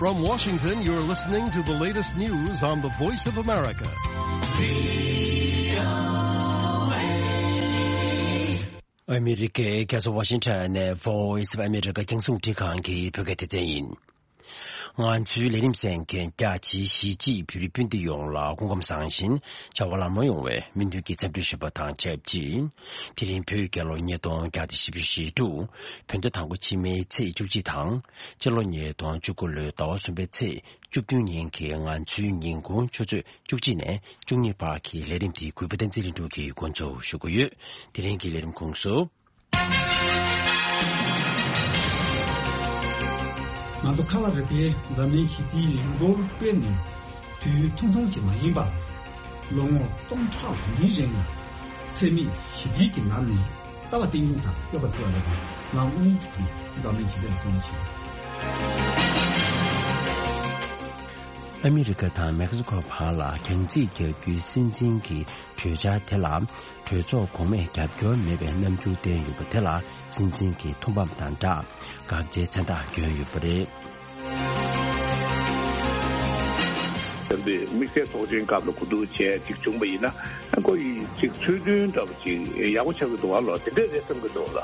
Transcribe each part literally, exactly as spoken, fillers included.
From Washington, you're listening to the latest news on the Voice of America. ཨ་མི་རི་ཀའི་རྒྱལ་ས་ཝ་ཤིང་ཊོན་ནས་Voice of America་རྒྱང་སྲིང་རླུང་འཕྲིན་ཁང་གི་བོད་སྐད་སྡེ་ཚན་ཡིན། ང་ཚོའི་ལས་རིམ་གསན་མཁན་རྒྱ་ཆེའི་གཞིས་བྱེས་བོད་རིགས་སྤུན་ཟླ་ཡོངས་ལ་སྐུ་ཁམས་བཟང་ཞིང་བྱ་བ་ལམ་ལྷོང་ཡོང་བའི་སྨོན་འདུན་གྱི་འཚམས་འདྲི་ཞུ་བ་དང་ཆབས་ཅིག་དེ་རིང་བོད་རྒྱལ་ལོ་ཉིས་སྟོང་བརྒྱ་དང་བཞི་བཅུ་ཞེ་དྲུག་བོད་ཟླ་དང་པོ་ཕྱི་མའི་ཚེས་བཅུ་གཅིག་དང་། སྤྱི་ལོ་ཉིས་སྟོང་བཅུ་དགུ་ལོའི་ཟླ་བ་གསུམ་པའི་ཚེས་བཅུ་བདུན་ཉིན་གྱི་ང་ཚོའི་ཉིན་གུང་ཆུ་ཚོད་བཅུ་གཅིག་ནས་བཅུ་གཉིས་བར་གྱི་ལས་རིམ་དེ་གུས་པ་བསྟན་འཛིན་ལྷུན་གྲུབ་ཀྱིས་འགོ་འཛུགས་ཞུ་གི་ཡོད། དེ་རིང་གི་ལས་རིམ་ཁོངས་སུ། ང་ཚོ་ཁ་བ་རི་པའི་འཛམ་གླིང་ཞི་བདེའི་ལས་འགུལ་སྤེལ་ནས་དུས་ཡུན་ཐུང་ཐུང་ཞིག་མ་ཡིན་པར། ལོ་ངོ་སྟོང་ཕྲག་འགའ་རིང་ལ་འཚེ་མེད་ཞི་བདེའི་གི་ལམ་ནས་ལྟ་བ་རྟེན་འབྱུང་དང་སྤྱོད་པ་འཚོལ་བ་ལས་ང་དངོས་ཀྱི་ཐོག་ནས་འཛམ་གླིང་ཞི་བདེ་ལ་བརྩོན་ཞིང་། ཨ་མི་རི་ཀ་དང་མེག་སི་ཀོ་བར་ལ་རྒྱང་རྩིས་རྒྱག་རྒྱུའི་སྲིད་འཛིན་གྱི་གྲོས་འཆར་དེ་ལ་གྲོས་ཚོགས་གོང་མས་རྒྱབ་སྐྱོར་མེད་པའི་རྣམ་འགྱུར་བསྟན་ཡོད་པ་དེ་ལ་སྲིད་འཛིན་གྱི་ཐུགས་ཕམ་དང་སྦྲགས་དགག་བྱའི་མཚན་རྟགས་བསྐྱོན་ཡོད་པ་རེད། དེ་དམིགས་བསལ་ཚོགས་ཆེན་སྐབས་ལ་གོ་བསྡུར་བྱས་ཅིག་བྱུང་པ་ཡིན་ན་ཁོ་ཡི་ཅིག་ཚུལ་མཐུན་འདྲ་པོ་ཅིག་ཡག་པོ་ཆགས་ཀྱི་འདུག་བ་ལ་དེ་འདྲས་རེད་བསམ་གྱི་འདུག་ལ།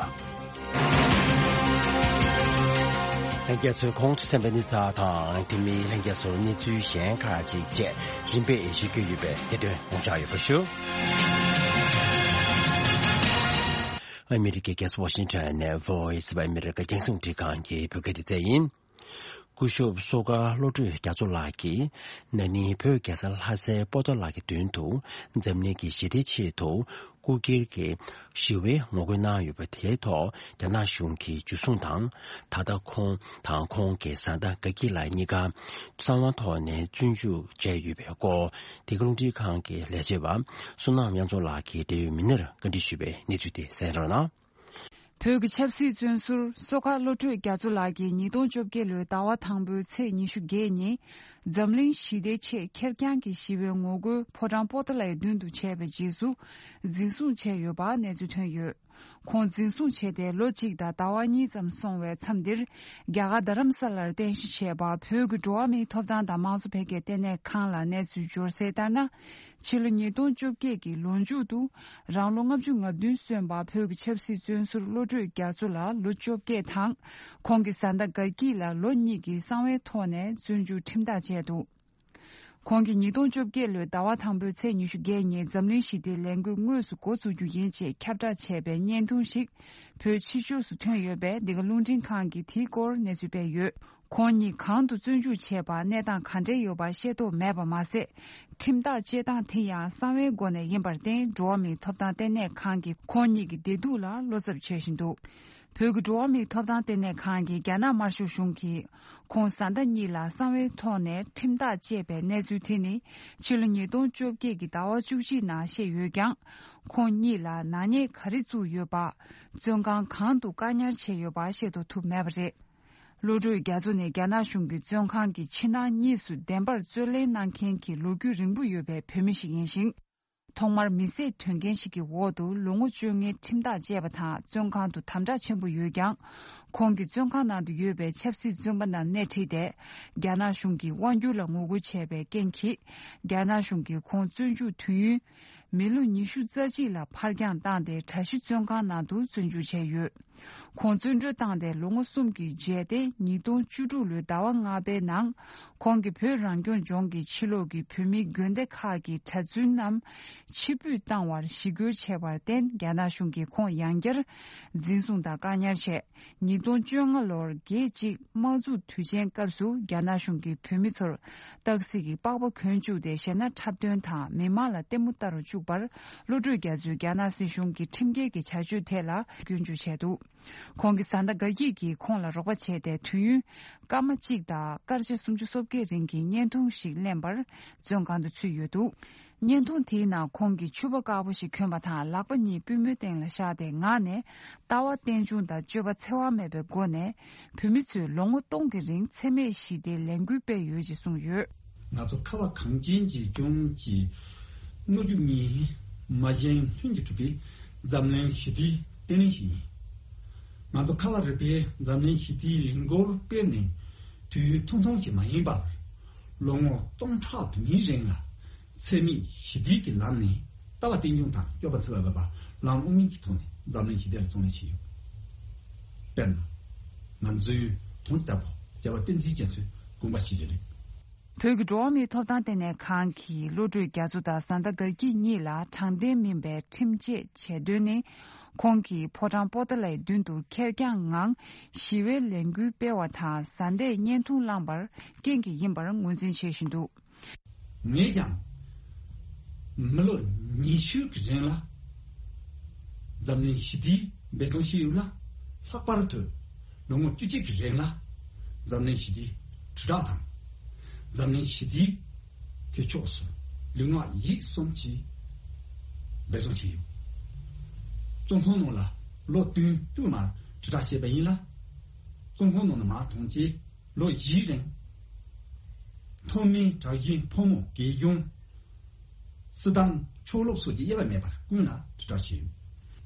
ལྷན་རྒྱས་ཚོས་གོང་དུ་གསན་པའི་གནས་ཚུལ་དང་དེ་མིན་ལྷན་རྒྱས་ཚོར་གནས་ཚུལ་གཞན་ཁག་ཅིག་བཅས་རིམ་པས་ཞུ་རྒྱུ་ཡོད་པས་དེ་དོན་ངོ་སྤྲོད་ཡོད་པ་ཞུ། ཨ་མི་རི་ཀའི་རྒྱལ་ས་ཝ་ཤིང་ཊོན་ནས་Voice of America་རྒྱང་སྲིང་རླུང་འཕྲིན་ཁང་གི་བོད་སྐད་སྡེ་ཚན་ཡིན། སྐུ་ཞབས་བསོད་དཀར་བློ་གྲོས་རྒྱ་མཚོ་ལགས་ཀྱིས་ན་ནིང་བོད་རྒྱལ་ས་ལྷ་སའི་པོ་ཏཱ་ལ་གི་མདུན་དུ་འཛམ་གླིང་གི་ཞི་བདེའི་ཆེད་དུ་སྐུ་སྒེར་གྱི་ཞི་བའི་ངོ་རྒོལ་གནང་ཡོད་པ་དེའི་ཐོག་རྒྱ་ནག་གཞུང་གིས་འཇུ་བཟུང་དང་། ད་ལྟ་ཁོང་དང་ཁོང་གི་བཟའ་ཟླ་དགའ་སྐྱིད་ལགས་གཉིས་ཀ་གསང་བའི་ཐོག་ནས་བཙོན་འཇུག་བྱས་ཡོད་པའི་སྐོར་འདི་ག་རླུང་འཕྲིན་ཁང་གི་ལས་བྱེད་པ་བསོད་ནམས་དབྱངས་མཚོ་ལགས་ཀྱིས་འབྲེལ་ཡོད་མི་སྣར་བཀའ་འདྲི་ཞུས་པའི་གནས་ཚུལ་དེ་གསན་རོགས་གནང་། བོད་ཀྱི་ཆབ་སྲིད་བཙོན་ཟུར་བསོད་དཀར་བློ་གྲོས་རྒྱ་མཚོ་ལགས་ཀྱིས་ཉིས་སྟོང་བཅོ་བརྒྱད་ལོའི་ཟླ་བ་དང་པོའི་ཚེས་ཉི་ཤུ་བརྒྱད་ཉིན་འཛམ་གླིང་ཞི་བདེའི་ཆེད་ཁེར་རྐྱང་གི་ཞི་བའི་ངོ་རྒོལ་ཕོ་བྲང་པོ་ཏཱ་ལའི་མདུན་དུ་བྱས་པའི་རྗེས་སུ་འཛིན་བཟུང་བྱས་ཡོད་པ་གནས་ཚུལ་ཐོན་ཡོད། ཁོང་འཛིན་བཟུང་བྱས་ཏེ་ལོ་གཅིག་དང་ཟླ་བ་གཉིས་ཙམ་སོང་བའི་མཚམས་འདིར་རྒྱ་གར་རྡ་རམ་ས་ལར་རྟེན་གཞི་བྱས་པ་བོད་ཀྱི་འགྲོ་བ་མིའི་ཐོབ་ཐང་དང་དམངས་གཙོ་འཕེལ་རྒྱས་ལྟེ་གནས་ཁང་ལ་གནས་ཚུལ་འབྱོར་གསལ་ལྟར་ན། ཕྱི་ལོ་ཉིས་སྟོང་བཅོ་བརྒྱད་ཀྱི་ལོ་མཇུག་ཏུ་རང་ལོ་ལྔ་བཅུ་ང་བདུན་སོན་པ་བོད་ཀྱི་ཆབ་སྲིད་བཙོན་ཟུར་བློ་གྲོས་རྒྱ་མཚོ་ལ་ལོ་བཅོ་བརྒྱད་དང་ཁོང་གི་བཟའ་ཟླ་དགའ་སྐྱིད་ལ་ལོ་གཉིས་ཀྱི་གསང་བའི་ཐོག་ནས་བཙོན་འཇུག་ཁྲིམས་ཐག་བཅད་འདུག་ཁོང་གིས་ཉིས་སྟོང་བཅོ་བརྒྱད་ལོའི་ཟླ་བ་དང་པོའི་ཚེས་ཉི་ཤུ་བརྒྱད་ཉིན་འཛམ་གླིང་ཞི་བདེའི་ལས་འགུལ་དངོས་སུ་འགོ་བཙུགས་རྒྱུ་ཡིན་ཅེས་ཁྱབ་བསྒྲགས་བྱས་པའི་བརྙན་ཐུང་ཞིག་བོད་ཕྱི་ཕྱོགས་སུ་ཐོན་ཡོད་པས་འདི་ག་རླུང་འཕྲིན་ཁང་གིས་དེའི་སྐོར་གནས་ཚུལ་སྤེལ་ཡོད། ཁོང་ཉིད་གང་དུ་བཙོན་འཇུག་བྱས་པ་གནས་སྟངས་ག་འདྲ་ཡོད་པ་ཤེས་རྟོགས་མེད་པ་མ་ཟད། ཁྲིམས་ཐག་བཅད་སྟངས་དེ་ཡང་གསང་བའི་སྒོ་ནས་ཡིན་པར་བརྟེན་འགྲོ་བ་མིའི་ཐོབ་ཐང་ལྟེ་གནས་ཁང་གིས་ཁོང་ཉིད་ཀྱི་བདེ་སྡུག་ལ་བློ་འཚབ་བྱེད་བཞིན་འདུག་བོད་ཀྱི་འགྲོ་བ་མིའི་ཐོབ་ཐང་ལྟེ་གནས་ཁང་གིས་རྒྱ་ནག་དམར་ཤོག་གཞུང་གིས་ཁོང་བཟའ་ཟླ་གཉིས་ལ་གསང་བའི་ཐོག་ནས་ཁྲིམས་ཐག་བཅད་པའི་གནས་ཚུལ་དེ་ནི་ཕྱི་ལོ་ཉིས་སྟོང་བཅོ་བརྒྱད་ཀྱི་ཟླ་བ་བཅུ་གཅིག་ནང་བཤད་ཡོད་ཀྱང་། ཁོང་གཉིས་ལ་ནག་ཉེས་ག་རེ་བཙུགས་ཡོད་པ། བཙོན་ཁང་གང་དུ་བཀག་ཉར་བྱས་ཡོད་པ་ཤེས་རྟོགས་ཐུབ་མེད་པ་རེད། བློ་གྲོས་རྒྱ་མཚོ་ནི་རྒྱ་ནག་གཞུང་གིས་བཙོན་ཁང་གི་ཕྱི་ནང་གཉིས་སུ་བདེན་པར་རྩོད་ལེན་གནང་མཁན་གྱི་ལོ་རྒྱུས་རིང་པོ་ཡོད་པའི་བོད་མི་ཞིག་ཡིན་ཞིང་། ཐོག་མར་མི་བསད་དོན་རྐྱེན་ཞིག་གི་འོག་ཏུ་ལོ་ངོ་བཅོ་ལྔའི་ཁྲིམས་ཐག་བཅད་པ་དང་བཙོན་ཁང་དུ་དམ་དྲག་ཆེན་པོ་ཡོད་ཀྱང་། ཁོང་གིས་བཙོན་ཁང་ནང་དུ་ཡོད་པའི་ཆབ་སྲིད་བཙོན་པ་རྣམས་སྣེ་ཁྲིད་དེ། རྒྱ་ནག་གཞུང་གིས་དབང་སྒྱུར་ལ་ངོ་རྒོལ་བྱས་པའི་རྐྱེན་གྱིས། རྒྱ་ནག་གཞུང་གིས་ཁོང་བཙོན་འཇུག་དུས་ཡུན། མི་ལོ་ཉི་ཤུ་རྩ་གཅིག་ལ་ཕར་འགྱངས་བཏང་སྟེ་གྲྭ་བཞི་བཙོན་ཁང་ནང་དུ་བཙོན་འཇུག་བྱས་ཡོད། ཁོང་བཙོན་གྲོལ་བཏང་སྟེ་ལོ་ངོ་གསུམ་གྱི་རྗེས་ཏེ་ཉིས་སྟོང་བཅུ་དྲུག་ལོའི་ཟླ་བ་ལྔ་པའི་ནང་ཁོང་གིས་བོད་རང་སྐྱོང་ལྗོངས་ཀྱི་ཕྱི་ལོགས་ཀྱི་བོད་མིའི་དགོན་སྡེ་ཁག་གི་གྲྭ་བཙུན་རྣམས་ཕྱིར་འབུད་བཏང་བར་ཞི་རྒོལ་བྱས་པར་བརྟེན་རྒྱ་ནག་གཞུང་གིས་ཁོང་ཡང་བསྐྱར་འཛིན་བཟུང་དང་བཀག་ཉར་བྱས། ཉིས་སྟོང་བཅོ་ལྔ་ལོར་རྒྱལ་གཅིག་དམག་འཛུགས་དུས་ཆེན་སྐབས་སུ་རྒྱ་ནག་གཞུང་གིས་བོད་མི་ཚོར་སྟག་གཟིག་གི་པགས་པ་གོན་བཅུག་སྟེ་གཞས་སྣ་འཁྲབ་སྟོན་དང་མི་མང་ལ་ལྟད་མོ་ལྟ་རུ་བཅུག་པར་བློ་གྲོས་རྒྱ་མཚོས་རྒྱ་ནག་སྲིད་གཞུང་གི་ཁྲིམས་འགལ་གྱི་བྱ་སྤྱོད་ཐད་ལ་སྐྱོན་བརྗོད་བྱས་འདུག་ཁོང་གི་བཟའ་ཟླ་དགའ་སྐྱིད་ཀྱིས་ཁོང་ལ་རོགས་པ་བྱས་ཏེ་དུས་ཡུན་སྐར་མ་གཅིག་དང་སྐར་ཆ་སུམ་ཅུ་སོ་བརྒྱད་རིང་གི་བརྙན་ཐུང་ཞིག་ལེན་པར་བཙོན་ཁང་དུ་ཚུད་ཡོད་འདུག་བརྙན་ཐུང་དེའི་ནང་ཁོང་གིས་ཕྱུ་པ་དཀར་པོ་ཞིག་གྱོན་པ་དང་ལག་པ་གཉིས་པུས་མོའི་སྟེང་ལ་བཞག་སྟེ་ངག་ནས་ལྟ་བ་རྟེན་འབྱུང་དང་སྤྱོད་པ་འཚེ་བ་མེད་པའི་སྒོ་ནས་བོད་མི་ཚོས་ལོ་ངོ་སྟོང་གི་རིང་འཚེ་མེད་ཞི་བདེའི་ལས་འགུལ་སྤེལ་ཡོད་ཅེས་གསུངས་ཡོད། ང་ཚོ་ཁ་བ་གངས་ཅན་གྱི་ལྗོངས་ཀྱི་སྔོ་རྒྱུ་གཉིས་མ་གཞན་ལྷུན་གྱིས་གྲུབ་པའི་འཛམ་གླིང་ཞི་བདེའི་བརྟན་ལྷིང་ཞིག་ཡིན། ང་ཚོ་ཁ་བ་རི་པའི་འཛམ་གླིང་ཞི་བདེའི་ལས་འགུལ་སྤེལ་ནས། དུས་ཡུན་ཐུང་ཐུང་ཞིག་མ་ཡིན་པར། ལོ་ངོ་སྟོང་ཕྲག་དུ་མའི་རིང་ལ། འཚེ་མེད་ཞི་བདེའི་གི་ལམ་ནས་ལྟ་བ་རྟེན་འབྱུང་དང་སྤྱོད་པ་འཚེ་བ་མེད་པ་ལམ་དབུ་མའི་གི་ཐོག་ནས་འཛམ་གླིང་ཞི་བདེ་ལ་གཙོ་གནད་བྱས་ཡོད། དཔེར་ན། ང་ཚོའི་དོན་དག་པོ་རྒྱལ་བ་བསྟན་འཛིན་རྒྱ་མཚོའི་དགོངས་པ་ཞིག་རེད། བོད་ཀྱི་འགྲོ་བ་མིའི་ཐོབ་ཐང་ལྟེ་གནས་ཁང་གི་བློ་གྲོས་རྒྱ་མཚོ་དང་བཟའ་ཟླ་དགའ་སྐྱིད་གཉིས་ལ་དྲང་བདེན་མིན་པའི་ཁྲིམས་ཆད་བྱས་དོན་ནི། ཁོང་གིས་ཕོ་བྲང་པོ་ཏཱ་ལའི་མདུན་དུ་ཁེར་རྐྱང་ངང་ཞི་བའི་ལས་འགུལ་སྤེལ་བ་དང་། བཟའ་ཟླས་བརྙན་ཐུང་བླངས་པར་རྐྱེན་གྱིས་ཡིན་པར་ངོས་འཛིན་བྱེད་བཞིན་འདུག། ངས་ཀྱང་མི་ལོ་ཉི་ཤུ་གི་རིང་ལ་འཛམ་གླིང་ཞི་བདེའི་འབད་བརྩོན་བྱས་ཡོད་ལ། ལྷག་པར་དུ་ལོ་ངོ་བཅུ་གཅིག་གི་རིང་ལ་འཛམ་གླིང་ཞི་བདེའི་དྲིལ་བསྒྲགས་དང་། འཛམ་གླིང་ཞི་བདེའི་དེ་ཕྱོགས་སུ་ལུས་ངག་ཡིད་གསུམ་གྱིས་འབད་བརྩོན་བྱས་ཡོད། བཙོན་ཁང་ནང་ལ་ལོ་བདུན་བཅུ་མར་དྲིལ་བསྒྲགས་བྱས་པ་ཡིན་ལ། བཙོན་ཁང་ནང་ནས་མར་ཐོན་རྗེས་ལོ་བཞིའི་རིང་། མཐོ་དམན་གྲགས་ཅན་ཕོ་མོ་རྒས་གཞོན། སྲིད་དང་ཕྱོགས་ལྷུང་སོགས་ཀྱི་དབྱེ་བ་མེད་པར་ཀུན་ལ་དྲིལ་བསྒྲགས་བྱས་ཡོད།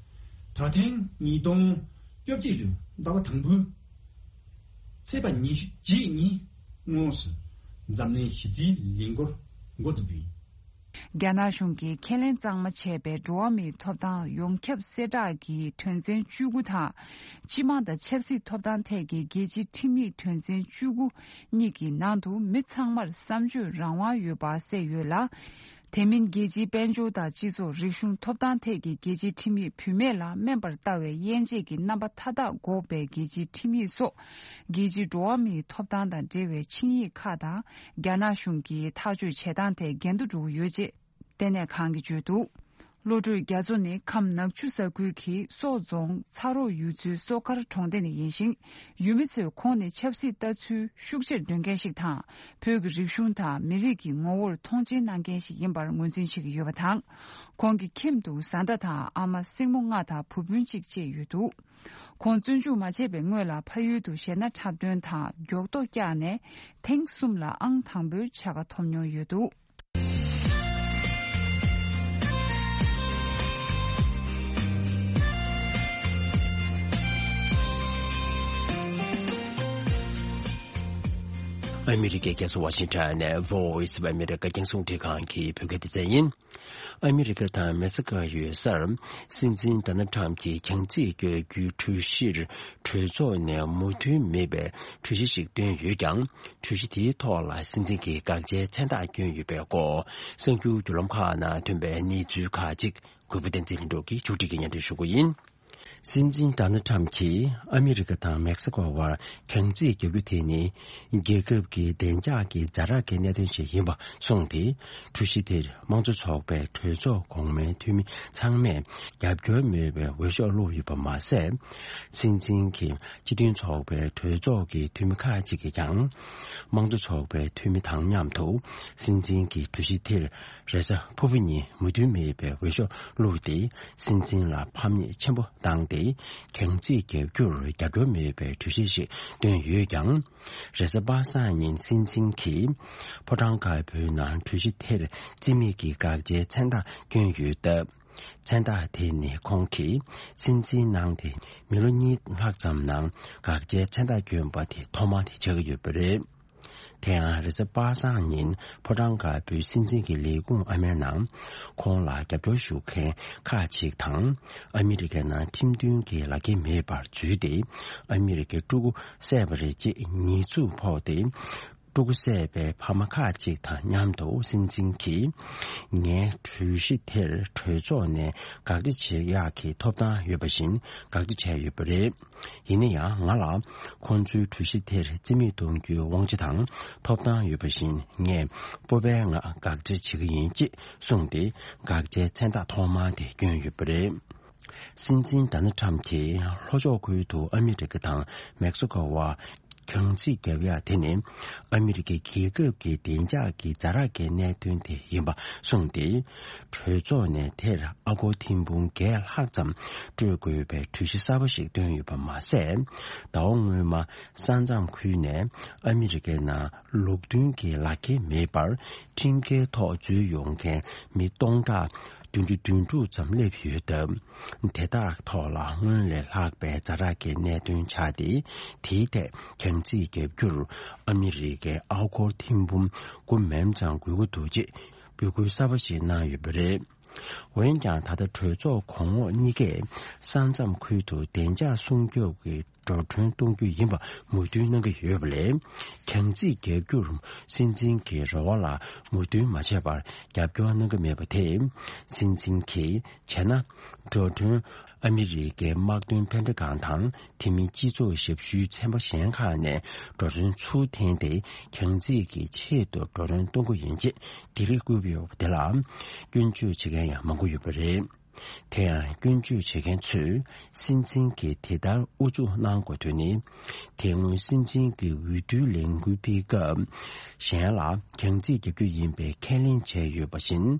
ད་ཐེངས་ཉིས་སྟོང་བཅོ་བརྒྱད་ལོའི་ཟླ་བ་དང་པོའི་ཚེས་པ་ཉི་ཤུ་རྗེས་ཉིན་དངོས་སུ་འཛམ་གླིང་ཞི་བདེའི་ལས་འགུལ་འགོ་འཛུགས་པ་ཡིན། རྒྱ་ནག་གཞུང་གིས་ཁས་ལེན་གཙང་མ་བྱས་པའི་འགྲོ་བ་མིའི་ཐོབ་ཐང་ཡོངས་ཁྱབ་གསལ་བསྒྲགས་ཀྱི་དོན་ཚན་བཅུ་དགུ་དང་། སྤྱི་དམངས་དང་ཆབ་སྲིད་ཐོབ་ཐང་ཐད་ཀྱི་རྒྱལ་སྤྱིའི་ཁྲིམས་ཡིག་དོན་ཚན་བཅུ་དགུ་གཉིས་ཀྱི་ནང་དུ་མི་ཚང་མར་བསམ་སྤྱོད་རང་དབང་ཡོད་པ་གསལ་ཡོད་ལ། དེ་མིན་རྒྱལ་སྤྱིའི་དཔལ་འབྱོར་དང་སྤྱི་ཚོགས་རིག་གཞུང་ཐོབ་ཐང་ཐད་ཀྱི་རྒྱལ་སྤྱིའི་ཁྲིམས་ཡིག་བུད་མེད་ལ་དམན་པར་ལྟ་བའི་དབྱེ་འབྱེད་ཀྱི་རྣམ་པ་མཐའ་དག་འགོག་པའི་རྒྱལ་སྤྱིའི་ཁྲིམས་ཡིག་སོགས། རྒྱལ་སྤྱིའི་འགྲོ་བ་མིའི་ཐོབ་ཐང་དང་འབྲེལ་བའི་ཆིངས་ཡིག་ཁག་དང་རྒྱ་ནག་གཞུང་གིས་ཐག་གཅོད་བྱེད་སྟངས་ཐད་འགལ་འདུ་འགྲོ་གི་ཡོད་ཅེས་ལྟེ་གནས་ཁང་གིས་བརྗོད་འདུག། བློ་གྲོས་རྒྱ་མཚོ་ནི་ཁམས་ནག་ཆུ་ས་ཁུལ་གྱི་སོག་རྫོང་ཚ་རོགས་ཡུལ་ཚོའི་སོ་མཁར་གྲོང་སྡེ་ནས་ཡིན་ཞིང་། ཡུལ་མི་ཚོས་ཁོང་ནི་ཆབ་སྲིད་ལྟ་ཚུལ་ཤུགས་ཆེར་འདོན་མཁན་ཞིག་དང་། བོད་ཀྱི་རིག་གཞུང་དང་མི་རིགས་ཀྱི་ངོ་བོར་མཐོང་ཆེན་གནང་མཁན་ཞིག་ཡིན་པར་ངོས་འཛིན་བྱེད་ཀྱི་ཡོད་པ་དང་། ཁོང་གི་ཁྱིམ་དུ་བཟའ་ཟླ་དང་ཨ་མ། སྲིང་མོ་ལྔ་དང་བུ་སྤུན་གཅིག་བཅས་ཡོད་འདུག། ཁོང་བཙོན་འཇུག་མ་བྱས་པའི་སྔོན་ལ་ཕ་ཡུལ་དུ་གཞས་སྣ་འཁྲབ་སྟོན་དང་མགྱོགས་ལྟོ་བཀྱགས་ནས་ཐེངས་གསུམ་ལ་ཨང་དང་པོའི་བྱ་དགའ་ཐོབ་མྱོང་ཡོད་འདུག། ཨ་མི་རི་ཀའི་རྒྱལ་ས་ཝ་ཤིང་ཊོན་ནས་Voice of America རྒྱང་སྲིང་རླུང་འཕྲིན་ཁང་གི་བོད་སྐད་སྡེ་ཚན་ཡིན། ཨ་མི་རི་ཀ་དང་མེག་སི་ཀོ་ཡོད་སར། སྲིད་འཛིན་ཌོ་ནལ་ཊམ་གྱིས་གྱང་རྩིས་བརྒྱབ་རྒྱུའི་གྲོས་གཞིར། གྲོས་ཚོགས་ནས་མོས་མཐུན་མེད་པའི་གྲོས་གཞི་ཞིག་བཏོན་ཡོད་ཀྱང་། གྲོས་གཞི་དེའི་ཐོག་ལ་སྲིད་འཛིན་གྱིས་དགག་བྱའི་མཚན་རྟགས་བསྐྱོན་ཡོད་པའི་སྐོར། གསར་འགྱུར་བརྒྱུད་ལམ་ཁག་ནང་ཐོན་པའི་གནས་ཚུལ་ཁག་ཅིག་གུས་པ་བསྟན་འཛིན་ལྷུན་གྲུབ་ཀྱིས་ཕྱོགས་སྒྲིག་གིས་སྙན་སྒྲོན་ཞུ་གི་ཡིན། སྲིད་འཛིན་ཌོ་ནལ་ཊམ་གྱིས་ཨ་མི་རི་ཀ་དང་མེག་སི་ཀོ་བར་གྱང་རྩིས་བརྒྱབ་རྒྱུ་དེ་ནི། རྒྱལ་ཁབ་ཀྱི་བདེ་འཇགས་ཀྱི་ཛ་དྲག་གི་གནད་དོན་ཞིག་ཡིན་པ་གསུངས་ཏེ། གྲོས་གཞི་དེར་དམངས་གཙོ་ཚོགས་པའི་གྲོས་ཚོགས་གོང་མའི་འཐུས་མི་ཚང་མས་རྒྱབ་སྐྱོར་མེད་པའི་འོས་ཤོག་བླུགས་ཡོད་པ་མ་ཟད། སྲིད་འཛིན་གྱི་སྤྱི་མཐུན་ཚོགས་པའི་གྲོས་ཚོགས་ཀྱི་འཐུས་མི་ཁག་ཅིག་གིས་ཀྱང་། དམངས་གཙོ་ཚོགས་པའི་འཐུས་མི་དང་མཉམ་དུ་སྲིད་འཛིན་གྱི་གྲོས་གཞི་དེར་རེས་གཟའ་ཕུར་བུ་ཉིན་མོས་མཐུན་མེད་པའི་འོས་ཤོག་བླུགས་ཏེ། སྲིད་འཛིན་ལ་ཕམ་ཉེས་ཆེན་པོ་བཏང་སྟེ། གྱང་རྩིས་བརྒྱབ་རྒྱུར་རྒྱབ་སྐྱོར་མེད་པའི་གྲོས་གཞི་ཞིག་བཏོན་ཡོད་ཀྱང་། རེས་གཟའ་པ་སངས་ཉིན་སྲིད་འཛིན་གྱིས་ཕོ་བྲང་དཀར་པོའི་ནང་གྲོས་གཞི་དེར་རྩིས་མེད་ཀྱི་དགག་བྱའི་མཚན་རྟགས་བསྐྱོན་ཡོད་སྟབས། མཚན་རྟགས་དེ་ནི་ཁོང་གིས་སྲིད་འཛིན་གནང་སྟེ་མི་ལོ་གཉིས་ལྷག་ཙམ་ནང་དགག་བྱའི་མཚན་རྟགས་བསྐྱོན་པ་དེ་ཐོག་མ་དེ་ཆགས་ཀྱི་ཡོད་པ་རེད། དེ་ཡང་རེས་གཟའ་པ་སངས་ཉིན་ཕོ་བྲང་དཀར་པོའི་སྲིད་འཛིན་གྱི་ལས་ཁུངས་ཨ་མའི་ནང་ཁོང་ལ་རྒྱབ་སྐྱོར་ཞུ་མཁན་ཁག་ཅིག་དང་། ཨ་མི་རི་ཀའི་ནང་ཁྲིམས་མཐུན་གྱི་ལག་འཁྱེར་མེད་པར་འཛུལ་ཏེ། ཨ་མི་རི་ཀའི་ཕྲུ་གུ་བསད་པ་རེད་ཅེས་ཉེས་འཛུགས་ཕོག་སྟེ། ཕྲུ་གུ་བསད་པའི་ཕ་མ་ཁག་ཅིག་དང་མཉམ་དུ་སྲིད་འཛིན་གྱིས། ངའི་གྲོས་གཞི་དེར་གྲོས་ཚོགས་ནས་དགག་བྱ་བྱེད་ཡག་གི་ཐོབ་ཐང་ཡོད་པ་བཞིན་དགག་བྱ་བྱས་ཡོད་པ་རེད། ཡིན་ན་ཡང་ང་ལ་ཁོང་ཚོའི་གྲོས་གཞི་དེར་རྩིས་མེད་གཏོང་རྒྱུའི་དབང་ཆ་དང་ཐོབ་ཐང་ཡོད་པ་བཞིན། ངས་སྤོབས་པའི་ངང་དགག་བྱ་བྱེད་ཀྱི་ཡིན་ཅེས་གསུངས་ཏེ། དགག་བྱའི་མཚན་རྟགས་ཐོག་མ་དེ་བསྐྱོན་ཡོད་པ་རེད། སྲིད་འཛིན་ཌོ་ནལ་ཊམ་གྱིས་ལྷོ་ཕྱོགས་ཁུལ་དུ་ཨ་མི་རི་ཀ་དང་མེག་སི་ཀོ་བར་གྱང་རྩིས་བརྒྱབ་ཡག་དེ་ནི་ཨ་མི་རི་ཀའི་རྒྱལ་ཁབ་ཀྱི་བདེ་འཇགས་ཀྱི་ཛ་དྲག་གི་གནད་དོན་དེ་ཡིན་པ་གསུངས་ཏེ། གྲོས་ཚོགས་ནས་དེར་ཨ་སྒོར་ཐེར་འབུམ་བརྒྱད་ལྷག་ཙམ་སྤྲོད་དགོས་པའི་གྲོས་གཞི་གསར་པ་ཞིག་བཏོན་ཡོད་པ་མ་ཟད། ཟླ་བ་སྔོན་མ་ས་མཚམས་ཁུལ་ནས་ཨ་མི་རི་ཀའི་ནང་ལུགས་མཐུན་གྱི་ལག་འཁྱེར་མེད་པར་ཁྲིམས་འགལ་ཐོག་འཛུལ་ཡོང་མཁན་མི་སྟོང་ཕྲག་ བདུན་ཅུ་དོན་དྲུག་ཙམ་སླེབས་ཡོད་སྟབས། དེ་དག་ཐོག་ལ་སྔོན་ལས་ལྷག་པའི་ཛ་དྲག་གི་གནད་དོན་ཆགས་ཏེ། དེའི་ཐད་གྱང་རྩིས་བརྒྱབ་རྒྱུར་ཨ་མི་རི་ཀའི་ཨ་སྒོར་ཐེར་འབུམ་དགུ་མན་ཙམ་དགོས་ཀྱི་འདུག་ཅེས་འབོད་སྐུལ་གསར་པ་ཞིག་གནང་ཡོད་པ་རེད། འོན་ཀྱང་། ད་ལྟ་གྲོས་ཚོགས་གོང་འོག་གཉིས་ཀས་ས་མཚམས་ཁུལ་དུ་བདེ་འཇགས་སྲུང་སྐྱོབ་ཀྱི་འགྲོ་གྲོན་གཏོང་རྒྱུ་ཡིན་པ་མོས་མཐུན་གནང་གི་ཡོད་པ་ལས། གྱང་རྩིས་བརྒྱབ་རྒྱུར་སྲིད་འཛིན་གྱི་རེ་བ་ལ་མོས་མཐུན་མ་བྱས་པར་རྒྱབ་སྐྱོར་གནང་གི་མེད་པ་དེས། སྲིད་འཛིན་གྱིས་བྱས་ན། འགྲོ་གྲོན་ཨ་མི་རི་ཀའི་དམག་དོན་ཕན་འབྲས་ཁང་དང་། དེ་མིན་སྤྱི་ཚོགས་ཞབས་ཞུའི་ཚན་པ་གཞན་ཁག་ནས་འགྲོ་གྲོན་ཚུར་འཐེན་ཏེ། གྱང་རྩིས་ཀྱི་ཆེད་དུ་འགྲོ་གྲོན་གཏོང་གི་ཡིན་ཅེས་སྡིགས་ར་བསྐུལ་ཡོད་པ་དེ་ལ་སྐྱོན་བརྗོད་བྱེད་མཁན་ཡང་མང་པོ་ཡོད་པ་རེད། དེ་ཡང་སྐྱོན་བརྗོད་བྱེད་མཁན་ཚོས། སྲིད་འཛིན་གྱིས་དེ་ལྟར་ཨུ་ཚུགས་གནང་དགོས་དོན་ནི། དེ་སྔོན་སྲིད་འཛིན་གྱི་འོས་བསྡུའི་ལས་འགུལ་སྤེལ་སྐབས། གཞན་ལ་གྱང་རྩིས་བརྒྱབ་རྒྱུ་ཡིན་པའི་ཁས་ལེན་བྱས་ཡོད་པ་བཞིན།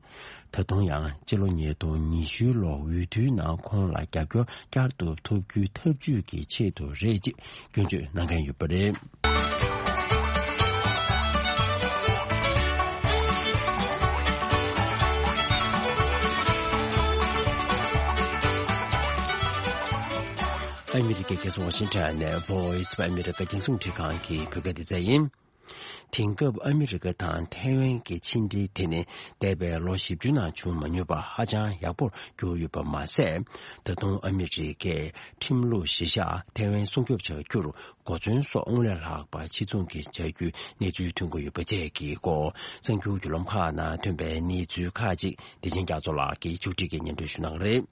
ད་དུང་ཡང་སྤྱི་ལོ་ཉིས་སྟོང་ཉི་ཤུ་ལོར་འོས་བསྡུའི་ནང་ཁོང་ལ་རྒྱབ་སྐྱོར་བསྐྱར་དུ་ཐོབ་རྒྱུའི་ཐབས་ཇུས་ཀྱི་ཆེད་དུ་རེད་ཅེས་སྐྱོན་བརྗོད་གནང་མཁན་ཡོད་པ་རེད། ཨ་མི་རི་ཀའི་རྒྱལ་ས་ཝ་ཤིང་ཊོན་ནས་Voice of America་རྒྱང་སྲིང་འཕྲིན་ཁང་གི་བོད་སྐད་སྡེ་ཚན་ཡིན། དེང་སྐབས་ཨ་མི་རི་ཀ་དང་ཐའེ་ཝན་གྱི་ཕྱི་འབྲེལ་དེ་ནི་འདས་པའི་ལོ་བཞི་བཅུ་ནང་བྱུང་མ་མྱོང་པ་ཧ་ཅང་ཡག་པོར་གྱུར་ཡོད་པ་མ་ཟད། ད་དུང་ཨ་མི་རི་ཀས་ཁྲིམས་ལུགས་གཞི་བཞག་ཐའེ་ཝན་སྲུང་སྐྱོབ་བྱ་རྒྱུར་གོ་མཚོན་སོགས་སྔོན་ལས་ལྷག་པ་ཆེ་ཚུགས་ཀྱིས་བྱ་རྒྱུའི་གནས་ཚུལ་ཐོན་གྱི་ཡོད་པ་བཅས་ཀྱི་སྐོར། གསར་འགྱུར་བརྒྱུད་ལམ་ཁག་ནང་ཐོན་པའི་གནས་ཚུལ་ཁག་ཅིག་བདེ་ཆེན་རྒྱ་མཚོ་ལགས་ཀྱིས་ཕྱོགས་སྒྲིག་གིས་སྙན་སྒྲོན་ཞུ་གནང་གི་རེད།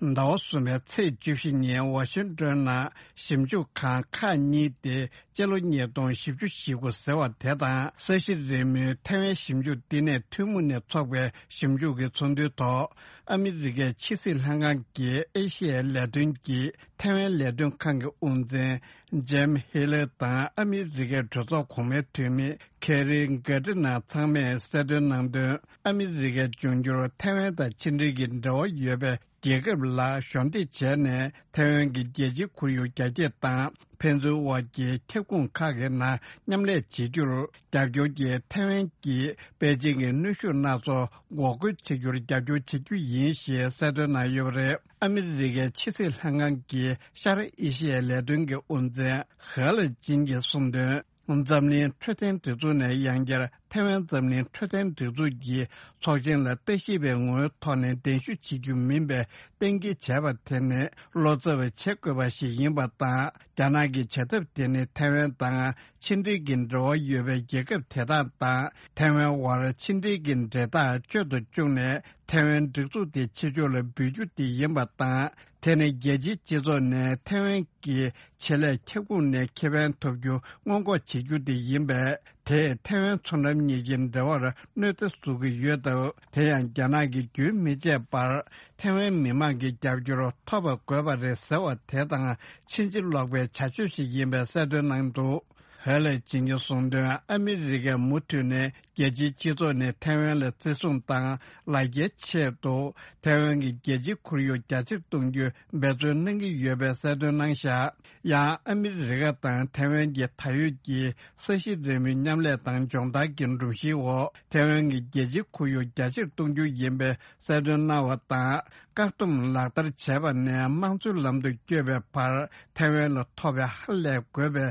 ཟླ་བ་གསུམ་པའི་ཚེས་བཅུ་བཞི་ཉིན་ཝ་ཤིང་ཏོན་ནང་ཞིབ་འཇུག་ཁང་ཁག་གཉིས་ཏེ། སྤྱི་ལོ་ཉིས་སྟོང་བཞི་བཅུ་ཞེ་དགུ་ཟེར་བ་དེ་དང་། ས་གཞི་རིལ་མོའི་ཐའེ་ཝན་ཞིབ་འཇུག་བསྟི་གནས་ཐུན་མོང་ནས་ཚོགས་པའི་ཞིབ་འཇུག་གི་ཚོགས་འདུའི་ཐོག་ཨ་མི་རི་ཀའི་ཕྱི་སྲིད་ལྷན་ཁང་གི་ཨེ་ཤི་ཡའི་ལས་དོན་གྱི་ཐའེ་ཝན་ལས་དོན་ཁང་གི་དབུ་འཛིན་ཇེམ་ཧེ་ལེ་དང་། ཨ་མི་རི་ཀའི་གྲོས་ཚོགས་གོང་མའི་འཐུས་མི་ཁེ་རི་གྷ་ཏི་ན་ཚང་མས་གསལ་སྟོན་གནང་དོན། ཨ་མི་རི་ཀས་འབྱུང་འགྱུར་ཐའེ་ཝན་དང་ཕྱི་འབྲེལ་གྱི་འབྲེལ་བ་ཡོད་པའི་རྒྱལ་ཁབ་ལ་གཞོགས་འདེགས་བྱས་ནས། ཐའེ་ཝན་གྱི་རྒྱལ་སྤྱིའི་ཁོར་ཡུག་རྒྱ་སྐྱེད་དང་། ཕན་ཚུན་དབར་གྱི་ཁྱབ་ཁོངས་ཁག་གི་ནང་མཉམ་ལས་བྱེད་རྒྱུར་རྒྱབ་སྐྱོར་གྱིས། ཐའེ་ཝན་གྱིས་པེ་ཅིང་གི་གནོན་ཤུགས་སྣ་ཚོགས་འགོག་རྒོལ་བྱེད་རྒྱུར་རྒྱབ་སྐྱོར་བྱེད་རྒྱུ་ཡིན་ཞེས་གསལ་སྟོན་གནང་ཡོད་པ་རེད། ཨ་མི་རི་ཀའི་ཕྱི་སྲིད་ལྷན་ཁང་གི་ཤར་ཨེ་ཤི་ཡའི་ལས་དོན་གྱི་དབུ་འཛིན་ཧེ་ལ་ཅིན་གྱིས་གསུངས་དོན། འཛམ་གླིང་འཕྲོད་བསྟེན་སྒྲིག་འཛུགས་ནས་ཡང་བསྐྱར་ཐའེ་ཝན་འཛམ་གླིང་འཕྲོད་བསྟེན་སྒྲིག་འཛུགས་ཀྱི་ཚོགས་ཆེན་ལ་ལྟ་ཞིབ་པའི་ངོ་བོའི་ཐོག་ནས་གདན་ཞུ་བྱེད་རྒྱུ་མིན་པའི་གཏན་འཁེལ་བྱས་པ་དེ་ནི་བློ་འཚབ་པ་བྱེད་དགོས་པ་ཞིག་ཡིན་པ་དང་། རྒྱ་ནག་གི་བྱ་ཐབས་དེ་ནི་ཐའེ་ཝན་དང་ཕྱི་འབྲེལ་གྱི་འབྲེལ་བ་ཡོད་པའི་རྒྱལ་ཁབ་དེ་དག་དང་ཐའེ་ཝན་དབར་ཕྱི་འབྲེལ་གྱི་འབྲེལ་ཐག་གཅོད་དུ་བཅུག་ནས། ཐའེ་ཝན་སྒྲིག་འཛུགས་དེ་ཕྱི་ཕྱོགས་ལ་འབུད་རྒྱུ་དེ་ཡིན་པ་དང་། དེ་ནི་རྒྱལ་སྤྱིའི་སྤྱི་ཚོགས་ནས་ཐའེ་ཝན་གྱི་ཆེད་ལས་ཁྱབ་ཁོངས་ནས་ཁེ་ཕན་ཐོབ་རྒྱུ་སྔོན་འགོག་བྱེད་རྒྱུ་དེ་ཡིན་པས། དེས་ཐའེ་ཝན་མཚོ་འགྲམ་གཉིས་ཀྱི་འབྲེལ་བར་གནོད་འཚེ་བཟོ་གི་ཡོད་སྟབས། དེ་ཡང་རྒྱ་ནག་གིས་རྒྱུན་མི་ཆད་པར་ཐའེ་ཝན་མི་དམངས་ཀྱི་རྒྱབ་སྐྱོར་ཐོབ་པ་དགོས་པ་རེད་ཟེར་བ་དེ་དང་ཕྱིན་ཅི་ལོག་པའི་བྱ་སྤྱོད་ཞིག་ཡིན་པའི་གསལ་སྟོན་གནང་འདུག་ཧེ་ལས་ཅིང་གིས་གསུངས་དོན། ཨ་མི་རི་ཀས་མུ་མཐུད་ནས་རྒྱལ་སྤྱིའི་སྤྱི་ཚོགས་ནས་ཐའེ་ཝན་ལ་བརྩི་སྲུང་དང་ལ་རྒྱའི་ཆེད་དུ་ཐའེ་ཝན་གྱི་རྒྱལ་སྤྱིའི་ཁོར་ཡུག་རྒྱ་ཆེར་གཏོང་རྒྱུའི་འབད་བརྩོན་གནང་གི་ཡོད་པའི་གསལ་སྟོན་གནང་བཞག་ཡང་ཨ་མི་རི་ཀ་དང་ཐའེ་ཝན་གྱི་ད་ཡོད་ཀྱི་ས་གཞི་རིལ་མོའི་མཉམ་ལས་དང་སྦྱོང་བརྡར་གྱི་སྒྲོམ་གཞིའི་འོག་ཐའེ་ཝན་གྱི་རྒྱལ་སྤྱིའི་ཁོར་ཡུག་རྒྱ་ཆེར་གཏོང་རྒྱུ་ཡིན་པའི་གསལ་སྟོན་གནང་བ་དང་། བཀག་སྡོམ་ལག་བསྟར་བྱས་པ་ནས་དམངས་གཙོའི་ལམ་དུ་བསྐྱོད་པའི་བར་ཐའེ་ཝན་ལ་ཐོབ་པའི་ཧ་ལས་དགོས་པའི་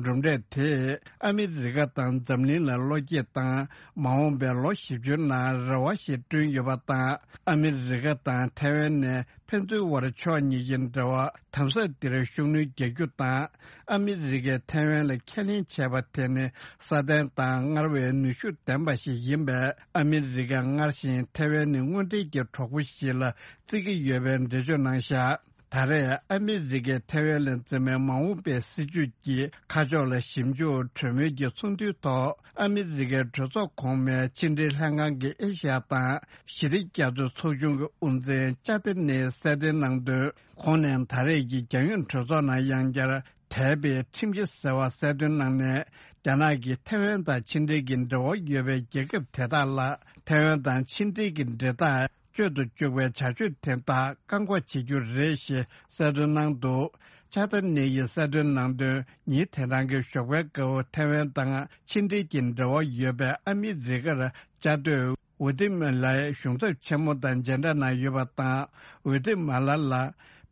གྲུབ་འབྲས་དེས་ཨ་མི་རི་ཀ་དང་འཛམ་གླིང་ལ་བློ་སྐྱེད་དང་། མ་འོངས་པའི་ལོ་བཞི་བཅུ་ནང་རེ་བ་ཞིག་བསྐྲུན་ཡོད་པ་དང་། ཨ་མི་རི་ཀ་དང་ཐའེ་ཝན་ནས་ཕན་ཚུན་དབར་ཕྱོགས་གཉིས་ཀྱི་འབྲེལ་བ་དམ་ཟབ་འདིར་ཤུགས་སྣོན་རྒྱག་རྒྱུ་དང་། ཨ་མི་རི་ཀས་ཐའེ་ཝན་ལ་ཁས་ལེན་བྱས་པ་དེ་ནི་སྲ་བརྟན་དང་སྔར་བས་ནུས་ཤུགས་ལྡན་པ་ཞིག་ཡིན་པས། ཨ་མི་རི་ཀས་སྔར་བཞིན་ཐའེ་ཝན་ནི་དངོས་འབྲེལ་གྱི་གྲོགས་པོ་ཞིག་ལ་བརྩི་གི་ཡོད་པའི་འགྲེལ་བརྗོད་གནང་བཞག་ད་རེས་ཨ་མི་རི་ཀས་ཐའེ་ཝན་ལ་འཛིན་པའི་མ་འོངས་པའི་སྲིད་ཇུས་ཀྱི་ཁ་ཕྱོགས་ལ་ཞིབ་འཇུག་གྲོས་མོལ་གྱི་ཚོགས་འདུའི་ཐོག་ཨ་མི་རི་ཀའི་གྲོས་ཚོགས་གོང་མའི་ཕྱི་འབྲེལ་ལྷན་ཁང་གི་ཨེ་ཤ་ཡ་དང་ཞི་བདེ་རྒྱ་མཚོའི་ཚོགས་ཆུང་གི་དབུ་འཛིན་ཅཱ་ཏི་ནེ་གསལ་སྟོན་གནང་དོན། ཁོང་ནས་ད་རེས་ཀྱི་རྒྱལ་ཡོངས་གྲོས་ཚོགས་ནང་ཡང་བསྐྱར་དད་པའི་ཁྲིམས་གཞི་ཟེར་བ་གསལ་སྟོན་གནང་ནས། རྒྱ་ནག་གིས་ཐའེ་ཝན་དང་ཕྱི་འབྲེལ་གྱི་འབྲེལ་བ་ཡོད་པའི་རྒྱལ་ཁབ་དེ་དག་ལ་ཐའེ་ཝན་དང་ཕྱི་འབྲེལ་གྱི་འབྲེལ་ཐག་གཅོད་དུ་བཅུག་པའི་བྱ་སྤྱོད་དེ་དག་བཀག་འགོག་བྱེད་རྒྱུ་རེད་ཞེས་གསལ་སྟོན་གནང་འདུག་ཅཱ་ཏི་ནེ་ཡིས་གསལ་སྟོན་གནང་དོན། ཉིན་དེ་རང་གི་ཞོགས་པའི་སྐབས་ཐའེ་ཝན་དང་ཕྱི་འབྲེལ་གྱི་འབྲེལ་བ་ཡོད་པའི་ཨ་མི་རི་ཀར་བཅའ་སྡོད་ ཝེ་ཏི་མ་ལའི་གཞུང་ཚབ་ཆེན་མོ་དང་མཇལ་འཕྲད་གནང་ཡོད་པ་དང་། ཝེ་ཏི་མ་ལ་ལ་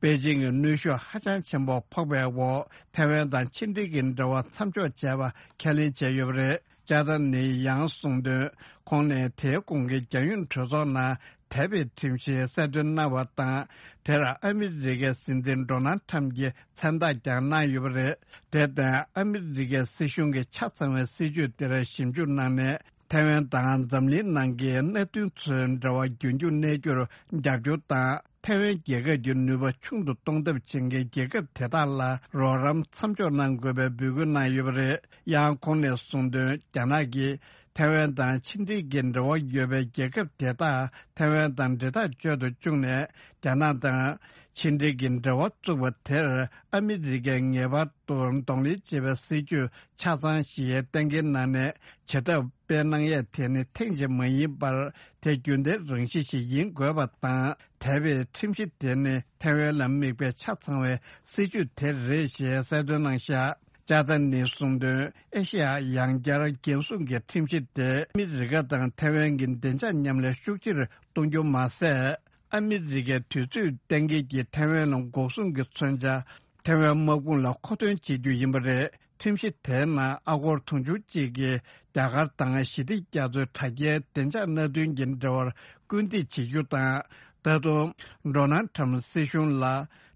པེ་ཅིང་གི་གནོན་ཤུགས་ཧ་ཅང་ཆེན་པོ་ཕོག་པའི་འོག་ཐའེ་ཝན་དང་ཕྱི་འབྲེལ་གྱི་འབྲེལ་བ་མཚམས་འཇོག་བྱས་པ་ཁས་ལེན་བྱས་ཡོད་པ་རེད། ཅཱ་ཏན་ནི་ཡང་གསུངས་དོན། ཁོང་ནས་དེའི་གོང་གི་རྒྱལ་ཡོངས་གྲོས་ཚོགས་ནང་། དེ་བའི་ཁྲིམས་གཞི་གསལ་སྟོན་གནང་བ་དང་། དེར་ཨ་མི་རི་ཀའི་སྲིད་འཛིན་ཌོ་ནལ་ཁྲམ་གྱིས་མཚན་རྟགས་ཀྱང་གནང་ཡོད་པ་རེད། དེར་བརྟེན་ཨ་མི་རི་ཀའི་སྲིད་གཞུང་གི་ཆ་ཚང་བའི་སྲིད་ཇུས་དེར་ཞིབ་འཇུག་གནང་ནས། ཐའེ་ཝན་དང་འཛམ་གླིང་ནང་གི་མནའ་མཐུན་ཚོའི་འབྲེལ་བ་རྒྱུན་འཁྱོངས་གནས་རྒྱུར་རྒྱབ་སྐྱོར་དང་། ཐའེ་ཝན་རྒྱལ་ཁབ་ཀྱི་ནུས་པ་ཆུང་དུ་གཏོང་ཐབས་བྱེད་མཁན་རྒྱལ་ཁབ་དེ་དག་ལ་རོགས་རམ་མཚམས་འཇོག་གནང་དགོས་པའི་འབོད་སྐུལ་གནང་ཡོད་པ་རེད། ཡང་ཁོང་ནས་གསུངས་དོན། རྒྱ་ནག་གིས། ཐའེ་ཝན་དང་ཕྱི་འབྲེལ་གྱི་འབྲེལ་བ་ཡོད་པའི་རྒྱལ་ཁབ་དེ་དག་ཐའེ་ཝན་དང་འབྲེལ་ཐག་གཅོད་དུ་བཅུག་ནས། རྒྱ་ནག་དང་ཕྱི་འབྲེལ་གྱི་འབྲེལ་བ་བཙུགས་པ་དེར་ཨ་མི་རི་ཀས་ངེས་པར་དུ་གདོང་ལེན་བྱེད་པའི་སྲིད་ཇུས་ཆ་ཚང་ཞིག་གཏན་འཁེལ་གནང་ནས། བྱེད་ཐབས་སྤེལ་གནང་ཡས་དེ་ནི་ཐེངས་གཅིག་མ་ཡིན་པར་དེ་རྒྱུན་ལྡན་རང་བཞིན་ཞིག་ཡིན་དགོས་པ་དང་། དེ་བས་ཁྲིམས་གཞི་དེ་ནི་ཐའེ་ཝན་ལ་དམིགས་པའི་ཆ་ཚང་བའི་སྲིད་ཇུས་དེ་རེད་ཞེས་གསལ་སྟོན་གནང་བཞག་ཅཱ་ཏན་ནི་གསུངས་དོན། ཨེ་ཤེ་ཡ་ཡང་བསྐྱར་འགན་སྲུང་གི་ཁྲིམས་གཞི་དེ་ཨ་མི་རི་ཀ་དང་ཐའེ་ཝན་གྱི་བདེ་འཇགས་མཉམ་ལས་ཤུགས་ཆེར་གཏོང་རྒྱུ་མ་ཟད། ཨ་མི་རི་ཀའི་དུས་ཚོད་གཏན་འཁེལ་གྱིས་ཐའེ་ཝན་ལ་འགོག་སྲུང་གི་མཚོན་ཆ་ཐའེ་ཝན་དམག་དཔུང་ལ་མཁོ་འདོན་བྱེད་རྒྱུ་ཡིན་པ་རེད། ཁྲིམས་གཞི་དེའི་ནང་ཨ་སྒོར་དུང་ཕྱུར་གཅིག་གིས་རྒྱ་གར་དང་ཞི་བདེ་རྒྱ་མཚོའི་དྲ་རྒྱའི་བདེ་འཇགས་མནའ་མཐུན་གྱི་འབྲེལ་བར་སྐུལ་འདེད་བྱེད་རྒྱུ་དང་། ད་དུང་ཌོ་ནལ་ཁྲམ་སྲིད་གཞུང་ལ་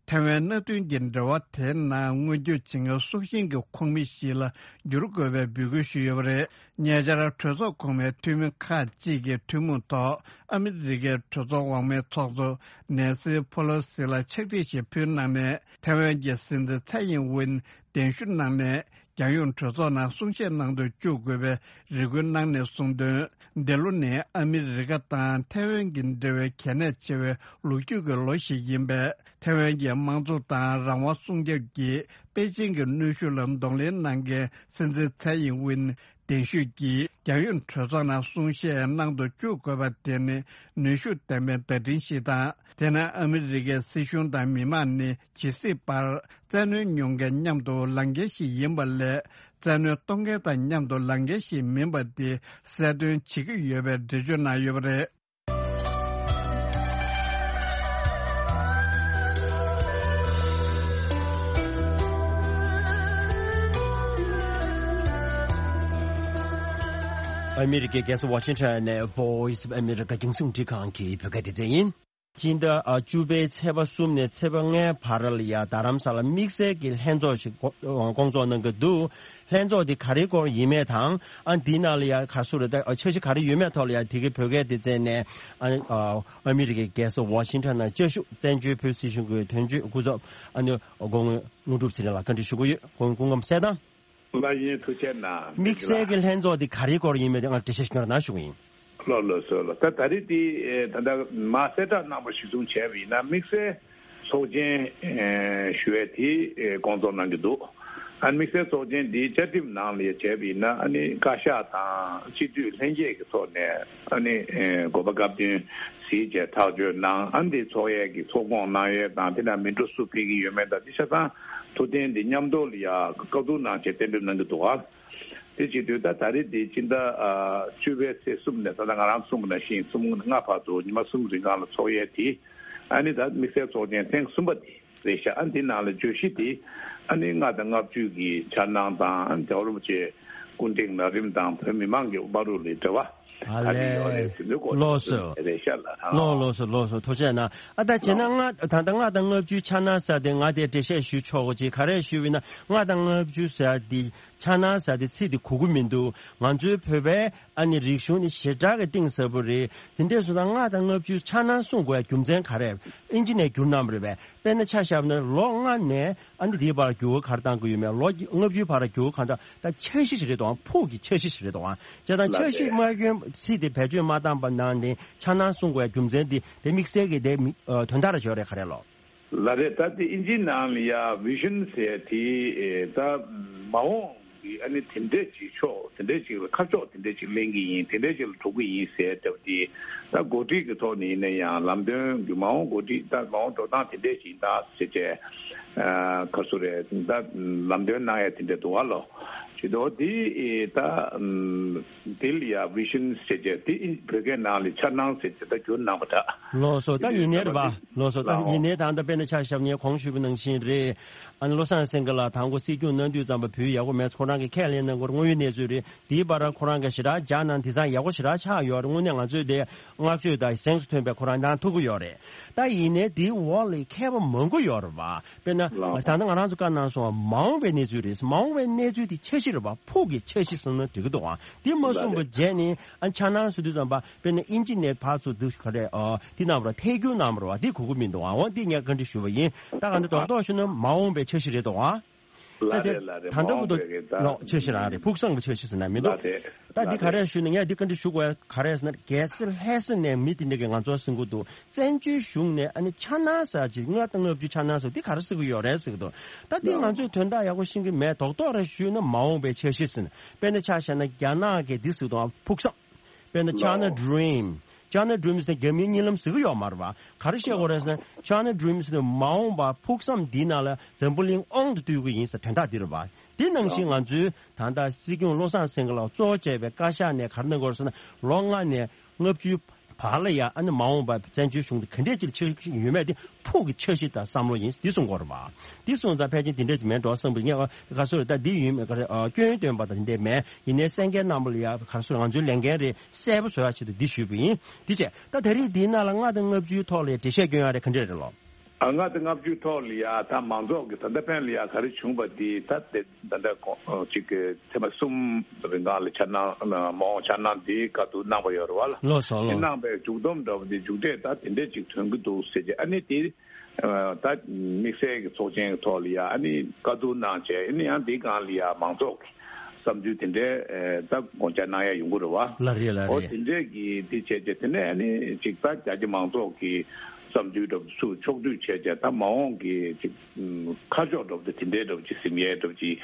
ཐའེ་ཝན་མནའ་མཐུན་གྱི་འབྲེལ་བ་དེའི་ནང་མངོན་འགྱུར་བྱེད་མཁན་སྲོག་ཤིང་གི་ཁོངས་མི་ཞིག་ལ་འགྱུར་དགོས་པའི་འབོད་སྐུལ་ཞུས་ཡོད་པ་རེད། ཉེ་ཆར་གྲོས་ཚོགས་གོང་མའི་འཐུས་མི་ཁག་ཅིག་གིས་ཐུན་མོང་ཐོག་ཨ་མི་རི་ཀའི་གྲོས་ཚོགས་འོག་མའི་ཚོགས་གཙོ་ནེན་སི་ཕོ་ལོ་སི་ལ་ཕྱག་བྲིས་ཤིག་ཕུལ་གནང་ནས། ཐའེ་ཝན་གྱི་སྲིད་འཛིན་ཚའེ་ཡིན་ཝིན་གདན་ཞུ་གནང་ནས། རྒྱལ་ཡོངས་གྲོས་ཚོགས་ནང་གསུང་བཤད་གནང་དུ་བཅུག་དགོས་པའི་རེ་སྐུལ་གནང་ནས་གསུངས་དོན། འདི་ལོ་ནི་ཨ་མི་རི་ཀ་དང་ཐའེ་ཝན་གྱི་འབྲེལ་བའི་གལ་གནད་ཆེ་བའི་ལོ་རྒྱུས་ཀྱི་ལོ་ཞིག་ཡིན་པས། ཐའེ་ཝན་གྱི་དམངས་གཙོ་དང་རང་དབང་སྲུང་སྐྱོབ་ཀྱི་པེ་ཅིང་གི་གནོན་ཤུགས་ལ་གདོང་ལེན་གནང་མཁན་སྲིད་འཛིན་ཚའེ་ཡིན་ཝིན་གདན་ཞུས་ཀྱིས་རྒྱལ་ཡོངས་གྲོས་ཚོགས་ནང་གསུང་བཤད་གནང་དུ་བཅུག་དགོས་པ་དེ་ནི་ནུས་ཤུགས་ལྡན་པའི་བརྡ་འཕྲིན་ཞིག་དང་། དེ་ནི་ཨ་མི་རི་ཀའི་སྲིད་གཞུང་དང་མི་མང་ནི་ཇི་སྲིད་བར་བཙན་གནོན་མྱོང་མཁན་མཉམ་དུ་ལངས་མཁན་ཞིག་ཡིན་པ་ལས། བཙན་གནོན་གཏོང་མཁན་དང་མཉམ་དུ་ལངས་མཁན་ཞིག་མིན་པ་དེ་གསལ་སྟོན་བྱེད་ཀྱི་ཡོད་པའི་འགྲེལ་བརྗོད་གནང་ཡོད་པ་རེད། ཨ་མི་རི་ཀའི་རྒྱལ་ས་ཝ་ཤིང་ཊོན་ནས་Voice of America རྒྱང་སྲིང་འཕྲིན་ཁང་གི་བོད་སྐད་སྡེ་ཚན་ཡིན། སྤྱི་ཟླ་བཅུ་པའི་ཚེས་པ་གསུམ་ནས་ཚེས་པ་ལྔའི་བར་ལ་ཡ་རྡ་རམ་ས་ལ་དམིགས་བསལ་གྱི་ལྷན་ཚོགས་ཤིག་སྐོང་ཚོགས་གནང་གི་འདུག་ལྷན་ཚོགས་འདི་ག་རེའི་སྐོར་ཡིན་མེད་དང་། ཨ་འདིའི་ནང་ལ་ཡ་ག་སུ་རེད། ད་འཆར་གཞི་ག་རེ་ཡོད་མེད་ཐོག་ལ་ཡ་དེ་གའི་བོད་སྐད་སྡེ་ཚན་ནས་ཨ་ཨ་མི་རི་ཀའི་རྒྱལ་ས་ཝ་ཤིང་ཊོན་ནང་བཅའ་བཞུགས་བཙན་བྱོལ་བོད་སྲིད་གཞུང་གི་དོན་གཅོད་སྐུ་ཚབ་ཨ་ནི་སྐུ་ངོ་དངོས་གྲུབ་ཚེ་རིང་ལགས་བཀའ་འདྲི་ཞུ་གི་ཡོད། སྐུ་ངོ་སྐུ་ངོ་གསལ་ཐང་། ལགས་ཡིན། ཐུགས་རྗེ་གནང་། དམིགས་བསལ་གྱི་ལྷན་ཚོགས་འདི་ག་རེའི་སྐོར་ཡིན་མེད་དེ་ང་འགྲེལ་བཤད་ཞུ་རོགས་གནང་ཞུ་གི་ཡིན། ལགས་ལགས་སོ་ལགས། ད་ད་རེས་འདི་ད་ལྟ་མ་གསལ་བསྒྲགས་གནང་བ་གཞིར་བཟུང་བྱས་པ་ཡིན་ན། དམིགས་བསལ་ཚོགས་ཆེན་ཞུ་ཡས་དེ་སྐོང་ཚོགས་གནང་གི་འདུག་ཨ་ནི་དམིགས་བསལ་ཚོགས་ཆེན་འདི་བཅའ་ཁྲིམས་ནང་ལ་ཡ་བྱས་པ་ཡིན་ན། ཨ་ནི་བཀའ་ཤག་དང་སྤྱི་འཐུས་ལྷན་རྒྱས་ཀྱི་ཐོག་ནས་ཨ་ནི་དགོས་པ་སྐབས་བསྟུན་གཟིགས་བྱས་ཐག་གཅོད་གནང་། ཨ་ནི་འདི་ཚོགས་ཡས་ཀྱི་ཚོགས་སྐོང་གནང་ཡས་དང་། དེ་ནང་མི་འགྲོ་སུ་ཕེབས་ཀྱི་ཡོད་མེད་དང་། འདི་ཆ་ཚང་ཐུགས་གཏན་འདི་མཉམ་དུ་ལ་ཡ་བཀའ་བསྡུར་གནང་བྱས་གཏན་འབེབས་གནང་གི་འདུག་ག་དེ་བྱེད་དུས་ད་ད་རེས་འདི་སྤྱི་ཟླ་ཨ་བཅུ་པའི་ཚེས་གསུམ་ནས། ད་ལྟ་ང་རང་གསུངས་པ་ནང་བཞིན་གསུམ་ལྔ་བར་དུ་ཉི་མ་གསུམ་རིང་གང་ལ་ཚོགས་ཡས་དེ། ཨ་ནི་ད་དམིགས་བསལ་ཚོགས་ཆེན་ཐེངས་གསུམ་པ་དེ་རེད་ཤག་ཨ་འདི་ནང་ལ་བརྗོད་གཞི་དེ་ཨ་ནི་ལྔ་དང་ལྔ་བཅུ་གི་འཆར་སྣང་དང་། ཨ་ནི་རྒྱལ་བ་རིན་པོ་ཆེ་སྐུ་ཕྲེང་ན་རིམ་དང་བོད་མི་མང་གི་དམའ་རུ་ལ་འབྲེལ་བ་ག་རེ་ཡོད་རེད་ཟེར་དུས་སྐོར་ལོགས་སུ་རེད་ཤག་ལགས། ལོ་ལོགས་སུ་ལོགས་སུ་ཐུགས་རྗེ་གནང་། ཨ་ད་བྱས་ན་ལགས། ལྔ་ད་ལྟ་ལྔ་དང་ལྔ་བཅུའི་འཆར་སྣང་ཟེར་དེ་ང་དེ་འགྲེལ་བཤད་ཞུ་ཆོག་གོ་ཅིག་ག་རེ་ཞུས་པ་ཡིན་ན། ལྔ་དང་ལྔ་བཅུ་ཟེར་དེ་འཆར་སྣང་ཟེར་དེ་ཚིག་དེ་གོ་གི་མི་འདུག་ང་ཚོའི་བོད་པའི་ཨ་ནི་རིག་གཞུང་ནི་ཞེ་དྲག་གི་གཏིང་ཟབ་པོ་རེད། དེ་འདྲས་སོང་ཙང་ལྔ་དང་ལྔ་བཅུའི་འཆར་སྣང་གསུང་དགོས་ཡ་རྒྱུ་མཚན་ག་རེ། ཨིན་ཇི་ནས་བསྒྱུར་གནང་བ་རེད་པས། དཔེར་ན་ཆ་བཞག་ན་ལོ་ལྔ་ནས་ཨ་ནི་དེའི་བར་འགྱུར་བ་ག་རེ་བཏང་གི་ཡོད་མེད། ལོ་ལྔ་བཅུའི་བར་འགྱུར་བ་ག་རེ་བཏང་། ད་འཆར་གཞི་ཞིག་རེད་དོ། ཕུགས་ཀྱི་འཆར་གཞི་ཞིག་རེད་དོ། བྱས་ཙང་འཆར་གཞི་མ་སྐྱོན་ཚིག་དེ་བེད་སྤྱོད་མ་བཏང་པ་ནང་ནས་འཆར་སྣང་གསུང་དགོས་ཡ་རྒྱུ་མཚན་དེ་དེ་དམིགས་བསལ་གྱི་དེ་དོན་དག་རེ་ཅིག་ཡོད་རེད། ག་རེ་ལོ། ལགས་རེད། ད་དེ་ཨིན་ཇིའི་ནང་ལ་ཡ་བི་ཤན་ཟེར་དེ་ད་མ་འོངས་ཀྱི་ཨ་ནི་དེ་འདྲས་ཅིག་ཕྱོགས་དེ་འདྲས་ཅིག་ལ་ཁ་ཕྱོགས་དེ་འདྲས་ཅིག་ལེན་གྱི་ཡིན། དེ་འདྲས་ཅིག་ལ་འགྲོ་གི་ཡིན་ཟེར་བསྡད་པ་དེ། ད་འགོ་ཁྲིད་ཀྱི་ཐོག་ནས་ཡིན་ན་ཡང་ལམ་སྟོན་གྱི་མ་འོངས་འགོ་ཁྲིད་ད་མ་འོངས་འགྲོ་སྟངས་དེ་འདྲས་ཅིག་ཡིན་ད་ཟེར་བྱས། ཨ་ག་སུ་རེད་ད་ལམ་སྟོན་གནང་ཡ་དེ་འདྲ་འདུག་བ་ལོ། ཇི་ལྟར་འདི་ད་ཨམ་འདི་ལ་ཡ་བི་ཤན་ཟེར་བྱས་དེ་བོད་སྐད་ནང་ལ་འཆར་སྣང་ཟེར་བྱས་ད་བསྒྱུར་གནང་བ་འདྲ། ལགས་སོ། ད་ཡིན་ནའི་རེད་པ། ལགས་སོ། ད་ལགས་ཡིན་ནའི་ད་ལྟ་དཔེར་ན་ཆ་བཞག་ན་གོང་ཞུས་པ་ནང་བཞིན་རེད། ཨ་ནི་བློ་བཟང་སེང་གེ་ལགས་དང་པོ་སྲིད་སྐྱོང་གནང་དུས་ཙམ་པ་བོད་ཡག་པོ་མེད་ཁོ་རང་གིས་ཁས་ལེན་གནང་སྐོར་དངོས་ཡོད་གནས་ཚུལ་རེད། དེའི་བར་ཁོ་རང་གིས་ཞེ་དྲག་རྒྱག་གནང་དེང་སང་ཡག་པོ་ཞེ་དྲག་ཆགས་ཡོད་རེད། དངོས་གནས་ང་ཚོས་དེ་བསྔགས་བརྗོད་དང་གཟེངས་སུ་ཐོན་པའི་ཁོ་རང་གནང་ཐུབ་ཀྱི་ཡོད་རེད། ད་ཡིན་ནའི་དེའི་འོག་ལ་མཁས་པ་མང་པོ་ཡོད་རེད་པ། དཔེར་ན་ལགས། ད་ལྟ་ང་རང་ཚོ་བཀའ་གནང་སོང་བ་མ་འོངས་པའི་གནས་ཚུལ་རེད། མ་འོངས་པའི་གནས་ཚུལ་དེ་འཆར་གཞི་རེད་པ། ཕུགས་ཀྱི་འཆར་གཞི་ཟེར་ན་འགྲིག་གི་འདུག་ཨ། དེ་མ་ལགས་གསུངས་པ་རེད། རྗེས་ནས་ཨ་འཆར་སྣང་ཟེར་དུས་ཙམ་པ་དཔེར་ན་ཨིན་ཇི་ནས་ཕར་ཚུར་འདུག་ག་རེ་ཨ་དེ་རྣམ་པར་ཐད་སྒྱུར་གནང་བ་རེད་པ། དེ་གོ་གི་མི་འདུག་ཨ། འོ་དེ་ངས་བཀའ་འདྲི་ཞུ་བ་ཡིན། ད་ག་འདི་རྡོག་རྡོག་ཞུ་ན་མ་འོངས་པའི་འཆར་གཞི་རེད་འདུག་ཨ། ལགས་རེད་ལགས་རེད། ད་ལྟ་བར་དུ་མ་འོངས་པའི་གི་ད་ལོ་འཆར་གཞི་རང་རེད། ཕུགས་བསམ་གྱི་འཆར་གཞི་ཟེར་ན་མི་འདུག་ལགས་རེད། ད་འདི་ལགས་ག་རེ་རེད། ཞུ་ན་ངས་འདི་བཀའ་འདྲི་ཞུ་དགོས་ག་རེ་ཟེར་ན་གལ་སྲིད་ལྷ་ས་ནས་མི་དེ་འདྲ་གི་ང་ཚོར་གསུང་གི་འདུག་བཙན་བྱོལ་གཞུང་ནས་ཨ་ནི་འཆར་སྣང་ཟེར་ཅིག་ལྔ་དང་ལྔ་བཅུ་འཆར་སྣང་ཟེར་འདི་ག་རེ་ཟེར་གི་ཡོད་རེད་ཟེར་གི་འདུག་ད་འདི་ལགས། ང་ཚོས་དོན་དག་ཡག་པོ་ཤེས་ཀྱི་མེད། རྡོག་རྡོག་རེ་ཞུས་ན་མ་འོངས་པའི་འཆར་གཞི་ཟེར་ན་དཔེར་ན་ཆ་བཞག་ན་རྒྱ་ནག་གིས་འདི་ཟེར་གི་འདུག་ཕུགས་བསམ། དཔེར་ན་China Dream། China Dream ཟེར་རྒྱ་མིའི་གཉིད་ལམ་ཟེར་གི་ཡོད་མ་རེད་པ། ག་རེ་བཤད་དགོས་རེད་ཟེར་ན་China Dream ཟེར་ན་མ་འོངས་པ་ཕུགས་བསམ་འདིའི་ནང་ལ་འཛམ་བུ་གླིང་དབང་དུ་བསྡུ་གི་ཡིན་ཟེར་དོན་དག་འདི་རེད་པ། འདི་ནང་བཞིན་ང་ཚོའི་ད་ལྟ་སྲིད་སྐྱོང་བློ་བཟང་སེང་གེ་ལགས་གཙོ་བོ་བྱས་པའི་བཀའ་ཤག་ནས་ག་རེ་གནང་དགོས་རེད་ཟེར་ན་ལོ་ལྔ་ནས་ལྔ་བཅུའི་བར་ལ་ཡ་ཨ་ནི་མ་འོངས་པ་བཙན་བྱོལ་གཞུང་དེ་ག་འདྲས་ཅིག་ཆགས་ཀྱི་ཡོད་མེད་དེ་ཕུགས་ཀྱི་འཆར་གཞི་དང་བསམ་བློ་ཡིན་འདི་གསུང་དགོས་རེད་པ། འདི་སོང་ཙང་ཕལ་ཆེར་འདི་འདྲས་ཅིག་མེད་འགྲོ་བསམ་པའི་ངས་ག་སོ་རེད། ད་འདི་ཡིན་མེད་ག་རེ་ཨ་སྐྱོན་འདོན་པ་དང་འདི་འདྲས་མེད། ཡིན་ནའི་གསན་མཁན་རྣམ་པ་ལ་ཡ་ག་སོ་ང་ཚོའི་ལས་འགན་རེད། གསལ་པོ་བཟོ་ཡ་ཆེད་དུ་འདི་ཞུས་པ་ཡིན། འདི་བྱས་ད་ད་རེས་འདིའི་ནང་ལ་ལྔ་དང་ལྔ་བཅུའི་ཐོག་ལ་འགྲེལ་བཤད་སྐྱོན་ཡ་རེད་ག་འདྲས་རེད་ལོ། ཨ་ལྔ་དང་ལྔ་བཅུའི་ཐོག་ལ་ཡ་ད་མང་ཚོགས་ཀྱི་ད་ལྟ་ཕན་ལ་ཡ་ག་རེ་བྱུང་བ་འདི་ད་དེ་ད་ལྟ་གོ་གཅིག་གི་ཐེངས་མ་གསུམ་རིང་ག་ལ་འཆར་སྣང་མ་འོངས་འཆར་སྣང་འདི་བཀའ་བསྡུར་གནང་བ་ཡོད་རེད་བ་ལ། ལགས་སོ་ལགས། གནང་བའི་མཇུག་སྡོམ་འདྲ་བོ་འདི་མཇུག་འབྲས་ད་དེ་འདྲས་ཅིག་ཐོན་གྱི་འདུག་ཟེར་གྱི་ཨ་ནི་དེ་ད་དམིགས་བསལ་གྱི་ཚོགས་ཆེན་གྱི་ཐོག་ལ་ཡ་ཨ་ནི་བཀའ་བསྡུར་གནང་བྱས་ཨ་ནི་ཡང་འདི་སྒང་ལ་ཡ་མང་ཚོགས་ཀྱི་བསམ་ཚུལ་དེ་འདྲའི་ད་དགོངས་འཆར་གནང་ཡ་ཡོང་གི་རེད་བ། ལ་རེད་ལ་ཨོ་རེད། དེ་འདྲས་ཀྱི་དེ་བྱས་བྱས་དེ་ནས་ཨ་ནི་ཅིག་ད་རྒྱ་ཆེ་མང་ཚོགས་ཀྱི་བསམ་ཚུལ་འདྲ་པོ་ཚུར་ཕྱོགས་བསྡུས་བྱས་བྱས་ད་མ་འོངས་ཀྱི་ཅིག་ཁ་ཕྱོགས་འདྲ་པོ་དེ་དེ་འདྲའི་འདྲ་པོ་ཅིག་ཟིན་ཡས་འདྲ་པོ་ཅིག་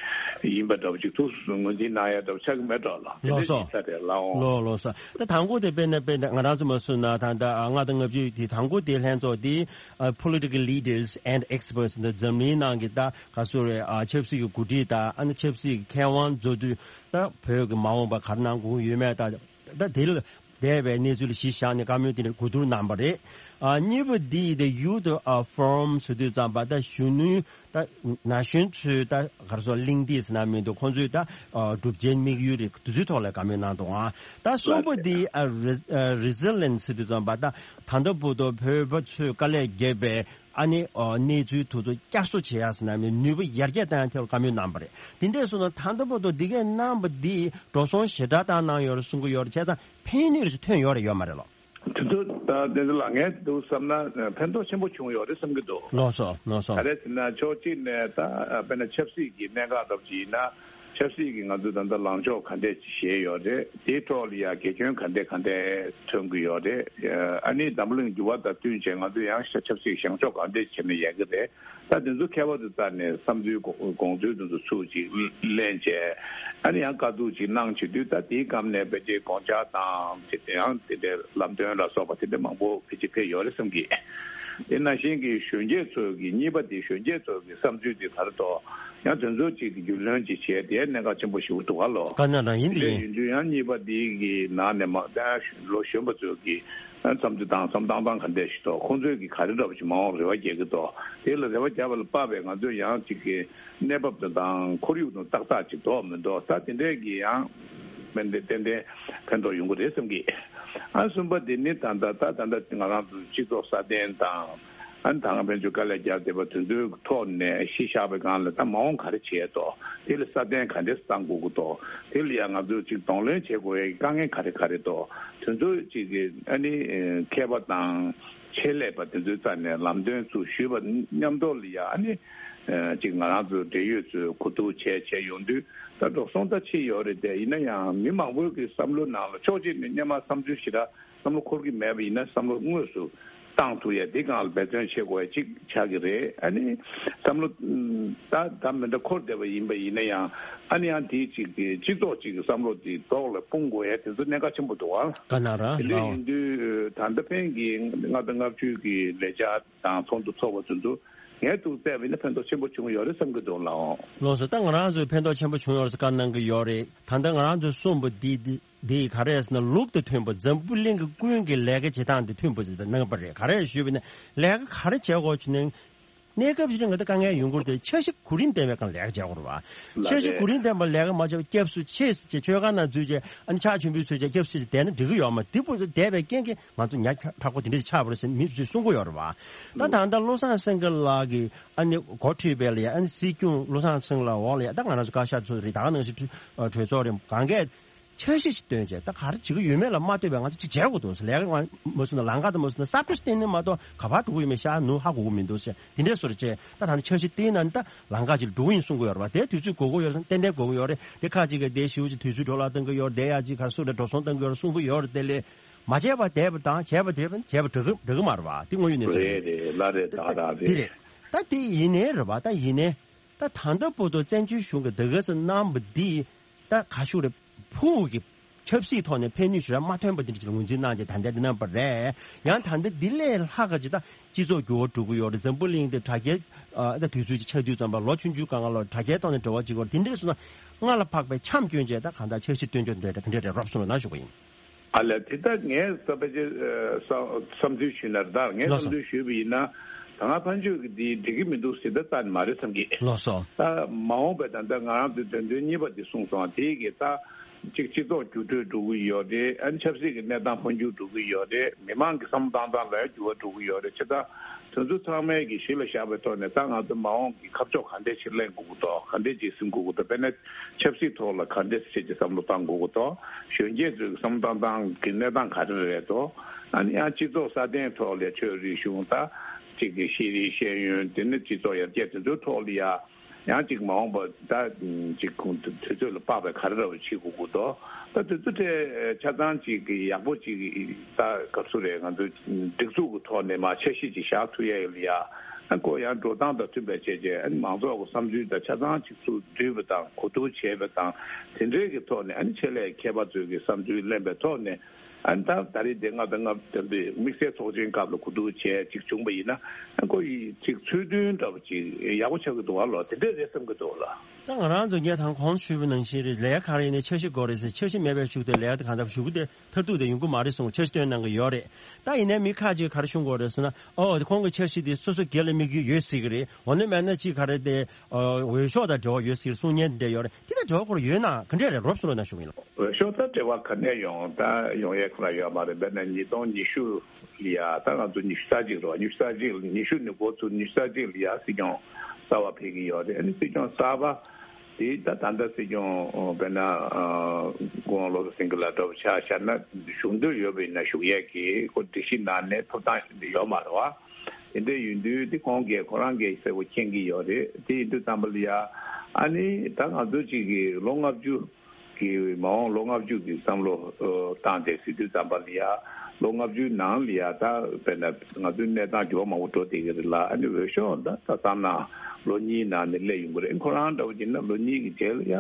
ཡིན་པ་འདྲ་པོ་ཅིག་ཐུགས་སུ་ངོས་འཛིན་གནང་ཡས་འདྲ་པོ་ཆགས་ཀྱི་མེད་འགྲོ་ལ་དེ་ལགས་འདྲས་སོ། ཅིག་ས་རེད་ལགས་འོང་། ལོ་ལོ་ས་ད་དང་པོ་དེ་དཔེར་ན་དཔེར་ན་ང་རང་ཚོ་མ་སུ་ན་ད་ད་ལྔ་དང་ལྔ་བཅུ་དེ་དང་པོ་དེ་ལྷན་ཚོགས་དེ་ཨ་political leaders and experts ནི་འཛམ་གླིང་ནང་གི་ད་ག་སོ་རེད་ཨ་ཆབ་སྲིད་ཀྱི་འགོ་ཁྲིད་དང་ཨ་ནི་ཆབ་སྲིད་ཀྱི་མཁས་དབང་མཛོ་དུས་ད་བོད་ཀྱི་མ་འོངས་པ་ག་རེ་གནང་དགོས་ཡོད་མེད་ད་ད་དེ་ལ་འདས་པའི་གནས་ཚུལ་ལ་གཞི་བཞག་ནས་བཀའ་མོལ་དེ་འདྲ་གོ་བསྡུར་གནང་བ་རེད། ཨ་གཉིས་པ་འདི་the youth ཨ་forum ཟེར་དུས་ཙམ་པ་ད་གཞོན་ནུའི་ད་ན་གཞོན་ཚོའི་ད་ག་རེ་ཟེར་གླེང་སྟེགས་ཟེར་ན་མི་འདུག་ཁོང་ཚོའི་ད་ཨ་གྲུབ་ཆའི་དམིགས་ཡུལ་རེད་དེ་ཚོའི་ཐོག་ལ་བཀའ་མོལ་གནང་འདུག་ཨ་ད་གསུམ་པ་འདི་ཨ་res- ཨ་resilience ཟེར་དུས་ཙམ་པ་ད་ད་ལྟ་བར་དུ་བོད་པ་ཚོས་དཀའ་ལས་བརྒྱབ་པའི་ཨ་ནི་ཨ་གནས་ཚུལ་དེ་ཚོ་བསྐྱར་གསོ་བྱེད་ཡ་ཟེར་ན་མི་ནུས་པ་ཡར་རྒྱས་བཏང་ཡ་ཐད་ལ་བཀའ་མོལ་གནང་བ་རེད། དེ་འདྲས་སོང་ན་ད་ལྟ་བར་དུ་འདི་གས་གནང་བ་འདིས་འགྲོ་སོང་ཞེ་དྲག་བཏང་གནང་ཡོད་རེད་གསུང་གི་ཡོད་རེད་བྱས་ཙང་ཕན་ནུས་རེ་ཞིག་ཐོན་ཡོད་རེད་ཡོད་མ་རེད་ལོ། དེ་ཚོ་ད་དེ་ཚོ་ལ་ངས་འདུག་བསམ་ན་ཕན་ཐོགས་ཆེན་པོ་བྱུང་ཡོད་རེད་བསམ་གྱི་འདུག་ལགས་སོ་ལགས་སོ། ག་རེ་ཟེར་ན་ཕྱོགས་གཅིག་ནས་ད་དཔེར་ན་ཆབ་སྲིད་ཀྱི་གནད་འགག་འདྲ་པོ་ཅིག་ཡིན་ན་ཆབ་སྲིད་ཀྱི་ང་ཚོ་ད་ལྟ་ལངས་ཕྱོགས་ག་འདྲས་ཅིག་བཞེས་ཡོད་རེད། དེའི་ཐོག་ལ་ཡང་དགེ་སྐྱོན་ག་འདྲས་ག་འདྲས་ཐོན་གྱི་ཡོད་རེད། ཨ་ནི་འཛམ་བུ་གླིང་འགྱུར་བ་དང་བསྟུན་བྱས་ང་ཚོ་ཡང་ཆབ་སྲིད་བཞེངས་ཕྱོགས་ག་འདྲས་བྱས་ནས་ཡོད་ཀྱི་རེད། ད་དེ་ཚོ་མཁས་པ་ཚོ་རྩ་ནས་བསམ་ཚུལ་དགོངས་དགོངས་ཚུལ་དེ་ཚོ་ཚུར་ཅིག་ལེན་བྱས་ཨ་ནི་ཡང་བཀའ་བསྡུར་ཅིག་གནང་བྱེད་དུས་ད་དེའི་སྐབས་ནས་ཕལ་ཆེར་དགོངས་འཆར་དང་དེ་ཡང་དེ་འདྲའི་ལམ་སྟོན་ལ་སོགས་པ་དེ་འདྲ་མང་པོ་ཕལ་ཆེར་ཕེབས་ཡོད་རེད་བསམ་གི། དེ་ནང་བཞིན་གྱི་གཞོན་སྐྱེས་ཚོ་གི་གཉིས་པ་དེ་གཞོན་སྐྱེས་ཚོ་གི་བསམ་ཚུལ་དེ་ག་རེ་འདུག་ཡང་དེ་ཚོ་ཅིག་གི་རྒྱུས་ལོན་ཅིག་བྱས་དེ་གནད་འགག་ཆེན་པོ་ཞིག་འདུག་ག་ལོ། ག་ན་རང་ཡིན་དེ་དེ་འདྲ་ཡིན་ཡིན་དུས་ཡང་གཉིས་པ་དེ་གི་ནང་ནས་མ་ད་ལོ་གཞོན་པ་ཚོ་གི་བསམ་ཚུལ་དང་བསམ་སྟངས་སྟངས་ག་འདྲས་ཤིག་འདུག་ཁོང་ཚོས་ཀྱི་ག་རེ་འདྲ་པོ་ཞིག་མ་འོངས་རེ་བ་རྒྱག་གི་འདུག་དེ་ལ་རེ་བ་རྒྱག་པ་ལ་དཔག་པའི་ང་ཚོས་ཡང་ཅིག་གི་གནས་བབ་དང་དང་ཁོར་ཡུག་དང་ཏག་ཏག་ཅིག་འདུག་མི་འདུག་ད་དེ་འདྲས་ཀྱི་ཡང་ཏན་ཏན་ཏན་ཏན་ཕན་ཐོགས་ཡོང་གི་རེད་བསམ་གི། ཨ་གསུམ་པ་དེ་ནི་ད་ལྟ་ད་ད་ལྟ་ང་རང་ཚོ་སྤྱི་ཚོགས་སྲ་བརྟན་དང་ཨ་ནི་ད་ང་ཕན་ཚུན་དཀའ་ལས་རྒྱག་བསྡད་པ་དེ་ཚོའི་ཐོག་ནས་གཞི་བཞག་པའི་སྒང་ལ་ད་མ་འོངས་ག་རེ་བྱས་འདུག་དེ་ལ་སྲ་བརྟན་ག་འདྲས་གཏང་དགོས་ཀྱི་འདུག་དེ་ལ་ཡང་ང་ཚོས་ཅིག་གདོང་ལེན་བྱེད་དགོས་ཡའི་དཀའ་ངལ་ག་རེ་ག་རེ་འདུག་དེ་ཚོ་ཅིག་གི་ཨ་ནི་མཁས་པ་དང་ཆེད་ལས་པ་དེ་ཚོའི་རྩ་ནས་ལམ་སྟོན་ཚུར་ཞུས་པ་མཉམ་དུ་ལ་ཡ་ཨ་ནི་ཅིག་ང་རང་ཚོ་འབྲེལ་ཡོད་ཚོས་གོ་བསྡུར་བྱས་བྱས་ཡོང་དུས་ད་འགྲོ་སོང་ད་ཕྱིན་ཡོད་རེད་དེ་ཡིན་ན་ཡང་མི་མང་པོའི་གི་བསམ་བློ་ནང་ལ་ཕྱོགས་གཅིག་ནས་སྔོན་མ་བསམ་ཚུལ་ཞེ་དྲག་བསམ་བློ་འཁོར་གྱི་མེད་པ་ཡིན་ན་བསམ་བློ་དངོས་སུ་བཏང་ཐུབ་ཡ་འདི་སྒང་ལ་འབད་བརྩོན་བྱེད་དགོས་ཡ་གཅིག་ཆགས་ཀྱི་རེད། ཨ་ནི་བསམ་བློ་ད་ད་མི་འདྲ་འཁོར་བསྡད་པ་ཡིན་པ་ཡིན་ན་ཡང་ཨ་ནི་ཡང་དེའི་གཅིག་གི་སྤྱི་ཚོགས་གཅིག་གི་བསམ་བློ་དེ་ཐོག་ལ་སྤུངས་དགོས་ཡ་དེ་ཚོ་གནད་འགག་ཆེན་པོ་འདུག་ཨ། ག་ན་ར་དེ་འདྲ་ལའོ། ཡིན་དུས་ད་ལྟ་ཕན་གྱི་ལྔ་དང་ལྔ་བཅུ་གི་ལས་འཆར་དང་ཚོགས་འདུ་ཚོགས་པ་ཚོ་ཚོ་ ངས་ཐུགས་བརྩེ་བ་ཡིན་ན་ཕན་ཐོགས་ཆེན་པོ་བྱུང་ཡོད་རེད་བསམ་གྱི་འདུག་ལགས། ལགས་སོ། ད་ང་རང་ཚོས་ཕན་ཐོགས་ཆེན་པོ་བྱུང་ཡོད་རེད་ཟེར་བཀའ་གནང་གི་ཡོད་རེད། ད་ལྟ་ང་རང་ཚོས་གསུངས་པ་འདི་འདི་འདི་ག་རེ་ཟེར་ན་ལུགས་དང་མཐུན་པ། འཛམ་བུ་གླིང་གི་ཀུན་གྱི་ལས་ཀ་བྱེད་སྟངས་དེ་མཐུན་པ་ཞིག་གནང་པ་རེད། ག་རེ་ཞུས་པ་ཡིན་ན་ལས་ཀ་ག་རེ་བྱེད་དགོས་བྱུང་ན། གནས་སྐབས་ཅིག་ལ་ང་ཚོ་དཀའ་ངལ་ཡོང་གི་རེད་དེ། འཆར་གཞི་གོ་རིམ་ལྡན་པའི་སྒང་ལས་ཀ་བྱེད་དགོས་རེད་བ། ལགས་འཆར་གཞི་རེད། གོ་རིམ་ལྡན་པ་ལས་ཀ་མ་བྱས་པར་སྐྱབས་སུ་མཆི་ཟེར་བྱས་མཆོད་ཁང་ནང་འཛུལ་བྱས། ཨ་ནི་ཕྱག་མཆོད་འབུལ་ཞུས་བྱས་སྐྱབས་སུ་མཆི་བསྡད་ན་འགྲིག་གི་ཡོད་མ་རེད། དེ་བར་དུ་བསྡད་པའི་རྐྱེན་གྱིས་ང་ཚོ་ཉག་ཕྲ་པོ་དེ་འདྲ་ཆགས་པ་རེད་ཟེར་མི་ཚོས་གསུང་གི་ཡོད་རེད་བ། ད་ད་ལྟ་བློ་བཟང་སེང་གེ་ལགས་ཀྱིས་ཨ་ནི་འགོ་ཁྲིད་པའི་ལ་ཡ། ཨ་ནི་སྲིད་སྐྱོང་བློ་བཟང་སེང་གེ་ལགས་འོག་ལ་ཡ། ད་ང་རང་ཚོ་བཀའ་ཤག་ཚོ་རེད། ད་ག་ནང་བཞིན་གྲོས་ཚོགས་རེད། གང་གས་འཆར་གཞི་ཞིག་བཏོན་བྱས། ད་ག་རེ་བྱེད་ཀྱི་ཡོད་མེད་ལ་མ་ལྟོས་པའི་ང་ཚོ་ཅིག་བྱེད་དགོས་འདུག་ཟེར། ལས་ཀ་མ་སོང་ན་ལམ་ཁ་དང་མ་སོང་ན་ས་ཁུལ་བསྟན་ནས་མ་གཏོགས་ག་པར་འགྲོ་གི་ཡོད་མེད་ཤར་ནུབ་ཧ་གོ་གི་མི་འདུག་ཟེར། དེ་འདྲའི་བཟོ་འདྲ་བྱས། ད་ད་ནི་འཆར་གཞི་བཏིང་ན་ནི་ད་ལམ་ཁ་ཅིག་ལ་འགྲོ་གི་ཡིན་གསུང་གི་ཡོད་རེད་བ། དེ་དུས་ཚོད་དགོས་ཀྱི་ཡོད་རེད། ཏན་ཏན་དགོས་ཀྱི་ཡོད་རེད། དེ་ཁག་ཅིག་གིས་དེ་ཞེ་པོ་ཅིག་དུས་ཚོད་འཕྲོ་བརླག་གཏོང་གི་ཡོད་རེད། དེ་ཡག་ཅིག་ག་རེ་ཟེར་དགོས་རེད། འགྲོ་སོང་གཏོང་གི་ཡོད་རེད་གསུང་གི་ཡོད་རེད། དེ་ལས་མ་བྱས་པ་བསྡད་པ་དང་བྱས་པ་བསྡད་པ་བྱས་པ་འགྲིག་གི་འགྲིག་གི་མ་རེད་བ། དེ་དངོས་ཡོད་གནས་ཚུལ་རེད། རེད་རེད། ལགས་རེད། ད་ད་རེད། དེ་རེད། ད་དེ་ཡིན་ནའི་རེད་བ། ད་ཡིན་ནའི། ད་ད་ལྟ་བར་དུ་བཙན་བྱོལ་གཞུང་གི་ད་ག་ཟེ་གནང་བ་འདི་ད་ག་ཞུ་རེད། ཕུགས་ཀྱི་ཆབ་སྲིད་ཐོག་ནས་ཕན་ནུས་ཞེ་དྲག་མ་ཐོན་པ་འདི་འདྲ་ཅིག་ངོས་འཛིན་གནང་བྱས་ད་ལྟ་འདི་གནང་བ་རེད། ཡང་ད་ལྟ་འདི་ལས་ལྷག་ག་ཅིག་ད་སྤྱི་ཚོགས་འགྱུར་བ་འགྲོ་གི་ཡོད་རེད། འཛམ་བུ་གླིང་འདི་དྲ་རྒྱའི་ཨ་ད་དུས་ཚོད་ཅིག་ཆགས་དུས་ཙམ་པ་ལོ་ཆུང་ཆུང་སྒང་ག་ལ་དྲ་རྒྱའི་ཐོག་ནས་འབྲེལ་བ་བྱེད་ཀྱི་ཡོད་རེད། དེ་འདྲ་སོང་ན་སྔར་ལ་བབས་པའི་འཆམ་སྐྱོན་བྱས། ད་གང་ལྟར་འཆར་གཞི་སྟོན་ཕྱོགས་འདི་འདྲ་འདི་འདྲ་རེད། རོབ་སོང་ལ་ན་ཞུ་གི་ཡིན། ཨ་ལས། དེ་ལྟར་ངས་ས་ཕལ་ཆེར་ཨ་བསམ་བསམ་ཚུལ་ཞུས་ན། ད་ངས་ལགས་སོ། བསམ་ཚུལ་ཞུས་པ་ཡིན་ན། ད་སྔ་ཕན་ཆོད་ཀྱི་འདི་འགྲིག་གི་མི་འདུག་ཟེར་ད་རྩ་ནས་མ་རེད་བསམ་གི། ལགས་སོ། ད་མ་འོངས་པའི་ད་ལྟ་ང་རང་ཚོའི་དོན་ཚན་གཉིས་པ་འདི་གསུངས་སོང་། དེ་གི་ད་གཅིག་སྤྱི་ཚོགས་འགྱུར་འགྲོས་འགྲོ་གི་ཡོད་རེད། ཨ་ནི་ཆབ་སྲིད་ཀྱི་གནས་སྟངས་འཕོ་འགྱུར་འགྲོ་གི་ཡོད་རེད། མི་མང་གི་བསམ་བློ་བཏང་སྟངས་ལ་འགྱུར་བ་འགྲོ་གི་ཡོད་རེད། བྱས་ཙང་དེ་ཚོ་ཚང་མའི་གི་གཞི་ལ་བཞག་པའི་ཐོག་ནས་ད་ང་ཚོ་མ་འོངས་ཀྱི་ཁ་ཕྱོགས་ག་འདྲས་ཅིག་ལེན་དགོས་ཀྱི་འདུག་ག་འདྲས་ཅིག་ཟིན་དགོས་ཀྱི་འདུག་དཔེར་ན་ཆབ་སྲིད་ཐོག་ལ་ག་འདྲས་ཅིག་བསམ་བློ་བཏང་དགོས་ཀྱི་འདུག་གཞོན་སྐྱེས་ཚོའི་བསམ་བློ་བཏང་སྟངས་ཀྱི་གནས་སྟངས་ག་རེ་རེད་འདུག་ཨ་ནི་ཡང་སྤྱི་ཚོགས་སྲ་བརྟན་ཐོག་ལ་ཆོས་རིག་གཞུང་ད་ཅིག་གི་ཤེས་རིག་ཤེས་ཡོན། དེ་ནི་སྤྱི་ཚོགས་ཡར་རྒྱས་དེ་ཚོའི་ཐོག་ལ་ཡ། ཡང་ཅིག་མ་འོངས་པ་ད་ཅིག་ཁོང་དུས་ཚོད་ལ་དཔག་པའི་ག་རེ་རེ་བ་བྱེད་དགོས་ཀྱི་འདུག་ད་དེ་ཚོ་ཐད་ཆ་ཚང་ཅིག་གི་ཡག་པོ་ཅིག་ད་ག་ཚོད་རེད། ང་ཚོ་སྒྲིག་འཛུགས་ཀྱི་ཐོག་ནས་མར་འཆར་གཞི་ཅིག་བཞག་ཐུབ་ཡ་ཡོད་ལ་ཡ། ཨ་ཁོ་ཡང་འགྲོ་སྟངས་དང་མཐུན་པའི་བྱས་རྗེས། ཨ་ནི་མང་ཚོགས་ཀྱི་བསམ་ཚུལ་དང་ཆ་ཚང་ཅིག་ཚུར་བསྡུས་པ་དང་གོ་བསྡུར་བྱས་པ་དང་། དེ་འདྲའི་གི་ཐོག་ནས་ཨ་ནི་ཆེད་ལས་མཁས་པ་ཚོས་ཀྱི་བསམ་ཚུལ་ལེན་པའི་ཐོག་ནས། ཨ་ནི་ད་ད་རེས་དེ་ལྔ་དང་ལྔ་བདུན་པའི་དམིགས་བསལ་ཚོགས་ཆེན་སྐབས་ལ་གོ་བསྡུར་བྱས་ཅིག་བྱུང་པ་ཡིན་ན། ཨ་ཁོ་ཡི་ཅིག་ཚུལ་མཐུན་འདྲ་པོ་ཅིག་ཡག་པོ་ཆགས་ཀྱི་འདུག་བ་ལོ། དེ་འདྲས་རེད་བསམ་གྱི་འདུག་ལ། ད་ང་རང་ཚོ་ངས་དང་གོང་ཞུས་པ་ནང་བཞིན་རེད། ལས་ཀ་ག་རེ་ཡིན་ནའི་འཆར་གཞི་དགོས་རེད་ཟེར། འཆར་གཞི་མེད་པའི་གཞུག་དེ་ལས་ཀ་དེ་གང་ལྟར་གཞུག་གུ་དེ་མཐར་ཐུག་དེ་ཡོང་གི་མ་རེད་གསུངས། འཆར་གཞི་བཏོན་གནང་གི་ཡོད་རེད། ད་ཡིན་ནའི་མི་ཁ་ཅིག་ག་རེ་གསུང་གི་ཡོད་རེད་ཟེར་ན། ཨོ་དེ་ཁོང་གི་འཆར་གཞི་དེ་སོ་སོ་སྒེར་ལ་དམིགས་ཡུལ་ཡོད་སྲིད་ཀྱི་རེད། འོ་ན་མེད་ན་ཅིག་ག་རེ་དེ་འོས་ཤོག་དང་འབྲེལ་བ་ཡོད་སྲིད་ཀྱི་གསུང་མཁན་དེ་འདྲ་ཡོད་རེད། དེ་དང་འབྲེལ་བ་ཁོ་རང་ཡོད་ན་ག་འདྲས་རེད། རོབ་སོང་ལ་ན་ཞུ་གི་ཡིན་ལ། འོས་ཤོག་དང་འབྲེལ་བ་ག་ནས་ཡོང་། ད་ཡོང་ཡས་ཁོ་རང་ཡོད་མ་རེད། དཔེར་ན་ཉིས་སྟོང་ཉི་ཤུ་ལ་ཡ། ད་ང་ཚོ་ཉི་ཤུ་རྩ་གཅིག་རེད་བ། ཉི་ཤུ་རྩ་གཅིག་ཉི་ཤུ་ནས་འགོ་ཚུགས། ཉི་ཤུ་རྩ་གཅིག་ལ་ཡ་སྲིད་སྐྱོང་གསར་པ་ཕེབས་ཀྱི་ཡོད་རེད། ཨ་ནི་སྲིད་སྐྱོང་གསར་པ་དེ་ད་ད་ལྟ་སྲིད་སྐྱོང་དཔེར་ན་སྐུ་ངོ་བློ་བཟང་སེང་གེ་ལགས་འདྲ་པོ་ཆ་བཞག་ན་བཞུགས་འདོད་ཡོད་པ་ཡིན་ན་བཞུགས་ཡས་ཀྱི་ཁོ་སྒྲིག་གཞི་ནང་ནས་ཐོབ་ཐང་ཡོད་མ་རེད་བ། དེ་འདྲ་ཡིན་དུས་དེ་ཁོང་གིས་ཁོ་རང་གིས་གསལ་པོ་མཁྱེན་གྱི་ཡོད་རེད། དེ་ཡིན་དུས་ཙམ་པ་ལ་ཡ། ཨ་ནི་ད་ང་ཚོ་གཅིག་གིས་ལོ་ལྔ་བཅུ་གི་མ་འོངས་ལོ་ལྔ་བཅུ་གི་བསམ་བློ་ཨ་བཏང་སྟེ་ཟེར་དུས་ཙམ་པ་ལ་ཡ། ལོ་ལྔ་བཅུའི་ནང་ལ་ཡ་ད་དཔེར་ན་ང་ཚོའི་གནས་སྟངས་འགྱུར་བ་མང་པོ་འགྲོ་བསྡད་ཀྱི་རེད་ལ། ཨ་ནི་འོས་ཤོག་ད་ད་བསམ་ན་ལོ་གཉིས་ནང་ནས་སླེབས་ཡོང་གི་རེད། ཁོ་རང་འདྲ་བོ་ཡིན་ན་ལོ་གཉིས་ཀྱི་རྗེས་ལ་ཡ་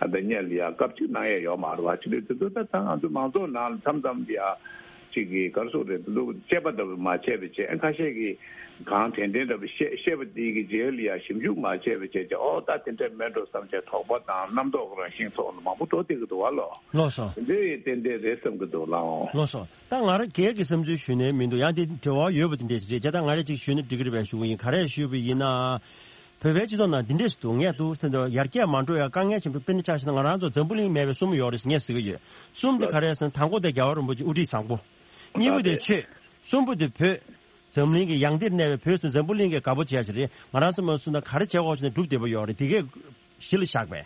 ད་ལྟ་སྔོན་ལ་ཡ་སྐབས་གཅིག་གནང་ཡས་ཡོད་མ་རེད་བ། ཅི་རེད་དེ་ཚོ་ད་ད་ང་ཚོ་མང་ཚོགས་ནང་ལ་མཚམས་མཚམས་ལ་ཡ། གཅིག་གིས་ག་རེ་ཟེར་དགོས་རེད། འདི་ཚོ་དཔྱད་པ་འདྲ་པོ་མ་བྱས་པའི་བྱས། ཁ་ཤས་ཀྱིས་གང་དྲན་དྲན་འདྲ་པོ་བཤད་བཤད་པ་དེ་གི་རྗེས་ལ་ཡ་ཞིབ་འཇུག་མ་བྱས་པའི་བྱས་ཀྱི། ཨོ་ད་དེ་འདྲ་མེད་འགྲོ་བསམ་བྱས་དོགས་པ་དང་རྣམ་རྟོག་རང་བཞིན་ཐོག་ལ་མང་པོ་འགྲོ་བསྡད་ཀྱི་འདུག་བ་ལོ། ལགས་སོ། དེ་འདྲ་ཡི་ཏན་ཏན་རེད་བསམ་གྱི་འདུག་ལགས། ལགས་སོ། ད་ང་རང་སྒེར་གྱི་བསམ་ཚུལ་ཞུས་ནའི་མི་འདུག་ཡང་དེ་འབྲེལ་བ་ཡོད་པ་དེ་འདྲས་ཞིག་རེད། བྱས་ཙང་ང་རང་ཅིག་ཞུས་ན་འགྲིག་གི་རེད་པས་ཞུ་གི་ཡིན། ག་རེ་ཞུས་པ་ཡིན་ན། བོད་པའི་སྤྱི་ཚོགས་ནང་འདི་འདྲས་ཤིག་འདུག་ངས་འདུག་ཟེར་དུས་ཡར་རྒྱས་མ་འགྲོ་ཡ་དཀའ་ངལ་ཆེན་པོ་དཔེར་ན་ཆ་བཞག་ན་ང་རང་ཚོ་འཛམ་བུ་གླིང་མེད་པའི་སྲུ་མོ་ཡོད་རེད་ཟེར་ངས་ཟེར་གྱི་ཡོད། གསུམ་དེ་ག་རེ་ཟེར་ན་དང་པོ་དེ་རྒྱལ་བ་རིན་པོ་ཆེ་དབུ་ཁྲིད་བཟང་པོ། གཉིས་པོ་དེ་ཆོས། གསུམ་པོ་དེ་བོད། འཛམ་གླིང་གི་ཡང་སྟེང་གནས་པའི་བོད་ཟེར་འཛམ་བུ་གླིང་གིས་དགའ་པོ་བྱས་ཤིག་རེད། ང་རང་ཚོ་མ་སུ་ན་ག་རེ་བྱེད་དགོས་ཟེར་ན་སྒྲུབ་བདེ་པོ་ཡོད་རེད། དེ་གས་གཞི་ལ་བཞག་པས།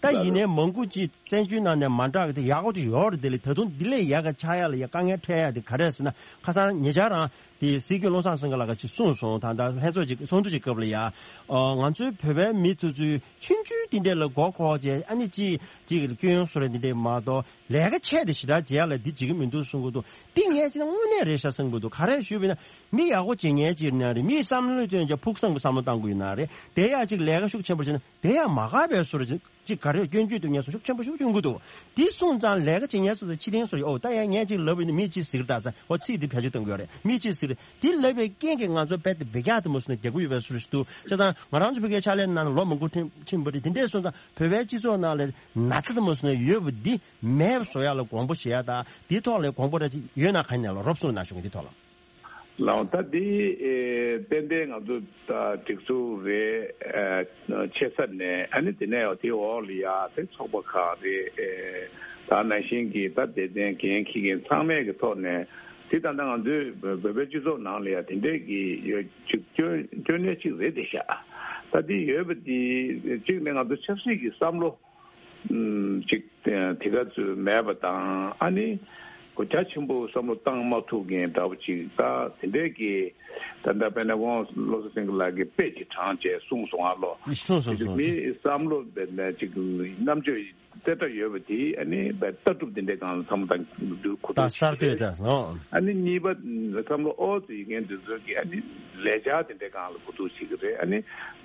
ད་ཡིན་ནའི་མང་པོ་ཅིག་བཙན་བྱོལ་ནང་ནས་མ་འདྲ་གི་དེ་ཡག་པོ་ཅིག་ཡོད་རེད། དེ་ལས་ད་དུང་འདི་ལས་ཡག་ག་ཆགས་ཡ་ལ་ཡ་དཀའ་ངལ་འཕྲད་ཡ་དེ་ག་རེ་ཟེར་ན། ཁ་སང་ཉེ་ཆར་རང་དེ་སྲིད་སྐྱོང་བློ་བཟང་སེང་གེ་ལགས་ཀྱིས་གསུངས་སོང་། ད་ལྟ་ལྷན་ཚོགས་ཅིག་ཚོགས་འདུ་ཅིག་སྐབས་ལ་ཡ། ཨ་ང་ཚོའི་བོད་པའི་མི་དེ་ཚོས་ཆུང་ཆུང་དེ་འདྲས་ལ་མགོ་འཁོར་བྱས། ཨ་ནི་ཅིག་ཅིག་སྐྱོན་བཟོ་རེད་དེ་འདྲས་མ་གཏོགས་ལས་ཀ་ཆེ་དེ་ཞེ་དྲག་བྱེད་ཡ་ལ་འདི་བྱེད་ཀྱི་མི་འདུག་གསུང་གི་འདུག་འདི་ངས་ཅིག་ན་དངོས་གནས་རེད་ཤག་བསམ་གྱི་འདུག་ག་རེ་ཞུས་པ་ཡིན་ན་མི་ཡག་པོ་བྱེད་མཁན་ཅིག་ཡིན་ན་རེད། མིའི་བསམ་བློ་བཏོན་བྱས་ཕུགས་བསམ་གྱི་བསམ་བློ་བཏང་དགོས་ཡིན་ན་རེད། དེ་ཡ་ཅིག་ལས་ཀ་ཤུགས་ཆེན་པོ་བྱས་ན། དེ་ཡང་མ་དགའ་བའི་བཟོ་འདྲ་ཅིག་ག་རེ་སྐྱོན་བརྗོད་དུ་ངས་སོ་ཤུགས་ཆེན་པོ་ཤུགས་ཆུང་གི་འདུག་འདི་སོང་ཙང་ལས་ཀ་བྱེད་མཁན་སོ་སོ་ཕྱི་རྟེན་སོ་ཡོད། ཨོ་ད་ཡང་ངས་ཅིག་ལབ་པ་ཡིན་ན་མིས་ཅིག་ཟེར་གི་ད་ས། ཨོ་ཚིག་འདི་བེད་སྤྱོད་གཏོང་གི་ཡོད་རེད། མིས་ཅིག་ཟེར། དེ་ལབ་པའི་རྐྱེན་གྱིས་ང་ཚོ་རྦད་དེ་འབུད་རྒྱག་དེ་མོ་སོང་ན་རྒྱག་གི་ཡོད་པའི་བཟོ་འདྲ་ཞིག་འདུག་བྱས་ཙང་ང་རང་ཚོ་བོད་སྐད་ཕྱག་ལས་གནང་ནས་ལོ་མང་པོ་ཐེངས་ཕྱིན་པ་རེད། དེ་འདྲས་སོང་ཙང་བོད་པའི་སྤྱི་ཚོགས་ནང་ལ་ན་ཚ་དེ་མོ་སོང་ན་ཡོད་པ་འདི་མེད་པ་བཟོ་ཡག་ལ་དགོངས་པ་བཞེས་ཡག་དང་། དེའི་ཐོག་ལ་དགོངས་པ་ར་ཅིག་ཡོད་ན་གང་ཡིན་ན་ལ་རོབ་གསུངས་གནང་ཞུ་གི། འདི་ཐོག་ལ། ལགས། ད་འདི་ཨེ་ཏན་ཏན་ང་ཚོ་ད་སྒྲིག་འཛུགས་རེད། ཨེ་ཆེ་ས་ནས་ཨ་ནི་དེ་ནས་དེ་འོག་ལ་ཡ་དེ་ཚོགས་པ་ཁག་རེད། ཨེ་ད་ནང་བཞིན་གྱི་ད་སྡེ་ཚན་འགན་འཁྱེར་མཁན་ཚང་མས་ཀྱི་ཐོག་ནས་དེ་ད་ལྟ་ང་ཚོའི་བོད་པའི་སྤྱི་ཚོགས་ནང་ལ་ཡ་དེ་འདྲས་ཀྱི་ཡོད་ཅིག་སྐྱོན་སྐྱོན་གནས་ཅིག་རེད་དེ་ཤག་ད་འདི་ཡོད་པ་འདི་གཅིག་ནས་ང་ཚོ་ཆབ་སྲིད་ཀྱི་བསམ་བློ་ཅིག་དེ་ག་ཚོད་མེད་པ་དང་། ཨ་ནི་གོ་རྒྱ་ཆེན་པོ་བསམ་བློ་བཏང་མ་ཐུབ་མཁན་འདྲ་བོ་ཅིག་ད་དེ་འདྲས་ཀྱི་ད་ལྟ་དཔེར་ན་ཁོང་བློ་བཟང་སེང་གེ་ལགས་ཀྱིས་དཔེ་ཅིག་དྲངས་བྱས་གསུངས་སོང་། ཨ་ལོ། གསུངས་སོང་། དེ་གསུངས་མིའི་བསམ་བློ་དཔེར་ན་ཅིག་རྣམ་དཔྱོད་རྩེ་གྲ་ཡོད་པ་དེ་ཨ་ནི་ལྟ་གྲུབ་དེ་འདྲས་སྒང་ལ་བསམ་བློ་བཏང་རྒྱུ་ཁོ་ད་ཐག་གསར་གཏོད་ཆོད་རེད། དང་ལོ། ཨ་ནི་གཉིས་པ་བསམ་བློ་ཨོ་ཙི་ཡོད་མཁན་དེ་ཚོ་གིས་ཨ་ནི་ལས་འཆར་དེ་འདྲས་སྒང་ལ་གོ་བསྡུར་བྱེད་ཀྱི་རེད། ཨ་ནི་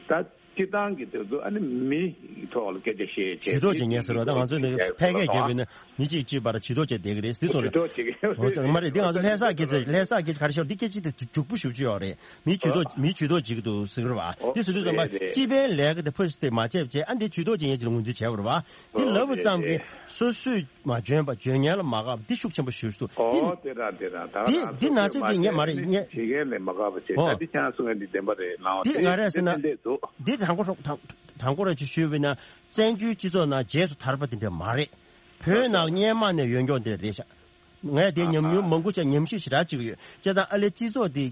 ད། སྤྱི་བཏང་གི་དེ་ཚོ་ཨ་ནི་མི་ཐོག་ལ་སྐད་ཆ་བཤད་བྱས། ཇུས་གཏོགས་བྱེད་མཁན་ཟེར་བ་ད་ང་ཚོ་ནི་ཕལ་སྐད་བརྒྱབ་པས་ན་མི་གཅིག་གཅིག་བར་ཇུས་གཏོགས་བྱས་བསྡད་ཀྱི་རེད། འདི་སོང་རེད། ཇུས་གཏོགས་བྱེད་ཀྱི་ཡོད་རེད། འོ་མ་རེད། འདི་ང་ཚོ་ལྷ་ས་སྐད་ཆ། ལྷ་ས་སྐད་ཆ་ག་རེ་ཤོར། འདི་སྐད་ཆ་དེ་འཇུག་པོ་ཞེ་པོ་ཅིག་ཡོད་རེད། མི་ཇུས་གཏོགས། མི་ཇུས་གཏོགས་བྱེད་ཀྱི་འདུག་ཟེར་གྱི་རེད་བ། འོ་འདི་ཟེར་དུས་ཙམ་པ་རེད་རེད། སྤྱི་པའི་ལས་ཀ་དེ་ཕུ་སི་དེ་མ་བྱས་བྱས་ཨ་འདི་ཇུས་གཏོགས་བྱེད་མཁན་ཅིག་ལ་ངོས་འཛིན་བྱས་པ་རེད་བ། འདི་ལབ་པ་ཙམ་གྱིས་སོ་སོས་མ་འཇོན་པ། འཇོན་མཁན་ལ་མ་དགའ་བ་འདི་ཤུགས་ཆེན་པོ་ཞེ་པོ་ཞིག་འདུག་འདི་འོ་དེ་རང་དེ་རང་ད་འདི་ང་འདི་ཚོས་ན་ཚོད་མ་འདི་ངས་མ་རེད། ངས་བྱེད་མཁན་ལས་མ་དགའ་བ་བྱེད། ཨོ། ད་འདི་ཁྱེད་རང་གསུང་མཁན་འདི་བདེན་པ་རེད། ལའང་འདི་ང་རེད་ཟེར་ན། ཏན་ཏན་འདུག་འདི་དང་པོ་རོགས་དང་དང་པོ་ར་ཅིག་ཞུས་པ་ཡིན་ན་བཙན་བྱོལ་སྤྱི་ཚོགས་ནང་རྗེས་སུ་དར་བ་དེ་འདྲ་མ་རེད། བོད་ནང་སྔོན་མ་ནས་ཡོད་མཁན་དེ་རེད་ཤག་ངས་དེ་ཉམས་མྱོང་མང་པོ་ཅིག་ཉམས་ཞིབ་ཞེ་དྲག་ཅིག་ཡོད། བྱས་ཙང་ཨ་ལས་སྤྱི་ཚོགས་དེ་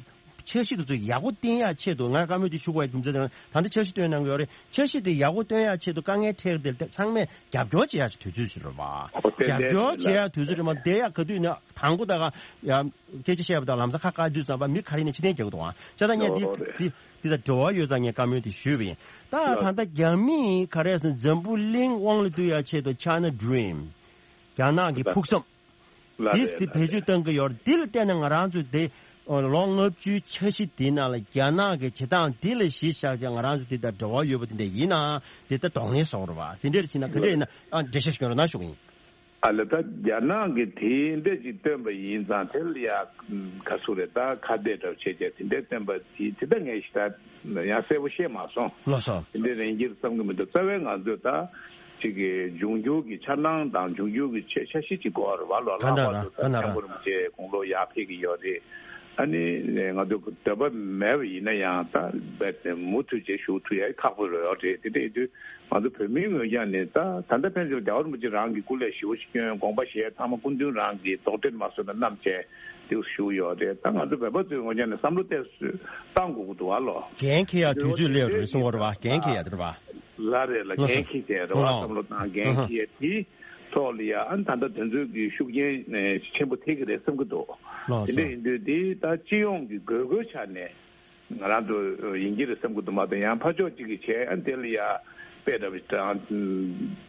འཆར་གཞི་དེ་ཚོ་ཡག་པོ་བཏིང་ཡག་ཆེད་དུ་ང་བཀའ་མོལ་དེ་ཞུ་དགོས་ཡག་རྒྱུ་མཚན་དེ་ད་ལྟ་འཆར་གཞི་བཏོན་གནང་གི་ཡོད་རེད། འཆར་གཞི་དེ་ཡག་པོ་བཏོན་ཡག་ཆེད་དུ་དཀའ་ངལ་འཕྲད་དེ་ཚང་མས་རྒྱབ་སྐྱོར་བྱེད་ཡག་ཅིག་དུས་ཚོད་ཞིག་རེད་བ། རྒྱབ་སྐྱོར་བྱེད་ཡག་དུས་ཚོད་རེད་མ། དེ་ཡག་ག་དུས་ནས་དང་པོ་ད་ག་ཡ་སྐད་ཆ་བཤད་པ་དང་ལམ་སང་ཁ་བཀག་དུས་ཙམ་པ་མི་ག་རེ་ནས་ཕྱིར་འཐེན་རྒྱག་གི་འདུག་ཨང་། བྱས་ཙང་ངས་འདི་འདི་འདི་དང་འབྲེལ་བ་ཡོད་ཙང་ངས་བཀའ་མོལ་དེ་ཞུས་པ་ཡིན། ད་ད་ལྟ་རྒྱ་མིས་ག་རེ་ཟེར་འཛམ་བུ་གླིང་དབང་ལ་བསྡུ་ཡག་ཆེད་དུ་China Dream། རྒྱ་ནག་གི་ཕུགས་བསམ། ལ་འདི་རེད་དེ་ལ་བེད་སྤྱོད་རེད། གཏང་གི་ཡོད་རེད། འདི་ལ་བལྟས་ན་ང་རང་ཚོ་དེ་ལོ་ལྔ་བཅུའི་འཆར་གཞི་འདི་ནང་ལ་རྒྱ་ནག་གི་བྱེད་སྟངས་འདི་ལ་གཞི་བཞག་བྱས་ང་རང་ཚོ་འདི་དང་འབྲེལ་བ་ཡོད་པ་དེ་འདྲ་ཡིན་ན་དེ་ལྟ་གདོང་ལེན་བཟོ་དགོས་རེད་བ། དེ་འདྲ་ཕྱིན་ན་ག་འདྲ་ཡིན་ན་ཨ་འགྲེལ་བཤད་ཞུ་རོགས་གནང་ཞུ་གི་ཡིན། ཨ་ལ་ད་རྒྱ་ནག་གིས་དེ་འདྲ་ཅིག་བཏོན་པ་ཡིན་ཙང་དེ་ལ་ཡ་ག་ཚོད་རེད། ད་ཁ་གཏད་འདྲ་བྱས་བྱས་དེ་འདྲ་བཏོན་པ་དེ་དེ་ད་ངས་ཞེ་དྲག་ཡང་གསལ་པོ་ཤེས་མ་སོང་། ལགས་སོ། དེ་འདྲ་རེད་འགྱུར་བསམ་གི་མི་འདུག་རྩ་བའི་ང་ཚོས་ད་ཅིག་གི་འབྱུང་འགྱུར་གྱི་འཆར་སྣང་དང་འབྱུང་འགྱུར་གྱི་འཆར་འཆར་གཞི་ཅིག་དགོས་རེད་བ། ལོ་ལྷག་པར་དུ་ད་སྐྱབས་མགོན་རིན་པོ་ཆེ་དགུང་ལོ་ཡར་ཕེབས་ཀྱི་ཡོད་རེད། ཨ་ནི་ང་ཚོ་འདོད་པ་མེད་པ་ཡིན་ན་ཡང་ད་རྦད་དེ་མུ་མཐུད་བྱས་བཞུགས་ཐུབ་ཡ་ཁག་པོ་རེད་ཡོད་རེད། དེ་འདྲ་ཡིན་དུས་ང་ཚོ་བོད་མིའི་ངོས་ཀྱང་ནས་ད་ད་ལྟ་ཕན་ཚུན་རྒྱལ་བ་རིན་པོ་ཆེ་རང་གི་སྐུ་ལས་ཞེ་པོ་ཞིག་བསྐྱོན། དགོངས་པ་བཞེས། ཚང་མ་སྐུ་མདུན་རང་གི་དོགས་འདྲི་མ་བཟོས་ན་བསྣམས་བྱས་དེ་བཞུགས་ཡོད་རེད། ད་ང་ཚོ་བོད་པ་ཚོའི་ངོས་ཀྱང་ནས་བསམ་བློ་ཏོག་ཙམ་བཏང་དགོས་ཀྱི་འདུག་བ་ལོ། འགན་འཁྱེར་ཡ་དུས་ཚོད་སླེབས་རེད་གསུང་བ་རེད་བ། འགན་འཁྱེར་ཡ་དེ་རེད་བ། ལ་རེད་ལ། ལགས་སོ། འགན་འཁྱེར་བྱས་རེད་བ། ལགས། བསམ་བློ་བཏང་འགན་ཨ་ཧ། འཁྱེར་དེ་ཐོག་ལ་ཡ་ཨ་ནི་ད་ལྟ་དེ་ཚོའི་གི་ཤུགས་རྐྱེན་ཆེན་པོ་ཐེབས་ཀྱི་རེད་བསམ་གྱི་འདུག་ལགས་སོ། དེ་འདྲ་ཡིན་དུས་དེ་ད་སྤྱི་ཡོངས་ཀྱི་དགོས་མཁོའི་ཆ་ནས་ང་རང་ཚོ་ཡིན་གྱི་རེད་བསམ་གྱི་འདུག་མ་གཏོགས་ཡང་ཕར་ཕྱོགས་གཅིག་གིས་བྱས་ཨ་ནི་དེ་ལ་ཡ་དཔེ་འདྲ་བ་དྲངས།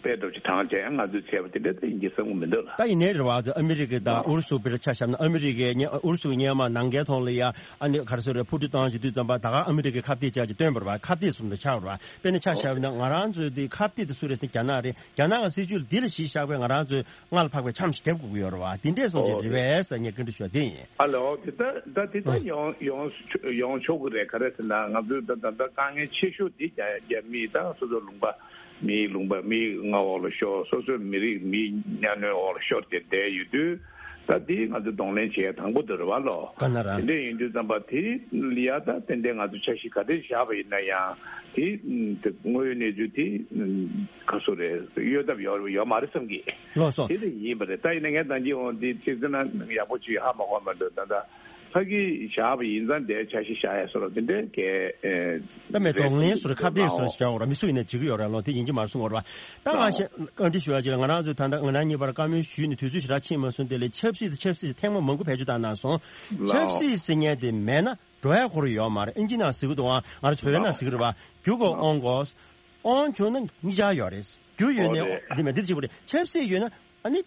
དཔེ་འདྲ་བ་ཞིག་དྲངས་བྱས་ང་ཚོས་བྱས་པ་དེ་འདྲ་ད་ཡིན་གྱི་བསམ་གྱི་མི་འདུག་ལ། ད་ཡིན་ནའི་རེད་བ། ཨ་མི་རི་ཀ་དང་ཨུ་རུ་སུ་དཔེར་ཆ་བཞག་ན་ཨ་མི་རི་ཀའི་ཨུ་རུ་སུའི་སྔོན་མ་ནང་འགལ་ཐོག་ལ་ཡ་ཨ་ནི་ག་རེ་ཟེར་རེད། འཕུར་གྲུ་བཏང་བྱེད་དུས་ཙམ་པ་ད་ག་ཨ་མི་རི་ཀའི་ཁ་གཏད་བཅག་ཅིག་བཏོན་པ་རེད་བ། ཁ་གཏད་བཟུང་དུ་ཆགས་པ་རེད་བ། དཔེར་ན་ཆ་བཞག་པ་ཡིན་ན་ང་རང་ཚོའི་དེ་ཁ་གཏད་དེ་སུ་རེད་ཟེར་ན་རྒྱ་ནག་རེད། རྒྱ་ནག་གི་སྲིད་ཇུས་འདི་ལ་གཞི་བཞག་པའི་ང་རང་ཚོའི་སྔར་ལ་འཕགས་པའི་འཆམ་ཞིག་རྒྱབ་དགོས་ཀྱི་ཡོད་རེད་བ། དེ་འདྲས་སོང་ཅིག་རེད་པས་ཟེར་ངས་བཀའ་འདྲི་ཞུ་བ་དེ་ཡིན། ཨ་ལོ། དེ་ལྟ་ད་དེ་ལྟ་ཡོང་ཡོང་ཡོང་ཆོག་གི་རེད། ག་རེ་ཟེར་ན་ང་ཚོའི་ད་ད་ལྟ་དཀའ་ངལ་ཆེ་ཤོས་འདི་རྒྱ་རྒྱ་མི་ད་སོ་སོ་ལུང་པ་མིའི་ལུང་པ་མིའི་མངའ་འོག་ལ་ཤོར། སོ་སོའི་མི་རིགས་མིའི་གཉའ་གནོན་འོག་ལ་ཤོར་ཏེ་བསྡད་ཡོད་དུས་ད་འདི་ང་ཚོ་གདོང་ལེན་བྱེད་ཡ་དང་པོ་དེ་རེད་བ་ལོ། ག་ན་ར། དེ་འདྲ་ཡིན་དུས་ཙམ་པ་དེ་ལ་ཡ་ད་ཏན་ཏན་ང་ཚོ་འཆར་གཞི་ག་འདྲ་བཞག་པ་ཡིན་ན་ཡང་དེ་དངོས་ཡོད་གནས་ཚུལ་དེ་ག་སུ་རེད། གཡོལ་ཐབས་ཡོད་ཡོད་མ་རེད་བསམ་གི། ལགས་སོ། དེ་ལས་ཡིན་པ་རེད། ད་ཡིན་ན་ངས་ད་གིན་འོང་འདི་ཅིག་ཟེར་ན་ཡག་པོ་ཅིག་ཧ་མ་གོ་མ་འདུག་ད་ད་ཕ་གི་བཞག་པ་ཡིན་ཙང་དེ་འཆར་གཞི་བཞག་ཡ་སོ་རོ་དེ་འདྲའི་གལ་ད་མེད། གདོང་ལེན་སོ་རོ་ཁ་གཏད་སོ་རོ་བྱ་འོ་ར་མི་སུ་ཡིན་ན་བྱེད་ཀྱི་ཡོད་ར་ལོ། དེ་ཡིན་གྱི་མ་རེད་གསུང་འོ་ར་བ། ད་ང་ཤེས་བཀའ་འདྲི་ཞུ་ཡ་ཅིག་ལ་ང་རང་ཚོས་ད་ལྟ་ང་རང་གཉིས་བར་བཀའ་མོལ་ཞུས་ནས་དུས་ཚོད་ཞེ་དྲག་ཕྱིན་མ་སོང་། དེ་ལས་ཆབ་སྲིད་དེ་ཆབ་སྲིད་ཐེངས་མ་མང་པོ་བེད་སྤྱོད་བཏང་གནང་སོང་། ཆབ་སྲིད་ཟེར་མཁན་དེ་མེད་ན་འགྲོ་ཡ་ཁོ་རང་ཡོད་མ་རེད། ཨིན་ཇི་ནང་ཟེར་གི་འདུག་ཨང་། ང་རང་ཚོ་བོད་པའི་ནང་ཟེར་གི་རེད་བ། རྒྱུ་དགོས་དབང་དགོས། དབང་བྱུང་ན་གཉིས་ཆར་ཡོད་རེད། རྒྱུ་ཡོད་ནས་འདི་མེད་འདི་ཅིག་པོ་རེད། ཆབ་སྲིད་ཡོད་ན་ཨ་ནི་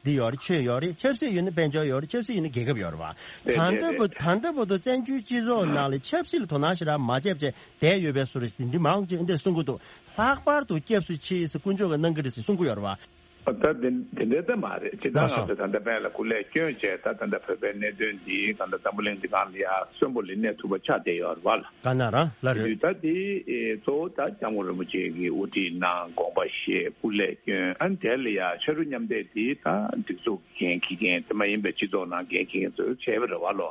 འདི་ཡོད་རེད། ཆོས་ཡོད་རེད། ཆབ་སྲིད་ཡོད་ན་དཔལ་འབྱོར་ཡོད་རེད། ཆབ་སྲིད་ཡོད་ན་རྒྱལ་ཁབ་ཡོད་རེད་བ། ད་ལྟ་བུ་ད་ལྟ་བུ་དུ་བཙན་བྱོལ་སྤྱི་ཚོགས་ནང་ལ་ཆབ་སྲིད་ལ་དོ་སྣང་ཞེ་དྲག་མ་བྱས་བྱས་བསྡད་ཡོད་པའི་བཟོ་འདྲ་འདི་མང་ཆེ་འདི་གསུང་གི་འདུག་ལྷག་པར་དུ་སྐྱབས་སུ་མཆི་ཟེར་དཀོན་མཆོག་གིས་གནང་གི་རེད་ཟེར་གསུང་གི་ཡོད་རེད་བ། ད་དེ་དེ་འདྲའི་ལྟ་མ་རེད། ཅི་ལགས་ལགས་སོ། ང་ཚོ་ད་ལྟ་སྤེན་ལ་སྐུ་ལས་བསྐྱོན་བྱས། ད་ད་ལྟ་བོད་པའི་གནད་དོན་འདི་གང་ལྟར་འཛམ་བུ་གླིང་འདི་སྒང་ལ་ཡ་གསོན་པོ་ལ་གནས་ཐུབ་པ་ཆགས་བསྡད་ཡོད་རེད་བ་ལ། ག་ན་རང་ལ་རེད། དུས་ད་འདི་གཙོ་བོ་ད་སྐྱབས་མགོན་རིན་པོ་ཆེ་གིས་དབུ་ཁྲིད་གནང་། དགོངས་པ་བཞེས། སྐུ་ལས་བསྐྱོན། ཨ་ནི་དེ་ལ་ཡ་ཕྱག་རོགས་མཉམ་འདེགས་འདི་ད་སྒྲིག་འཛུགས་འགན་འཁྱེར་མཁན་དེ་མ་ཡིན་པའི་སྤྱི་ཚོགས་ནང་འགན་འཁྱེར་མཁན་ཚོས་བྱས་པ་རེད་བ་ལོ།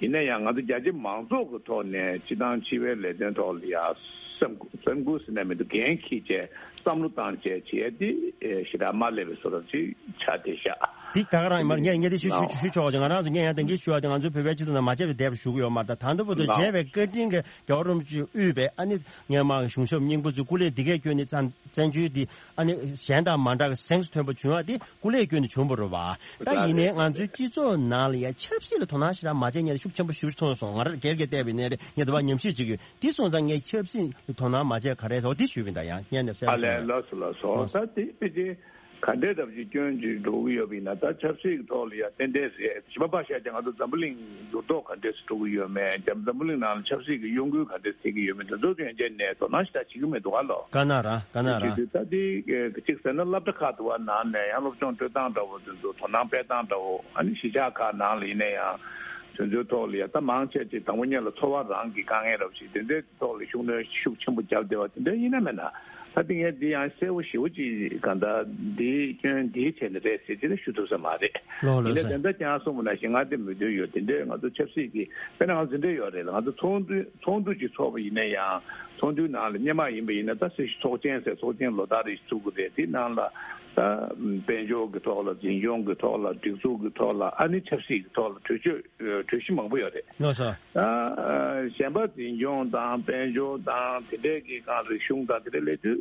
ཡིན་ན་ཡང་ང་ཚོ་རྒྱ་ཆེ་མང་ཚོགས་ཀྱི་ཐོག་ནས་སྤྱི་བཏང་སྤྱི་པའི་ལས་དོན་ཐོག་ལ་ཡ་སེམས་སེམས་ཁུར་ཟེར་ན་མི་འདུག་འགན་འཁྱེར་བྱས་བསམ་བློ་བཏང་བྱས་བྱས་ཏེ་ཞེ་དྲག་མ་སླེབས་པའི་བཟོ་འདྲ་ཅིག་ཆགས་བསྡད་ཤག་འདི་ད་ག་རང་ཡིན་མ་རེད། ངས་ངས་འདི་ཞུ་ཞུ་ཞུ་ཆོག་ཅིང་། ང་རང་ཚོ་ངས་ཡང་དེང་གི་ཞུ་བ་དེ་ང་ཚོའི་བོད་པའི་སྤྱི་ཚོགས་ནང་མ་བྱས་པའི་དེབ་ཞུ་གི་ཡོད་མ་རེད། ད་ད་ལྟ་བར་དུ་མཇལ་བའི་བཀའ་དྲིན་གྱི་རྒྱལ་བ་རིན་པོ་ཆེས་དབུས་པའི་ཨ་ནི་སྔོན་མ་གཞུང་ཞབས་སྙིང་པོ་ཚོས་སྐུ་ལས་འདི་གས་བསྐྱོན་ནས་བཙན་བཙན་བྱོལ་འདི་ཨ་ནི་གཞན་དང་མ་འདྲ་བའི་གཟེངས་སུ་ཐོན་པ་བྱུང་བ་དེ་སྐུ་ལས་བསྐྱོན་ནས་བྱུང་བ་རེད་བ། ད་ཡིན་ནའི་ང་ཚོའི་སྤྱི་ཚོགས་ནང་ལ་ཡ་ཆབ་སྲིད་ལ་དོ་སྣང་ཞེ་དྲག་མ་བྱས་མཁན་ཤུགས་ཆེན་པོ་ཞིག་མཐོང་སོང་། ང་རང་སྒེར་གྱི་བལྟས་པ་ཡིན་ནའི་རེད། ངས་དེ་བ་ཉམས་ཞིབ་བྱེད་ཀྱི་ཡོད། དེ་སོང་ཙང་ངས་ཆབ་སྲིད་ལ་དོ་སྣང་མ་བྱས་ག་རེ་རེད་འོ་དེ་ཞུས་པ་ཡིན། ད་ཡང་སྙན་ནས་གསལ་ཨ་པོ་ལས་ཞུ། ལགས་སོ་ལགས་སོ། ལགས་སོ། ད་དེ་ཕལ་ཆེར་ག་འདྲའི་འདྲ་པོ་ཅིག་སྐྱོན་ཅིག་འགྲོ་གི་ཡོད་པ་ཡིན་ན། ད་ཆབ་སྲིད་ཀྱི་ཐོག་ལ་ཡ་ཏན་ཏན་རེད། གཞན་པ་ཕར་བཞག་ཀྱང་ང་ཚོ་འཛམ་བུ་གླིང་འགྱུར་ལྡོག་ག་འདྲས་སེ་འགྲོ་གི་ཡོད་མེད། འཛམ་འཛམ་བུ་གླིང་ནང་ལ་ཆབ་སྲིད་ཀྱི་གཡོ་འགུལ་ག་འདྲས་སེ་ཐེབས་ཀྱི་ཡོད་མེད། དེ་ཚོ་ཡོན་ཆད་ནས་དོ་སྣང་ཞེ་དྲག་བྱེད་ཀྱི་མི་འདུག་ག་ལོ། ག་ན་ར་ག་ན་ར། ད་དེ་གཅིག་ཟེར་ན་སློབ་གྲྭ་ཁག་ཏུ་བ་ནང་ནས་ཡང་སློབ་སྦྱོང་སྤྲོད་སྟངས་འདྲ་བོ་དེ་ཚོ་དོ་སྣང་སྤེལ་སྟངས་འདྲ་བོ། ཨ་ནི་གཞིས་ཆགས་ཁག་ནང་ལ་ཡིན་ན་ཡང་དེ་ཚོའི་ཐོག་ལ་ཡ་ད་མང་ཆེ་ཅིག་དང་པོ་ཉིད་ལ་འཚོ་བ་རང་གི་དཀའ་ངལ་འདྲ་བོ་ཞིག་དེ་འདྲའི་ཐོག་ལ་ཤུགས་སྣོན་ཤུགས་ཆེན་པོ་བརྒྱབ་བསྡད་པ་དེ་འདྲ་ཡིན་ན་མེད་ན། ད་དེ་ངས་འདི་ཡང་གསལ་པོ་ཞེ་པོ་ཅིག་གང་ལྟར་འདིའི་སྐྱོན་འདིའི་ཆེད་ནས་རེད་ཟེར་ཅིག་ལ་ཞུ་ཐུབ་ས་མ་རེད། ལགས་ལགས་ཡིན་ན་སོ། དེ་འདྲ་ཀྱང་གསུངས་པ་ནང་བཞིན་ང་དེ་མོས་མཐུན་ཡོད། དེ་འདྲའི་ང་ཚོ་ཆབ་སྲིད་ཀྱི་དཔེར་ན་ང་ཚོ་འདི་འདྲ་ཡོད་རེད་ལ། ང་ཚོ་ཚོགས་འདུ་ཚོགས་འདུ་ཅིག་ཚོགས་པ་ཡིན་ན་ཡང་ཚོགས་འདུའི་ནང་ལ་སྔོན་མ་ཡིན་པ་ཡིན་ན་ད་སྲིད་ཞུ་ཚོགས་ཆེན་ཟེར་ཚོགས་ཆེན་ལོ་ལྟར་རེ་ཞིག་བཙུགས་ཀྱི་རེད། དེ་ནང་ལ་ད་དཔལ་འབྱོར་གྱི་ཐོག་ལ་འཛིན་སྐྱོང་གི་ཐོག་ལ་སྒྲིག་འཛུགས་ཀྱི་ཐོག་ལ་ཨ་ནི་ཆབ་སྲིད་ཀྱི་ཐོག་ལ་གྲོས་ཆོད་གྲོས་གཞི་མང་པོ་ཡོད་རེད། ལགས་སོ། ད་གཞན་པ་འཛིན་སྐྱོང་དང་དཔལ་འབྱོར་དང་དེ་འདྲའི་གི་སྒང་རིག་གཞུང་དང་དེ་འདྲའི་སླེབས་དུས་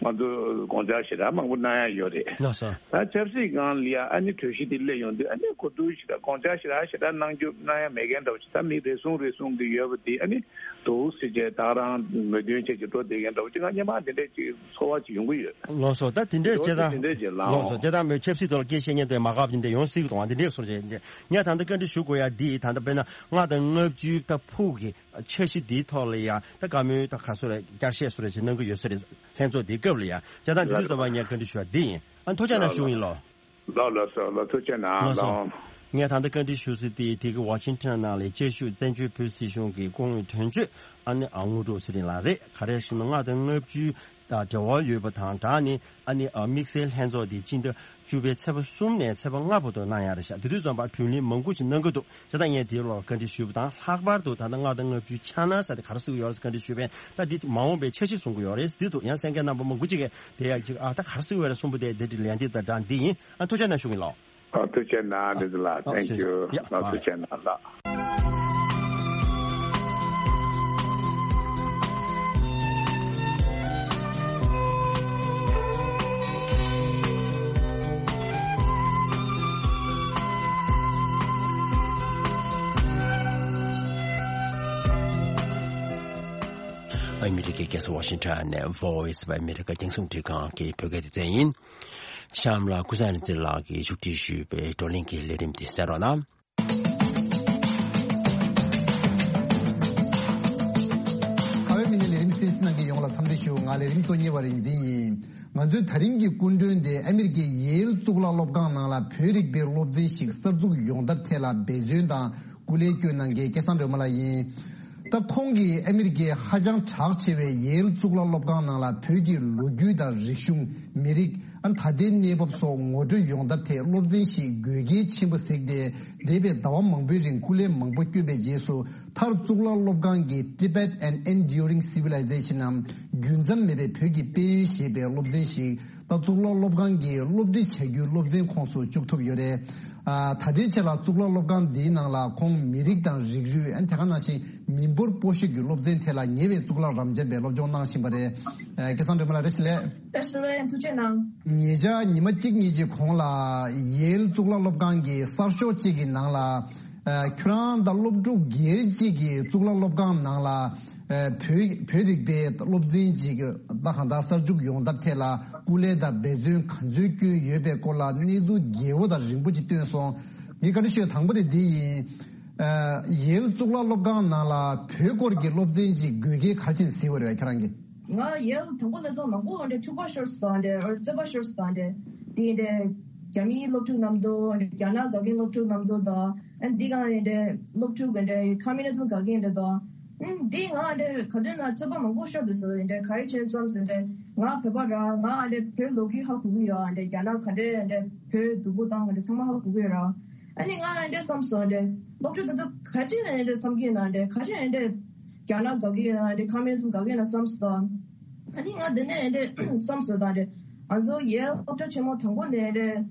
ང་ཚོ་དགོངས་འཆར་ཞེ་དྲག་མང་པོ་གནང་ཡ་ཡོད་རེད། ལགས་སོ། ད་ཆབ་སྲིད་སྒང་ལ་ཡ་ཨ་ནི་གྲོས་གཞི་དེ་སླེབས་ཡོང་དུས་ཨ་ནི་གོ་བསྡུར་ཞེ་དྲག་དགོངས་འཆར་ཞེ་དྲག་ཞེ་དྲག་གནང་རྒྱུ་གནང་ཡ་མེད་མཁན་འདྲ་བོ་ཞིག་ད་མི་རེ་ཟུང་རེ་ཟུང་གི་ཡོད་པ་དེ་ཨ་ནི་འདུག་ཟེར་བྱས་ད་རང་མོས་མཐུན་བྱས་ཀྱི་འགྲོ་བསྡད་མཁན་འདྲ་བོ་ཅིག་ང་སྔོན་མ་དེ་འདྲས་ཅིག་ཚོར་བ་ཅིག་ཡོང་གི་ཡོད། ལགས་སོ། ད་དེ་འདྲས་བྱས་ཙང་། དེ་འདྲས་ཅིག་ལགས་སོ། ལའང་དེ་ལྟར་མོས་ཆབ་སྲིད་ཐོག་ལ་སྐད་བཤད་མཁན་དེ་མ་དགའ་བ་དེ་འདྲས་ཡོང་སྲིད་གི་འདུག་ཨ་འདི་འདྲས་སོང་བྱས་ངས་ད་ལྟ་བཀའ་འདྲི་ཞུ་དགོས་ཡ་འདི་ད་ལྟ་དཔེར་ན་ལྔ་དང་ལྔ་བཅུའི་ད་ཕུགས་ཀྱི་འཆར་གཞི་འདིའི་ཐོག་ལ་ཡ་ད་བཀའ་མོལ་ད་ག་སོ་རེ་བསྐྱར་བཤད་སོ་རེ་ཞིག་གནང་གི་ཡོད་ས་རེད། ལྷན་ཚོགས་འདིའི་སྐབས་ལ་ཡ་བྱས་ཙང་དེ་དུས་ཙམ་པ་ངས་བཀའ་འདྲི་ཞུ་བ་འདི་ཡིན། ཨ་ཐུགས་རྗེ་གནང་ཞུ་ཡིན་ལོ། ལགས་ལགས་སོ། ལགས་ཐུགས་རྗེ་གནང་། ལགས་སོ། ལགས། ངས་ད་ལྟ་བཀའ་འདྲི་ཞུ་ས་དེ་དེ་གི་ཝ་ཤིང་ཊོན་ནང་ལ་བཅའ་བཞུགས་བཙན་བྱོལ་བོད་སྲིད་གཞུང་གི་སྐུ་ངོ་དོན་གཅོད་ཨ་ནི་ཨ་དངོས་གྲུབ་ཚེ་རིང་ལགས་རེད། ག་རེ་ཞུ་ན་ལྔ་དང་ལྔ་བཅུ་དང་འབྲེལ་བ་ཡོད་པ་དང་སྦྲགས་ནས་ཨ་ནི་ཨ་དམིགས་བསལ་ལྷན་ཚོགས་དེ་སྤྱི་ཟླ་བཅུ་པའི་ཚེས་པ་གསུམ་ནས་ཚེས་པ་ལྔ་བར་དུ་གནང་ཡ་རེད་ཤག་དེ་དུས་ཙམ་པ་བགྲོ་གླེང་མང་པོ་ཞིག་གནང་གི་འདུག་བྱས་ཙང་ངས་དེའི་ལོག་བཀའ་འདྲི་ཞུས་པ་དང་ལྷག་པར་དུ་ད་ལྟ་ལྔ་དང་ལྔ་བཅུའི་འཆར་སྣང་ཟེར་དེ་ག་རེ་གསུངས་ཡོད་རེད་ཟེར་བཀའ་འདྲི་ཞུས་པས། ད་འདི་མ་འོངས་པའི་འཆར་གཞི་གསུང་གི་ཡོད་རེད། འདི་འདུག་ཡང་གསན་མཁན་རྣམ་པ་མང་པོ་ཅིག་གིས་དེ་ཡང་ཅིག་ཨ་ད་ག་རེ་གསུངས་ཡོད་རེད་གསུངས་པ་དེ་དེ་འདྲ་ལན་འདི་དང་འདྲ་འདི་ཡིན། ཨ་ཐུགས་རྗེ་གནང་ཞུ་གི་ཡིན་ལགས། ཨ་ཐུགས་རྗེ་གནང་། རེད་ལགས། ཨ་Thank you. ཡ། ལགས་ཐུགས་རྗེ་གནང་ལགས། ཨ་མི་རི་ཀའི་རྒྱལ་ས་ཝ་ཤིང་ཊོན་ནས་Voice of America རྒྱང་སྲིང་རླུང་འཕྲིན་ཁང་གི་བོད་སྐད་སྡེ་ཚན་ཡིན། གཤམ་ལ་ཀུན་བཟང་རིག་འཛིན་ལགས་ཀྱིས་ཞུ་སྒྲིག་ཞུས་པའི་བགྲོ་གླེང་གི་ལས་རིམ་དེ་གསན་རོགས་གནང་། ཁ་བའི་མི་སྣའི་ལས་རིམ་གསན་གཟིགས་གནང་མཁན་ཡོངས་ལ་འཚམས་འདྲི་ཞུ། ང་ལས་རིམ་གཙོ་གཉེར་བ་རིག་འཛིན་ཡིན། ང་ཚོའི་ད་རིང་གི་སྐུ་མགྲོན་དེ་ཨ་མི་རི་ཀའི་ཡེལ་གཙུག་ལག་སློབ་ཁང་ནང་ལ་བོད་རིག་པའི་སློབ་ཚན་ཞིག་གསར་འཛུགས་ཡོང་ཐབས་ཐད་ལ་འབད་བརྩོན་དང་སྐུ་ལས་བསྐྱོན་གནང་མཁན་སྐལ་བཟང་སྒྲོལ་མ་ལགས་ཡིན། ད་ཁོང་གིས་ཨ་མི་རི་ཀའི་ཧ་ཅང་གྲགས་ཆེ་བའི་ཡེལ་གཙུག་ལག་སློབ་ཁང་ནང་ལ་བོད་ཀྱི་ལོ་རྒྱུས་དང་རིག་གཞུང་། མི་རིགས། ཨ་ད་ལྟའི་གནས་བབ་སོགས་ངོ་སྤྲོད་ཡོང་ཐབས་ཐད་སློབ་ཚན་ཞིག་དགོས་གལ་ཆེན་པོ་གཟིགས་ཏེ། འདས་པའི་ཟླ་བ་མང་པོའི་རིང་སྐུ་ལས་མང་པོ་བསྐྱོན་པའི་རྗེས་སུ། མཐར་གཙུག་ལག་སློབ་ཁང་གི་Tibet and Enduring Civilization ནམ་རྒྱུན་མཚམས་མེད་པའི་བོད་ཀྱི་དཔལ་ཡོན་ཞེས་པའི་སློབ་ཚན་ཞིག་ད་གཙུག་ལག་སློབ་ཁང་གི་སློབ་ཁྲིད་བྱ་རྒྱུའི་སློབ་ཚན་ཁོངས་སུ་བཅུག་ཐུབ་ཡོད་རེད། ཨ་ད་ལྟའི་ཆར་ལ་གཙུག་ལག་སློབ་ཁང་འདིའི་ནང་ལ་ཁོང་མི་རིགས་དང་རིགས་རུས། ཨ་དེ་ག་ནང་བཞིན་མི་འབོར་སྤོ་བཤད་ཀྱི་སློབ་ཚན་ཐད་ལ་ཉེ་བའི་གཙུག་ལག་རབ་འབྱམས་པའི་སློབ་སྦྱོང་གནང་བཞིན་པ་རེད། ཨ་སྐལ་བཟང་སྒྲོལ་མ་ལགས་བཀྲ་ཤིས་བདེ་ལེགས། བཀྲ་ཤིས་བདེ་ལེགས། ཐུགས་རྗེ་གནང་། ཉེ་ཆར་ཉི་མ་གཅིག་གཉིས་ཀྱི་གོང་ལ་ཡེལ་གཙུག་ལག་སློབ་ཁང་གི་གསར་ཤོག་ཅིག་གི་ནང་ལ། ཨ་ཁྱོད་རང་དང་སློབ་ཕྲུག་སྒེར་གཅིག་གིས་གཙུག་ལག་སློབ་ཁང་ནང་ལ། ཨ་བོད་བོད་རིག་པའི་སློབ་ཚན་ཅིག་ད་གང་ལྟར་གསར་འཛུགས་ཡོང་ཐབས་ཐད་ལ་སྐུ་ལས་དང་འབད་བརྩོན་ག་ཚོད་བསྐྱོན་ཡོད་པའི་སྐོར་ལ་གནས་ཚུལ་རྒྱས་པོ་དང་རིང་པོ་ཅིག་བཏོན་སོང་། ངས་བཀའ་འདྲི་ཞུ་ཡ་དང་པོ་དེ་འདི་ཡིན། ཨ་ཡེལ་གཙུག་ལག་སློབ་ཁང་ནང་ལ་བོད་སྐོར་གྱི་སློབ་ཚན་ཅིག་དགོས་གལ་ག་རེ་བྱས་ནས་གཟིགས་པ་རེད་ཁྱེད་རང་གིས། ང་ཡེལ་དང་པོ་ནས་ཚོ་མང་པོ་འདྲ་འཁྲུག་པ་ཤོར་སོང་འདྲ་རྩོད་པ་ཤོར་སོང་འདྲ། དེ་འདྲ་རྒྱ་མིའི་སློབ་ཕྲུག་རྣམས་དང་རྒྱ་ནག་དགའ་མཁན་སློབ་ཕྲུག་རྣམས་དང་། ཨ་འདི་གང་འདྲ་སློབ་ཕྲུག་འདྲ་ཁོ་མུ་ནི་ཛམ་དགའ་མཁན་འདྲ་དང་། ཨ་འདི་ང་འདྲ་ག་དུས་ན་ཚོད་དཔག་མང་པོ་ཤོར་འདུག་ཟེར། འདྲ་ག་རེ་བྱས་བསམ་ཟེར། འདྲ་ང་བོད་པ་ར། ང་འདྲ་བོད་ལོ་རྒྱུས་ཧ་གོ་གི་ཡོད། འདྲ་རྒྱ་ནག་ག་འདྲ་འདྲ་བོད་སྡུག་པོ་བཏང་འདྲ་ཚང་མ་ཧ་གོ་གི་ཡོད་ར། ཨ་ནི་ང་འདྲ་བསམ་སོང་། འདྲ་སློབ་ཕྲུག་དེ་ཚོ་ག་ཅི་ནས་འདྲ་བསམ་གི་ཡོད་ན། འདྲ་ག་ཅི་འདྲ་རྒྱ་ནག་དགའ་གི་ཡོད་ན། འདྲ་ཁོ་མུ་ནི་ཛམ་དགའ་གི་ཡོད་ན་བསམ་སོང་། ཨ་ནི་ང་འདི་ནས་འདྲ་བསམ་སོང་། ད་འདྲ་ང་ཚོ་ཡེལ་སློབ་གྲྭ་ཆེན་མོ་དང་པོ་ནས་འདྲ་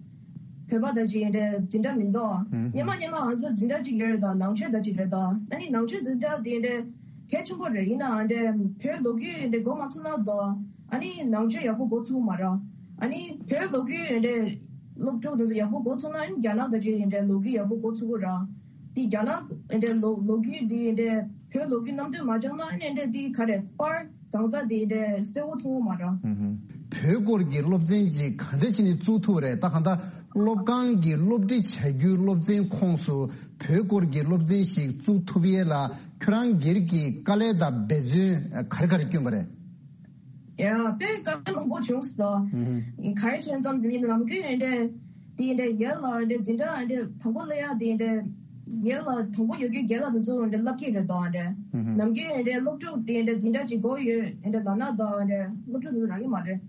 བོད་པ་དང་ཅིག་འདྲ་འཛིན་གྲྭ་མི་འདུག་ཨ་ཧུམ། སྔོན་མ་སྔོན་མ་ང་ཚོ་འཛིན་གྲྭ་གཅིག་ཡོད་རེད། ད་ནང་ཆོས་དང་ཅིག་རེད། ད་ཨ་ནི་ནང་ཆོས་འཛིན་གྲྭ་དེ་འདྲ་གལ་ཆེན་པོ་རེད། ཡིན་ནའང་འདྲ་བོད་ལོ་རྒྱུས་འདྲ་འགོ་མ་ཚུགས་ན་ད་ཨ་ནི་ནང་ཆོས་ཡག་པོ་འགོ་ཚུགས་མ་རེད། ཨ་ནི་བོད་ལོ་རྒྱུས་འདྲ་སློབ་ཕྲུག་དེ་ཚོ་ཡག་པོ་འགོ་ཚུགས་ན་ཨ་ནི་རྒྱ་ནག་དང་ཅིག་འདྲ་ལོ་རྒྱུས་ཡག་པོ་འགོ་ཚུགས་ཀྱི་རེད། དེ་རྒྱ་ནག་འདྲ་ལོ་ལོ་རྒྱུས་དེ་འདྲ་བོད་ལོ་རྒྱུས་རྣམས་གཏོད་མ་བྱུང་ན་ཨ་ནི་འདྲ་དེ་ག་རེ་པར་གང་ཟག་དེ་འདྲ་གསལ་པོ་མཐོང་གི་མ་རེད། ཨུ་ཧུམ། བོད་སྐོར་གྱི་སློབ་ཚན་ཅིག་ག་འདྲ་བྱས་ནས་བཙུགས་ཐུབ་རེད། ད་གང་ལྟར་སློབ་ཁང་གི་སློབ་ཁྲིད་བྱ་རྒྱུའི་སློབ་ཚན་ཁོངས་སུ་བོད་སྐོར་གྱི་སློབ་ཚན་ཞིག་བཙུགས་ཐུབ་ཡས་ལ་ཁྱོད་རང་སྒེར་གྱི་དཀའ་ལས་དང་འབད་བརྩོན་ག་རེ་ག་རེ་བསྐྱོན་པ་རེད། ཡ་དཔེ་དཀའ་ལས་མང་པོ་བྱུང་སོང་། ཨུ་ཧུམ། ག་རེ་བྱས་ཙང་དེ་ནི་ནམ་རྒྱུན་ཡིན་འདྲ། དེ་ཡིན་འདྲ་ཡེལ་ལ་འདྲ་འཛིན་གྲྭ་འདྲ་དང་པོ་སླེབས་ཡ་དེ་ཡིན་འདྲ། ཡེལ་ལ་དང་པོ་ཡོད་རྒྱུའི་རྒན་ལགས་དེ་ཚོ་འདྲ་བསླབ་ཀྱི་རེད་དོ་འདྲ། ཨུ་ཧུམ། ནམ་རྒྱུན་འདྲ་སློབ་ཕྲུག་དེ་འདྲ་འཛིན་གྲྭ་གཅིག་སྒོ་ཡོད་འདྲ་ལབ་ན་དོ་འདྲ་སློབ་ཕྲུག་དེ་ཚོ་རག་གི་མ་རེད།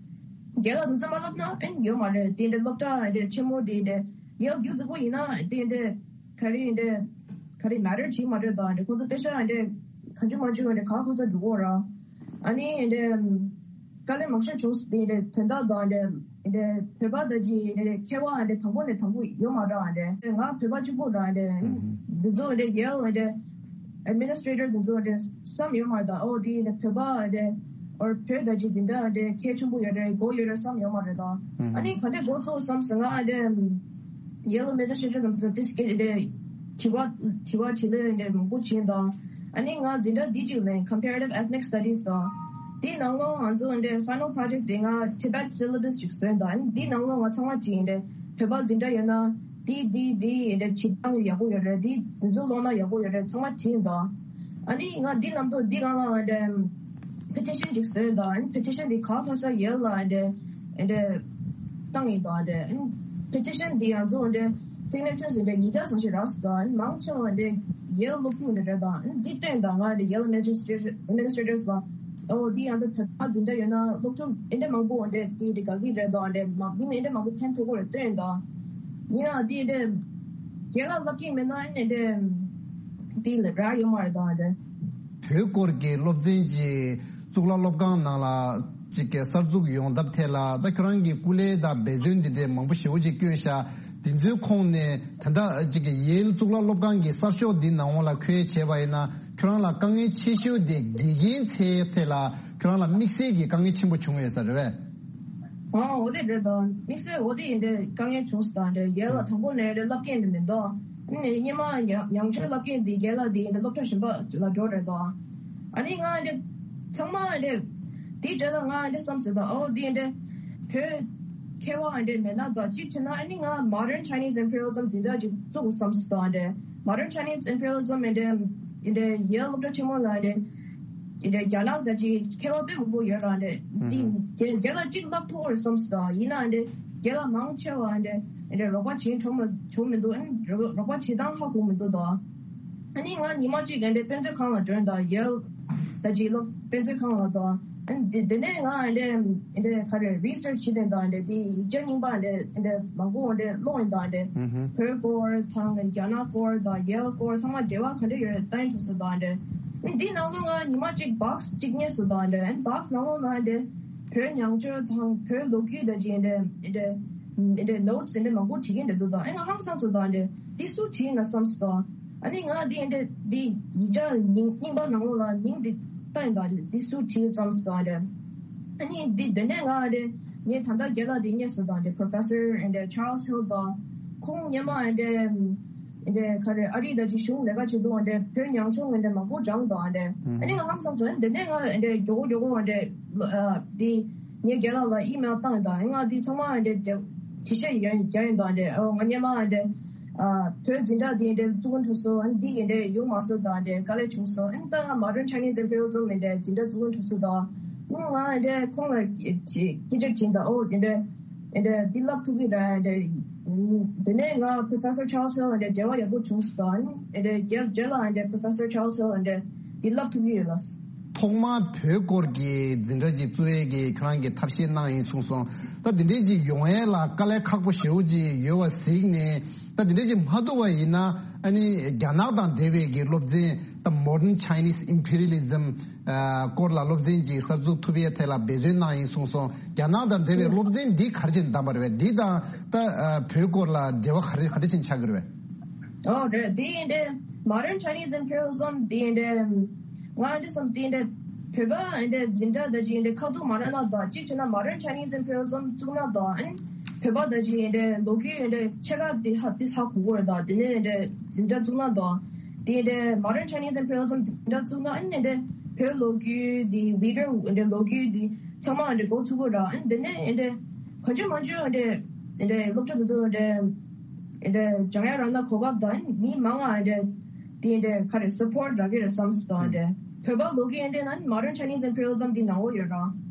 རྒན་ལགས་དེ་ཚོ་མ་བསླབ་ན་ཨེ་ཡོད་མ་རེད། དེ་འདྲ་སློབ་གྲྭ་འདྲ་ཆེན་མོ་དེ་འདྲ་ཡེལ་རྒྱུ་རྫིག་པོ་ཡིན་ན་དེ་འདྲ་ག་རེ་འདྲ་ག་རེ་མ་རེད་བྱེད་མ་རེད་དོ་འདྲ། ཁོ་ཚོ་དཔེ་ཤ་འདྲ་གང་བྱུང་མང་བྱུང་འདྲ་ག་ཁོ་ཚོ་འགྲོ་གོ་ར། ཨ་ནི་འདྲ་དཀའ་ལས་མང་ཤོས་བྱུང་སོང་། དེ་འདྲ་དོན་དག་དང་འདྲ་འདྲ་བོད་པ་དང་ཅིག་འདྲ་ཁྱད་པར་འདྲ་དང་པོ་ནས་དང་པོ་ཡོད་མ་རེད་འདྲ། ང་བོད་པ་གཅིག་པོ་ར་འདྲ། ཨུ་ཧུམ། འདི་ཚོ་འདྲ་ཡེལ་འདྲ་ཨེཌ་མི་ནི་སི་ཊེ་ཊར་འདི་ཚོ་འདྲ་བསམ་ཡོད་མ་རེད་ད། ཨོ་དེ་འདྲ་བོད་པ་འདྲ་ཨོ་བོད་དང་ཅིག་འཛིན་གྲྭ་འདྲ་གལ་ཆེན་པོ་ཡོད་རེད་གོ་ཡོད་རེད་བསམ་ཡོད་མ་རེད་ད། ཨུ་ཧུམ། ཨ་ནི་ག་འདྲ་འགོ་ཚུགས་བསམ་སོང་ང་འདྲ། ཡེལ་ལ་མེ་ཇར་ཤེ་ཤོ་དང་དེ་སྐད་དེ་དྲི་བ་དྲི་བ་དྲིས་ལན་དེ་མང་པོ་བྱིན་དང་། ཨ་ནི་ང་འཛིན་གྲྭ་འདི་གཅིག་ལ་Comparative Ethnic Studies་དང་། དེའི་ནང་ལོགས་ང་ཚོ་འདི་Final Project་དེ་ང་Tibet Syllabus་ཅིག་བཟོས་དང་། ཨ་ནི་དེའི་ནང་ལོགས་ང་ཚང་མ་བྱིན་འདི་བོད་པ་འཛིན་གྲྭ་ཡོད་ན་དེ་དེ་དེ་འདི་བྱེད་སྟངས་ཡག་པོ་ཡོད་རེད། དེ་དེ་ཚོ་ཀློག་ན་ཡག་པོ་ཡོད་རེད་ཚང་མ་བྱིན་དང་། ཨ་ནི་ང་འདི་ནང་དུ་འདི་རང་ལ་འདི་Petition་ཅིག་བཟོས་དང་། ཨ་ནི་Petition་འདི་ག་ག་ས་ཡེལ་ལ་འདི་འདི་བཏང་ཡིན་དང་། དེ་ཕེ་ཊི་ཤན་འདི་ང་ཚོ་འདི་སི་གི་ནེ་ཅར་འདི་ཉིས་བརྒྱ་ཙམ་ཞིག་རག་སོང་དང་། མང་ཆེ་བ་འདི་ཡེལ་སློབ་ཕྲུག་འདི་རེད་དང་། འདི་བཏོན་དང་། ང་འདི་ཡེལ་ཨེཌ་མི་ནི་སི་ཊྲེ་ཊར་ལ་ཨོ་འདི་ཡང་འདི་བོད་པ་འཛིན་གྲྭ་ཡོད་ན་སློབ་ཕྲུག་འདི་འདྲ་མང་པོ་འདི་འདི་འདི་དགའ་གི་རེད་དང་། འདི་མ་འདི་ནི་འདི་འདྲ་མང་པོ་ཕན་ཐོགས་ཀྱི་རེད་བཏོན་དང་། ཡིན་ཡང་འདི་འདི་རྒན་ལགས་བསླབ་ཀྱི་མེད་ན་ཨ་ནི་འདི་འདི་ལ་རག་ཡོད་མ་རེད་དང་འདི། བོད་སྐོར་གྱི་སློབ་ཚན་གྱི་གཙུག་ལག་སློབ་ཁང་ནང་ལ་གཅིག་གི་གསར་འཛུགས་ཡོང་ཐབས་ཐད་ལ་ད་ཁྱོད་རང་གི་སྐུ་ལས་དང་འབད་བརྩོན་འདི་འདྲའི་མང་པོ་ཞེ་པོ་ཅིག་བསྐྱོན་ཤག་འདི་ཚོའི་ཁོངས་ནས་ད་ལྟ་གཅིག་གི་ཡེལ་གཙུག་ལག་སློབ་ཁང་གི་གསར་ཤོག་འདི་ནང་ལ་ཁོས་བྱས་པ་ཡིན་ན་ཁྱོད་རང་ལ་དཀའ་ངལ་ཆེ་ཤོས་དེ་དགེ་རྒན་འཚོལ་ཐད་ལ་ཁྱོད་རང་ལ་དམིགས་བསལ་གྱི་དཀའ་ངལ་ཆེན་པོ་བྱུང་ཡོད་ས་རེད་པས། ཨ་འོ་དེ་རེད་དང་། དམིགས་བསལ་འོ་དེ་ཡིན་དེ་དཀའ་ངལ་བྱུང་སོང་དང་། དེ་ཡེལ་ལ་དང་པོ་ནས་རེད་བསླབ་མཁན་དེ་མི་འདུག་ཨ་ནི་སྔོན་མ་ཡང་ཡང་བསྐྱར་བསླབ་མཁན་དེ་རྒན་ལགས་དེ་ཡིན་དེ་སློབ་གྲྭ་གཞན་པ་ལ་འགྲོ་རེད་དང་། ཨ་ནི་ང་འདི་ཚང་མ་འདི་དེའི་རྗེས་ལ་ང་འདི་བསམ་ཟེར་དང་། ཨོ་འདི་འདི་བོད་མཁས་པ་འདི་མེད་ན་དང་གཅིག་བྱས་ན་ཨ་ནི་ང་Modern Chinese Imperialism་འཛིན་གྲྭ་ཅིག་བཙུགས་བསམ་ཟེར་དང་། འདི་Modern Chinese Imperialism་འདི་འདི་ཡེལ་སློབ་གྲྭ་ཆེན་མོ་ལ་འདི་འདི་རྒྱ་ནག་དང་ཅིག་མཁས་པ་དཔེ་མང་པོ་ཡོད་ར། འདི་འདི་རྒན་རྒན་ལགས་གཅིག་བསླབ་ཐུབ་ཀྱི་རེད་བསམ་ཟེར་དང་། ཡིན་ན་འདི་རྒན་ལགས་མང་ཆེ་བ་འདི་འདི་རོགས་པ་བྱེད་ཆོག་མི་ཆོག་མི་འདུག་ཨ་ནི་རོགས་རོགས་པ་བྱེད་སྟངས་ཧ་གོ་མི་འདུག་དང་། ཨ་ནི་ང་ཉི་མ་གཅིག་ག་འདྲ་དཔེ་མཛོད་ཁང་ལ་འགྲོ་ཡིན་དང་། ཡེལ་ད་ཅིག་སློབ་དཔེ་མཛོད་ཁང་ལ་དང་། ཨ་ནི་དེ་དེ་ནས་ང་ཨ་འདྲ་ཨ་འདྲ་ག་རེ་རི་སར་ཆི་བྱེད་དེ་དང་། ཨ་འདྲ་དེ་ཡིག་ཆ་རྙིང་པ་ཨ་འདྲ་ཨ་འདྲ་མང་པོ་ཨ་འདྲ་ཀློག་ཡིན་དང་། ཨ་འདྲ་ཧུམ་ཧུམ། བོད་སྐོར་དང་རྒྱ་ནག་སྐོར་དང་ཡེལ་སྐོར་ཚང་མ་འབྲེལ་བ་ག་འདྲ་ཡོད་རེད་ལྟ་ཡིན་ཆོག་ཟེར་དང་། ཨ་འདྲ་འདི་ནང་ལོགས་ང་ཉི་མ་གཅིག་བྷོག་སི་གཅིག་རྙེད་སོང་དང་། ཨ་འདྲ་བྷོག་སི་ནང་ལོགས་ལ་ཨ་འདྲ་བོད་ཉང་ཆོས་དང་བོད་ལོ་རྒྱུས་དང་ཅིག་ཨ་འདྲ་ཨ་འདྲ་ཨ་འདྲ་ནོ་ཊི་སི་ཨ་འདྲ་མང་པོ་བྲིས་མཁན་འདྲ་འདུག་དང་། ཨ་ང་ཧང་སངས་སོང་དང་། ཨ་འདྲ་འདི་སུ་བྲིས་ཡིན་ན་བསམ་སོང་དང་། ཨ་ནི་ང་འདི་འདི་འདི་ཡིག་ཆ་རྙིང་རྙིང་པ་ནང་ལོགས་ལ་མིང་འདི་བཏགས་ཡིན་པ་རེད། འདི་སུ་བྲིས་བརྩམས་སོང་དང་རེད། ཨ་ནི་འདི་འདི་ནས་ང་རེད། ངས་ད་ལྟ་རྒན་ལགས་འདི་རྙེད་སོང་དང་རེད། Professor and Charles Hill་དང་། ཁོང་སྔོན་མ་འདི་འདི་ག་རེ་ཨ་རི་ད་ཅི་གཞུང་ལས་ཀ་བྱེད་དུས་འདི་བོད་ཉང་ཆུང་འདི་མང་པོ་སྦྱངས་དང་རེད། ཨ་ནི་ང་ཧང་སངས་སོང་། འདི་ནས་ང་འདི་མགྱོགས་པོ་མགྱོགས་པོ་འདི་འདི་ངས་རྒན་ལགས་ལ་ཨི་མེལ་བཏང་ཡིན་དང་། ང་འདི་ཚང་མ་འདི་འདི་དྲི་བཤད་ཡོད་རྒྱག་ཡིན་དང་། འདི་ང་སྔོན་མ་འདི། ཨ་བོད་འཛིན་གྲྭ་འདི་འདྲ་བཙུགས་འགོ་ཚུགས་སོང་། ཨ་ནི་འདི་འདི་འདྲ་ཡོང་མ་སོང་དང་འདྲ་དཀའ་ལས་བྱུང་སོང་། ཨ་ནི་ད་ང་Modern Chinese Imperialism་འདི་འདྲ་འཛིན་གྲྭ་བཙུགས་འགོ་ཚུགས་སོང་དང་། ཨ་ནི་ང་འདི་ཁོང་ལ་སྐད་ཆ་དྲིས་དང་། ཨོ་འདི་འདྲ་ ཨེ་འདྲ་འདི་བསླབ་ཐུབ་ཀྱི་རེད། ཨེ་འདྲ་དེ་ནས་ང་Professor Charles Hill ཨེ་འདྲ་འབྲེལ་བ་ཡག་པོ་བྱུང་སོང་། ཨེ་འདྲ་རྒྱལ་རྗེས་ལ་ཨེ་འདྲ་Professor Charles Hill ཨེ་འདྲ་འདི་བསླབ་ཐུབ་ཀྱི་ཡོད་ལགས། ཐོག་མར་བོད་སྐོར་གྱི་འཛིན་གྲྭ་ཅིག་བཙུགས་ཡས་ཀྱི་ཁྱོད་རང་གིས་ཐབས་ཤེས་གནང་ཡིན་གསུངས་སོང་། ད་དེ་འདྲའི་ཅིག་ཡོང་ཡས་ལ་དཀའ་ལས་ཁག་པོ་ཞེ་པོ་ཅིག་ཡོད་པ་གཟིགས་ནས། ད་དེ་འདྲའི་ཅིག་མ་ཐུབ་པ་ཡིན་ན། ཨ་ནི་རྒྱ་ནག་དང་འབྲེལ་བའི་གི་སློབ་ཚན། ད་Modern Chinese Imperialism ཨ་སྐོར་ལ་སློབ་ཚན་ཅིག་གསར་འཛུགས་ཐུབ་ཡས་ཐད་ལ་འབད་བརྩོན་གནང་ཡིན་གསུངས་སོང་། རྒྱ་ནག་དང་འབྲེལ་བའི་སློབ་ཚན་འདི་ག་རེ་བྱས་ནས་བདམས་པ་རེད་པས། འདི་དང་ད་ཨ་བོད་སྐོར་ལ་འབྲེལ་བ་ག་རེ་ག་འདྲ་བྱས་ནས་ཆགས་ཀྱི་རེད་པས། ཨོ་རེད། དེ་ཡིན་ཏེ་Modern Chinese Imperialism དེ་ཡིན་ཏེ། ང་འདི་བསམ་དེ་ཡིན་ཏེ་བོད་པ་ཡིན་ཏེ་འཛིན་གྲྭ་ད་ཅི་ཡིན་ཏེ་ཁ་ཐུག་མ་རག་ན་ད་གཅིག་བྱས་ན་Modern Chinese Imperialism བཙུགས་ན་ད་ཨ་ནི་བོད་པ་ད་ཅི་ཡིན་ཏེ་ལོ་རྒྱུས་ཡིན་ཏེ་ཆེ་ཁག་དེ་ཧ་དེ་ཧ་གོ་གི་རེད། ད་དེ་ནས་ཡིན་ཏེ་འཛིན་གྲྭ་བཙུགས་ན་ད་དེ་ཡིན་ཏེ་Modern Chinese Imperialism འཛིན་གྲྭ་བཙུགས་ན་ཨ་ནི་ཡིན་ཏེ་བོད་ལོ་རྒྱུས་དེ་Uyghur ཡིན་ཏེ་ལོ་རྒྱུས་དེ་ཚང་མ་ཡིན་ཏེ་གོ་ཐུབ་ཀྱི་རེད། ཨ་ནི་དེ་ནས་ཡིན་ཏེ་གང་ཅི་མང་ཅི་ཡིན་ཏེ་ཡིན་ཏེ་སློབ་གྲྭ་དེ་ཚོ་ཡིན་ཏེ། ཨེ་འདྲ་སྦྱང་ཡ་རག་ན་གོ་སྐབས་དང་མི་མང་ང་ཨེ་འདྲ་དེ་ཨེ་འདྲ་ག་རེ་support རག་གི་རེད་བསམ་སོང་། ཨེ་འདྲ་བོད་པ་ལོ་རྒྱུས་ཨེ་འདྲ་ན་Modern Chinese Imperialism འདི་ནང་ལོགས་ཡོད་ར།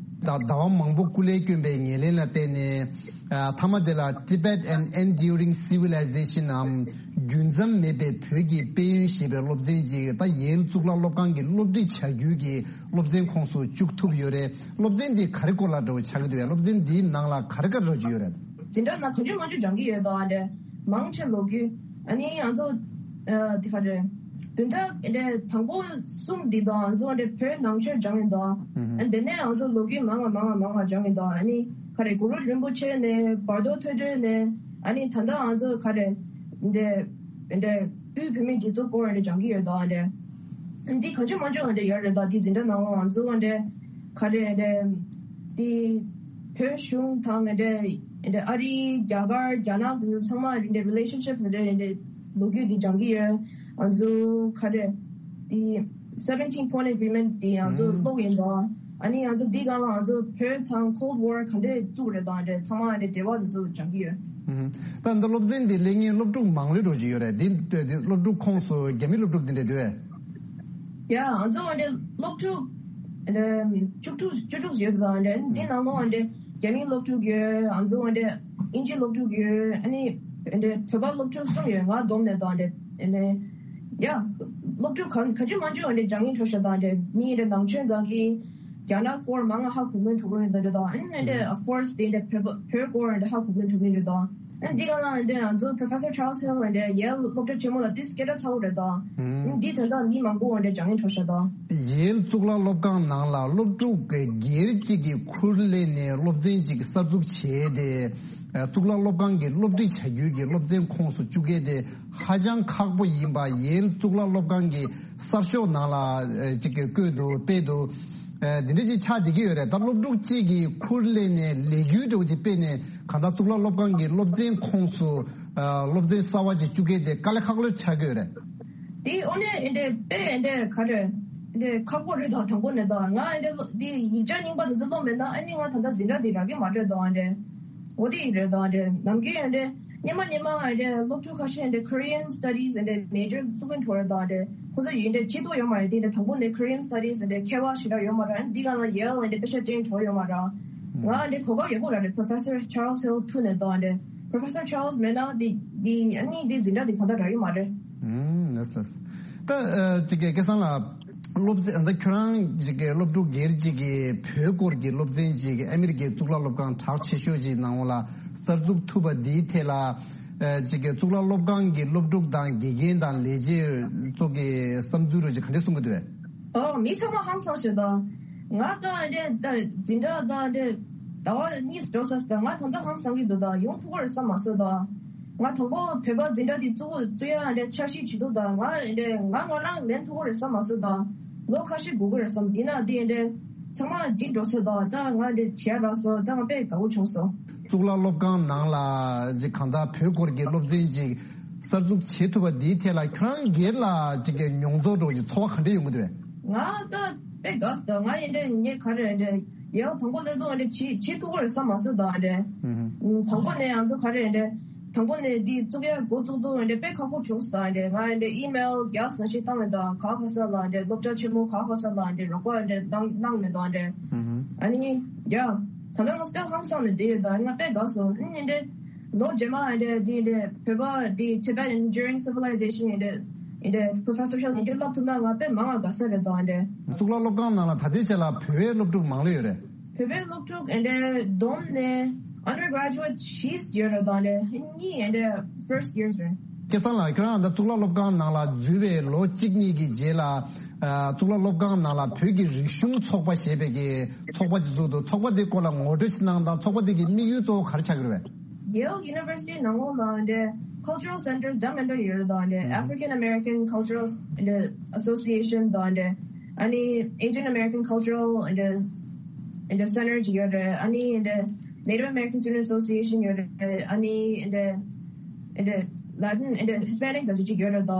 ད་ཟླ་བ་མང་པོ་སྐུ་ལས་བསྐྱོན་པའི་ཉེར་ལེན་ལ་བརྟེན་ནས། ཨ་མཐའ་མ་དེ་ལ་Tibet and Enduring Civilization འམ་རྒྱུན་འཛོམས་མེད་པའི་བོད་ཀྱི་དཔལ་ཡོན་ཞེས་པའི་སློབ་ཚན་ཅིག་ད་ཡེལ་གཙུག་ལག་སློབ་ཁང་གི་སློབ་ཁྲིད་བྱ་རྒྱུའི་གི་སློབ་ཚན་ཁོངས་སུ་བཅུག་ཐུབ་ཡོད་རེད། སློབ་ཚན་འདི་ག་རེ་སྐོར་ལ་འདྲ་བོ་ཆགས་ཀྱི་འདུག་པས། སློབ་ཚན་འདིའི་ནང་ལ་ག་རེ་ག་རེ་འདྲ་བོ་ཅིག་ཡོད་རེད། འཛིན་གྲྭ་ནང་གང་བྱུང་མང་བྱུང་སྦྱང་གི་ཡོད་དོ། ཨ་འདྲ་མང་ཆེ་ལོ་རྒྱུས། ཨ་ནི་ང་ཚོ་ཨ་དེ་ག་རེ་བདུན་ཕྲག་ཨ་འདྲ་དང་པོ་གསུམ་འདི་དང་ང་ཚོ་ཨ་འདྲ་བོད་ནང་ཆོས་སྦྱང་ཡིན་དོ། ཨ་འདི་ནས་ང་ཚོ་ལོ་རྒྱུས་མང་ང་མང་ང་མང་ང་སྦྱང་ཡིན་དོ། ཨ་ནི་ག་རེ་གུ་རུ་རིན་པོ་ཆེ་ནས་བར་དོ་ཐོས་གྲོལ་ནས་ཨ་ནི་ད་ལྟ་ང་ཚོ་ག་རེ་འདྲ་ཨ་འདྲ་དབུས་བོད་མིའི་སྒྲིག་འཛུགས་སྐོར་ཨ་འདྲ་སྦྱང་གི་ཡོད་དོ། ཨ་འདྲ་འདི་གང་བྱུང་མང་བྱུང་ཨ་འདྲ་ཡོད་རེད་དོ། འདི་འཛིན་གྲྭ་ནང་ལ་ང་ཚོ་ཨ་འདྲ་ག་རེ་ཨ་འདྲ་འདི་བོད་གཞུང་དང་ཨ་འདྲ་ཨ་རི་རྒྱ་གར་རྒྱ་ནག་དེ་ཚོ་ཚང་མ་ཨ་འདྲ་relationship ཨ་འདྲ་ཨ་འདྲ་ལོ་རྒྱུས་འདི་སྦྱང་གི་ཡོད། ང་ཚོ་ག་རེ་འདི་seventeen point agreement འདི་ང་ཚོ་ཀློག་ཡིན་དོ། ཨ་ནི་ང་ཚོ་འདི་སྒང་ལ་ང་ཚོ་བོད་དང་Cold War ག་འདྲ་བཙུགས་རེད་དོ། ཨ་འདྲ་ཚང་མ་ཨ་འདྲ་འབྲེལ་བ་དེ་ཚོ་སྦྱང་གི་ཡོད། ད་འདི་སློབ་ཚན་འདི་སླེབས་མཁན་སློབ་ཕྲུག་མང་ལོས་འགྲོ་གི་ཡོད་རེད། འདི་འདི་སློབ་ཕྲུག་ཁོངས་སུ་རྒྱ་མི་སློབ་ཕྲུག་འདི་འདྲ་འདུག་གས། ཡ་ང་ཚོ་ཨ་འདྲ་སློབ་ཕྲུག་ཨ་འདྲ་བཅུ་དྲུག་བཅུ་དྲུག་ཡོད་ཟེར་དང་ཨ་འདྲ་འདི་ནང་ལོགས་ཨ་འདྲ་རྒྱ་མི་སློབ་ཕྲུག་ཡོད། ང་ཚོ་ཨ་འདྲ་དབྱིན་ཇི་སློབ་ཕྲུག་ཡོད། ཨ་ནི་ཨ་འདྲ་བོད་པ་སློབ་ཕྲུག་གསུམ་ཡོད། ང་བསྡོམས་ནས་དང་ཨ་འདྲ་ཨ་འདྲ་ཡ་སློབ་ཕྲུག་ག་ག་ཅི་མ་ཅི་ཨ་འདྲ་སྦྱང་གིན་འགྲོ་ཤག་དང་ཨ་འདྲ་མི་ཨ་འདྲ་ནང་ཆོས་འདང་གི་རྒྱ་ནག་སྐོར་མང་ང་ཧ་གོ་མཁན་འགྲོ་གི་ཡོད་འདྲ་དང་ཨ་ནི་ཨ་འདྲ་of course དེ་འདྲ་བོད་པ་བོད་སྐོར་ཨ་འདྲ་ཧ་གོ་མཁན་འགྲོ་གི་ཡོད་དང་། ཨ་འདི་ག་ལ་ཨ་འདྲ་ང་ཚོ་Professor Charles Hill ཨ་འདྲ་ཡེལ་སློབ་གྲྭ་ཆེན་མོ་ལ་ཏིས་སྐད་གྲགས་ཚ་བོ་རེད་དོ། ཨ་འདི་ད་ལྟ་མི་མང་པོ་ཨ་འདྲ་སྦྱང་གིན་འགྲོ་ཤག་དོ། ཡེལ་གཙུག་ལག་སློབ་ཁང་ནང་ལ་སློབ་ཕྲུག་སྒེར་གཅིག་གིས་ཁུར་ལེན་ནས་སློབ་ཚན་གཅིག་གསར་འཛུགས་བྱས་ཏེ། ཨ་གཙུག་ལག་སློབ་ཁང་གི་སློབ་ཁྲིད་བྱ་རྒྱུའི་གི་སློབ་ཚན་ཁོངས་སུ་བཅུག་མཁན་དེ་ཧ་ཅང་ཁག་པོ་ཡིན་པ་ཡེལ་གཙུག་ལག་སློབ་ཁང་གི་གསར་ཤོག་ནང་ལ་ཨ་གཅིག་གིས་བཀོད་འདུག་སྤེལ་འདུག་ཨ་འདི་འདྲ་ཅིག་ཆགས་བསྡད་ཀྱི་ཡོད་རེད། ད་སློབ་ཕྲུག་གཅིག་གིས་ཁུར་ལེན་ནས་ལས་འགུལ་འདྲ་བོ་ཅིག་སྤེལ་ནས་གང་ལྟར་གཙུག་ལག་སློབ་ཁང་གི་སློབ་ཚན་ཁོངས་སུ་ཨ་སློབ་ཚན་གསར་བ་ཅིག་བཅུག་མཁན་དེ་དཀའ་ལས་ཁག་ལོས་ཆགས་ཀྱི་ཡོད་རེད། དེ་དངོས་གནས་ཨེ་འདྲ་དཔེ་ཨེ་འདྲ་ག་རེ་ཨེ་འདྲ་ཁག་པོ་རེད་དོ། དང་པོ་ནས་དོ་ང་ཨེ་འདྲ་སློ་དེ་ཡིག་ཆ་རྙིང་པ་དེ་ཚོ་ཀློག་མེད་ན་ཨ་ནི་ང་ད་ལྟ་འཛིན་གྲྭ་དེ་རག་གི་མ་རེད་དོ། ཨེ་འདྲ་འོ་དེ་ཡིན་རེད་དོ། ཨེ་འདྲ་ནམ་རྒྱུན་ཨེ་འདྲ་སྙེ་མ་སྙེ་མ་ཨེ་འདྲ་སློབ་ཕྲུག་ཁ་ཤས་ཨེ་འདྲ་Korean Studies ཨེ་འདྲ་major བཙུགས་ཀྱིན་འགྲོ་རེད་དོ། ཨེ་འདྲ་ཁོ་ཚོ་ཡིན་འདྲ་ཆེ་ཐོག་ཡོད་མ་རེད། དེ་འདྲ་དང་པོ་ནས་Korean Studies ཨེ་འདྲ་མཁས་པ་ཞེ་དྲག་ཡོད་མ་རེད། ཨེ་འདི་ག་ལ་ཡེལ་ཨེ་འདྲ་དཔེ་ཆ་སྟོན་འགྲོ་ཡོད་མ་རེད། ང་ཨེ་འདྲ་གོ་སྐབས་ཡག་པོ་རག་རེད། Professor Charles Hill ཐུག་ནས་དོ། ཨེ་འདྲ་Professor Charles མེད་ན་དེ་དེ་ཨ་ནི་དེ་འཛིན་གྲྭ་དེ་གང་ལྟར་རག་གི་མ་རེད། ཨུམ་ལགས་ལགས། ད་ཨ་ཅིག་གི་སྐལ་བཟང་ལགས། སློབ་ཚན་ད་ཁྱོད་རང་ཅིག་གི་སློབ་ཕྲུག་སྒེར་ཅིག་གི་བོད་སྐོར་གྱི་སློབ་ཚན་ཅིག་ཨ་མི་རི་ཀའི་གཙུག་ལག་སློབ་ཁང་གྲགས་ཆེ་ཤོས་ཅིག་ནང་ལ་གསར་འཛུགས་ཐུབ་པ་འདིའི་ཐད་ལ། ཨ་ཅིག་གི་གཙུག་ལག་སློབ་ཁང་གི་སློབ་ཕྲུག་དང་དགེ་རྒན་དང་ལས་བྱེད་ཚོ་གི་བསམ་ཚུལ་རོ་ཅིག་ག་འདྲས་གསུང་གི་འདུག་པས། ཨོ་མི་ཚང་མ་ཧང་སངས་ཤོད་དང་། ང་ད་འདྲས་ད་འཛིན་གྲྭ་ད་འདྲས་ཟླ་བ་གཉིས་འགྲོ་ས་ད་ང་ད་ལྟ་ཧང་སངས་ཀྱི་འདུག་ད་ཡོང་ཐུབ་ཀྱི་རེད་བསམ་མ་སོང་ད། ང་དང་པོ་བོད་པ་འཛིན་གྲྭ་འདི་བཙུགས་བཙུགས་ཡ་འདྲ་འཆར་གཞི་བྱེད་འདུག་ད་ང་འདྲ་ང་ང་རང་ལེན་ཐུབ་ཀྱི་རེད་བསམ་མ་སོང་ད། ལོ་ཁ་ཤས་སྒུག་གི་རེད་བསམ། འདི་ན་འདི་འདྲ་ཚང་མ་འགྲིག་འགྲོ་ས་ད། ད་ང་འདྲ་བྱས་རག་སོང་། ད་ང་དཔེ་དགའ་བོ་བྱུང་སོང་། གཙུག་ལག་སློབ་ཁང་ནང་ལ་ཅིག་གང་ལྟར་བོད་སྐོར་གྱི་སློབ་ཚན་ཅིག་གསར་འཛུགས་བྱེད་ཐུབ་པ་འདིའི་ཐད་ལ་ཁྱོད་རང་སྒེར་ལ་ཅིག་གི་མྱོང་ཚོར་འདྲ་བོ་ཅིག་ཚོར་བ་ག་འདྲ་ཡོང་གི་འདུག་པས། ང་ད་དཔེ་དགའ་སོང་། ང་ཡིན་འདྲ་ངས་ག་རེ་འདྲ་ཡང་དང་པོ་སླེབས་དུས་འདྲ་བྱེད་བྱེད་ཐུབ་ཀྱི་རེད་བསམ་མ་སོང་ད་འདྲ། ཨུ་ཧུ། དང་པོ་ནས་ང་ཚོ་ག་རེ་འདྲ་དང་པོ་ནས་འདི་བཙུགས་ཡ་འགོ་བཙུགས་དུས་འདྲ་དཔེ་ཁག་པོ་བྱུང་སོང་ད་འདྲ། ང་འདྲ་ཨི་མེལ་རྒྱག་ས་ཞིག་བཏང་མེད་ད་ག་ག་ས་ལ་འདྲ་སློབ་གྲྭ་ཆེན་མོ་ག་ག་ས་ལ་འདྲ་རོགས་པ་འདྲ་གནང་གནང་མེད་ད་འདྲ། ཨུ་ཧུ། ཨ་ནི་ཡ། ད་ལྟ་ང་སྟོད་ཧང་སང་ནས་བསྡད་ཡོད། ད་ང་དཔེ་དགའ་སོང་། ཨ་ནི་འདི་ལོ་རྗེས་མ་ཨ་འདྲ་འདི་འདྲ་བོད་པ་འདི་Tibet Enduring Civilization ཨ་འདྲ་ཨ་འདྲ་Professor Hill ཨ་འདྲ་བསླབ་ཐུབ་ན་ང་དཔེ་མང་ང་དགའ་ས་རེད་ད། ཨ་འདྲ། གཙུག་ལག་སློབ་ཁང་ནང་ལ་ད་ལྟའི་ཆ་ལ་བོད་པའི་སློབ་ཕྲུག་མང་ལོས་ཡོད་རེད། བོད་པའི་སློབ་ཕྲུག་ཨ་འདྲ་བསྡོམས་ནས་undergraduate བཞི་ཡོད་རེད་ད། ཨ་འདྲ་གཉིས་ཨ་འདྲ་first years རེད། སྐལ་བཟང་ལགས། ཁྱོད་རང་ད་གཙུག་ལག་སློབ་ཁང་ནང་ལ་འཛུལ་བའི་ལོ་གཅིག་གཉིས་ཀྱི་རྗེས་ལ། ཨ། གཙུག་ལག་སློབ་ཁང་ནང་ལ་བོད་ཀྱི་རིག་གཞུང་ཚོགས་པ་ཞེས་པའི་གི་ཚོགས་པ་ཅིག་བཙུགས་འདུག། ཚོགས་པ་དེའི་སྐོར་ལ་ངོ་སྤྲོད་ཅིག་གནང་དང་། ཚོགས་པ་དེ་གི་དམིགས་ཡུལ་གཙོ་བོ་ག་རེ་ཆགས་ཀྱི་རེད་པས། Yale University ནང་ལོགས་ལ་འདི་cultural centers འདྲ་མི་འདྲ་ཡོད་རེད་ད། འདི་African American Cultural Association དང་འདི་ཨ་ནི་Asian American Cultural འདི་འདི་center ཅིག་ཡོད་རེད། ཨ་ནི་འདི་Native American Student Association ཡོད་རེད། ཨ་ནི་འདི་འདི་Latin འདི་Hispanic དང་ཅིག་ཡོད་རེད་ད།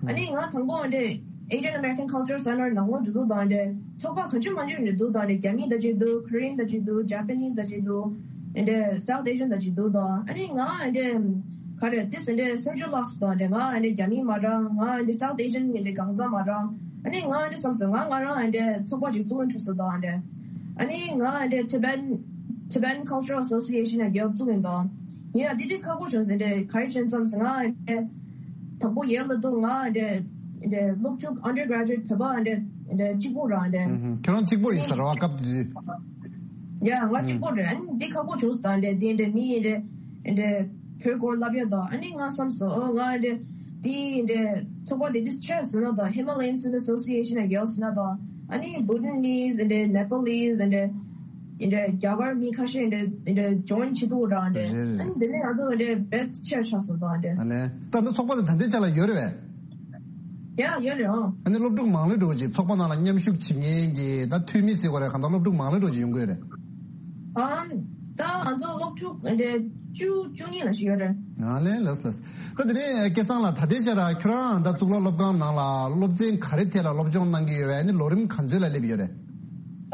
ཨ་ནི་ང་དང་པོ་འདི་Asian American Cultural Center ནང་ལོགས་འགྲོ་དུས་དང་འདི་ཚོགས་པ་གང་ཅི་མང་ཅི་འདི་འདུག་ད། འདི་རྒྱ་མི་དང་ཅིག་འདུག། Korean དང་ཅིག་འདུག། Japanese དང་ཅིག་འདུག། འདི་South Asian དང་ཅིག་འདུག་ད། ཨ་ནི་ང་འདི་ག་རེ་དེ་འདི་སེམས་ཤུགས་བརླགས་སོང་ད། འདི་ང་འདི་རྒྱ་མི་མ་རེད། ང་འདི་South Asian འདི་གང་ཟག་མ་རེད། ཨ་ནི་ང་འདི་བསམ་སོང་། ང་ང་རང་འདི་ཚོགས་པ་ཅིག་བཙུགས་འགྲོ་སོང་ད། འདི་ཨ་ནི་ང་འདི་Tibetan Tibetan Cultural Association ཡང་བཙུགས་ཡིན་ད། ཡིན་ཡང་དེ་དུས་ཁག་པོ་བྱུང་སོང་། འདི་ག་རེ་བྱས་བསམ་སོང་། ང་འདི་དང་པོ་Yale ལ་འདུག། ང་འདི་འདི་སློབ་ཕྲུག་undergraduate བོད་པ་འདི་འདི་གཅིག་པོ་རང་འདི། ཨུ་ཧུ། ཁྱོད་རང་གཅིག་པོ་ཡིན་ས་རེད་པ། སྐབས་དེ་དུས། ཡ། ང་གཅིག་པོ་རེད། ཨ་ནི་འདི་ཁག་པོ་བྱུང་སོང་ད། འདི་འདི་འདི་མི་ཡིན་འདི་འདི་བོད་སྐོར་ལབ་ཡ་ད། ཨ་ནི་ང་བསམ་སོང་། ཨོ་ང་འདི་འདི་འདི་ཚོགས་པ་འདི་དུས་ཆེར་སོང་ན་ད། Himalayan Student Association ཡང་ཡོད་སོང་ན་ད། ཨ་ནི་Bhutanese འདི་Nepalese འདི་འདི་རྒྱ་གར་མི་ཁ་ཤས་འདི་འདི་join བྱེད་འདུག་ར་འདི། རེད་རེད། ཨ་ནི་འདི་ནས་ང་ཚོ་འདི་དཔེ་ཆེར་ཆགས་སོང་ད་འདི། ཨ་ལས། ད་འདི་ཚོགས་པ་དེ་ད་ལྟའི་ཆ་ལ་ཡོད་རེད་པས། ཡ། ཡོད་རེད། ཨང་། ཨ་ནི་སློབ་ཕྲུག་མང་ལོས་འགྲོ་གི་ཅིག་ཚོགས་པ་ནང་ལ་མཉམ་ཞུགས་བྱེད་མཁན་གྱི་ད་འཐུས་མི་ཟེར་དགོས་རེད། གང་ལྟར་སློབ་ཕྲུག་མང་ལོས་འགྲོ་ཅིག་ཡོང་གི་ཡོད་རེད། ཨང་། ད་ང་ཚོ་སློབ་ཕྲུག་འདི་བཅུ་བཅུ་གཉིས་ལ་ཞིག་ཡོད་རེད། ཨ་ལས། ལགས་ལགས། ད་དེ་ནས་སྐལ་བཟང་ལགས། ད་ལྟའི་ཆར་ཁྱོད་རང་ད་གཙུག་ལག་སློབ་ཁང་ནང་ལ་སློབ་ཚན་ག་རེ་ཐད་ལ་སློབ་སྦྱོང་གནང་གི་ཡོད་པས། ཨ་ནི་ལོ་རིམ་ག་ཚོད་ལ་སླེབས་ཡོད་རེད།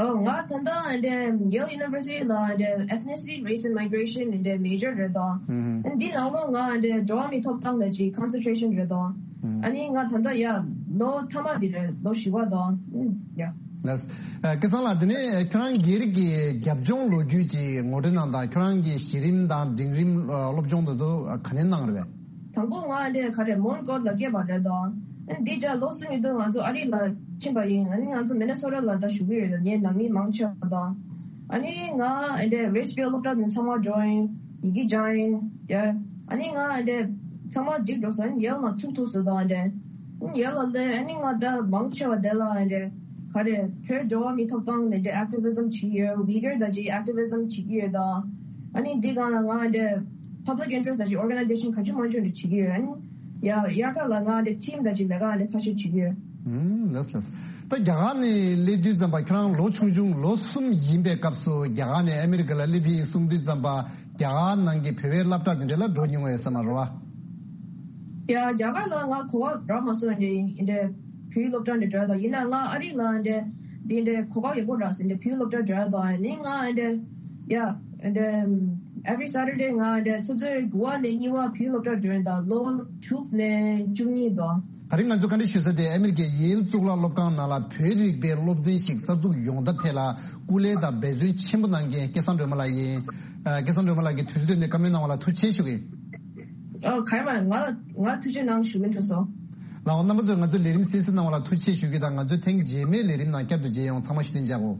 ཨོ། ང་ད་ལྟ་འདི་Yale University ལ་འདི་Ethnicity, Race and Migration འདི་major རེད་ད། ཨུ་ཧུ། འདི་ནང་ལོགས་ང་འདི་འགྲོ་བ་མིའི་ཐོབ་ཐང་ལ་ཅིག་concentration རེད་ད། ཨ་ནི་ང་ད་ལྟ་ཡ་ལོ་མཐའ་མ་འདི་རེད། ལོ་བཞི་པ་ད། ཨུ། ཡ། ལགས། ཨ། སྐལ་བཟང་ལགས། དེ་ནས་ཁྱོད་རང་སྒེར་གྱི་རྒྱབ་ལྗོངས་ལོ་རྒྱུས་ཅིག་ངོ་སྤྲོད་གནང་དང་། ཁྱོད་རང་གི་གཞི་རིམ་དང་འབྲིང་རིམ་སློབ་སྦྱོང་དེ་ཚོ་ག་ནས་གནང་རེད་པས། དང་པོ་ང་འདི་ག་རེ་Mount Gotland ལ་སྐྱེས་པ་རེད་ད། འདི་རྒྱ་ལོ་གསུམ་ཡིན་དུས་ང་ཚོ་ཨ་རི་ལ་ཕྱིན་པ་ཡིན། ཨ་ནི་ང་ཚོ་Minnesota ལ་ད་བཞུགས་ཀྱི་ཡོད། ངའི་ནང་མི་མང་ཆེ་བ་ད། ཨ་ནི་ང་འདི་Richfield སློབ་གྲྭ་ནས་ཚང་མ་འགྲོ་ཡིན། ཡི་གེ་སྦྱངས་ཡིན། ཡ། ཨ་ནི་ང་འདི་ཚང་མ་འགྲིག་འགྲོ་སོང་། ཨ་ནི་ཡལ་ལ་ཚུགས་ཐུབ་སོང་ད། འདི་ཡལ་ལ་ལས་ཨ་ནི་ང་ད་མང་ཆེ་བ་དེ་ལ་འདི་ག་རེ་བོད་འགྲོ་བ་མིའི་ཐོབ་ཐང་ལ་འདི་activism བྱེད་ཡོད། Uyghur དང་ཅིག་activism བྱེད་ཀྱི་ཡོད་ད། ཨ་ནི་འདི་སྒང་ལ་ང་འདི་public interest དང་ཅིག་organization གང་ཅི་མང་ཅི་འདི་བྱེད་ཀྱི་ཡོད། ཨ་ནི་ཡ་དབྱར་ཁ་ལ་ང་འདི་team དང་ཅིག་ལས་ཀ་འདི་ཁ་ཤས་བྱེད་ཀྱི་ཡོད། ཨུམ། ལགས་ལགས། ད་རྒྱ་གར་ནས་སླེབས་དུས་ཙམ་པ་ཁྱོད་རང་ལོ་ཆུང་ཆུང་ལོ་གསུམ་ཡིན་པའི་སྐབས་སུ་རྒྱ་གར་ནས་ཨ་མི་རི་ཀ་ལ་སླེབས་ཡིན་གསུང་དུས་ཙམ་པ་རྒྱ་གར་ནང་གི་བོད་པའི་སློབ་གྲྭ་དེ་འདྲ་ལ་འགྲོ་མྱོང་བས་ཟེར་མ་རེད་པ། ཡ། རྒྱ་གར་ལ་ང་གོ་སྐབས་རག་མ་སོང་། འདི་འདི་བོད་སློབ་གྲྭ་འདི་འགྲོ་ཡ་ད། ཡིན་ན་ང་ཨ་རི་ལ་འདི་འདི་འདི་གོ་སྐབས་ཡག་པོ་རག་སོང་། འདི་བོད་སློབ་གྲྭ་འགྲོ་ཡ་ད། ནི་ང་འདི་ཡ་འདི་every Saturday ང་འདི་ཆུ་ཚོད་དགུ་པ་ནས་གཉིས་པ་བོད་སློབ་གྲྭ་འགྲོ་ཡ་ད། ལོ་དྲུག་ནས་བཅུ་གཉིས་ད། ད་རིང་ང་ཚོ་བཀའ་འདྲི་ཞུ་ས་དེ་ཨ་མི་རི་ཀའི་ཡེལ་གཙུག་ལག་སློབ་ཁང་ནང་ལ་བོད་རིག་པའི་སློབ་ཚན་ཞིག་གསར་འཛུགས་ཡོང་ཐབས་ཐད་ལ་སྐུ་ལས་དང་འབད་བརྩོན་ཆེན་པོ་གནང་མཁན་སྐལ་བཟང་སྒྲོལ་མ་ལགས་ཡིན། ཨ། སྐལ་བཟང་སྒྲོལ་མ་ལགས་ཀྱིས་དུས་ཚོད་བཏོན་ནས་བཀའ་མོལ་གནང་བ་ལ་ཐུགས་རྗེ་ཆེ་ཞུ་གི་ཡིན། ཨོ། ག་ཡེ་མ། ང་ང་ཐུགས་རྗེ་གནང་ཞུ་གི་འདུག་སོ། ལགས་འོ། རྣམ་པ་ཚོས་ང་ཚོའི་ལས་རིམ་གསན་གཟིགས་གནང་བ་ལ་ཐུགས་རྗེ་ཆེ་ཞུ་རྒྱུ་དང་། ང་ཚོའི་ཐེངས་རྗེས་མའི་ལས་རིམ་ནང་བསྐྱར་དུ་མཇལ་ཡོང་། ཚང་མ་བཞུགས་གདན་འཇགས་གོ།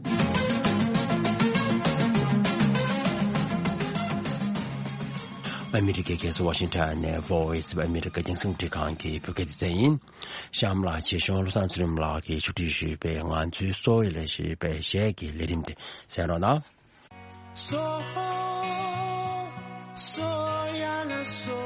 ཨ་མི་རི་ཀའི་རྒྱལ་ས་ཝ་ཤིང་ཊོན་ནས་Voice of America རྒྱང་སྲིང་རླུང་འཕྲིན་ཁང་གི་བོད་སྐད་སྡེ་ཚན་ཡིན། གཤམ་ལ་ཆེད་གཞུང་བློ་བཟང་ཚུལ་ཁྲིམས་ལགས་ཀྱིས་ཕྱོགས་སྒྲིག་ཞུས་པའི་ང་ཚོའི་སོ་ཡ་ལ་ཞེས་པའི་གཞས་ཀྱི་ལས་རིམ་དེ་གསན་རོགས་གནང་། སོ་སོ་ཡ་ལ་སོ།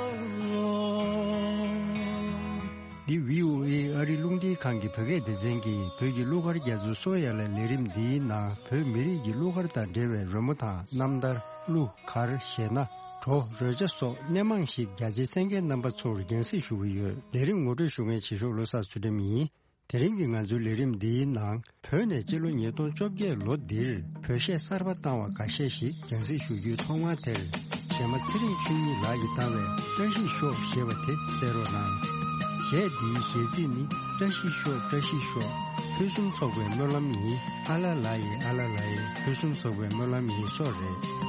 འདི་བྷི་ཨོ་ཨེ་ཨ་རི་རླུང་འཕྲིན་ཁང་གི་བོད་སྐད་སྡེ་ཚན་གྱིས་བོད་ཀྱི་གླུ་གར་རྒྱ་མཚོའི་སོ་ཡ་ལ་ལས་རིམ་འདིའི་ནང་བོད་མི་རིགས་ཀྱི་གླུ་གར་དང་འབྲེལ་བའི་རོལ་མོ་དང་རྣམ་ཐར། གླུ་གར། གཞས་སྣ། བྲོ། རོལ་ཆ་སོགས་སྣེ་མང་ཞིག་རྒྱ་ཆེའི་གསན་མཁན་རྣམ་པ་ཚོར་རྒྱང་སྲིང་ཞུ་གི་ཡོད། ལས་རིམ་ངོ་སྤྲོད་ཞུ་མཁན་ཆེད་ཞུགས་བློ་བཟང་ཚུལ་ཁྲིམས་ཡིན། དེ་རིང་གི་ང་ཚོའི་ལས་རིམ་འདིའི་ནང་བོད་ནས་སྤྱི་ལོ་ཉིས་སྟོང་བཅོ་བརྒྱད་ལོ་འདིར་བོད་གཞས་གསར་པ་བཏང་བ་འགའ་ཤས་ཤིག་རྒྱང་སྲིང་ཞུ་རྒྱུའི་ཐོག་མར་དེར་གཞས་མ་ཚེ་རིང་ཆོས་ཉིད་ལགས་ཀྱིས་བཏང་བའི་བཀྲ་ཤིས་ཤོག་ཞེས་པ་དེ་གསན་རོགས་གནང་། གཞས་འདིའི་གཞས་ཚིག་ནི། བཀྲ་ཤིས་ཤོག། བཀྲ་ཤིས་ཤོག། ཕུན་སུམ་ཚོགས་པའི་སྨོན་ལམ་ཡིན། ཨ་ལ་ལ་ཡི་ཨ་ལ་ལ་ཡི་ཕུན་སུམ་ཚོགས་པའི་སྨོན་ལམ་ཡིན་སོགས་རེད།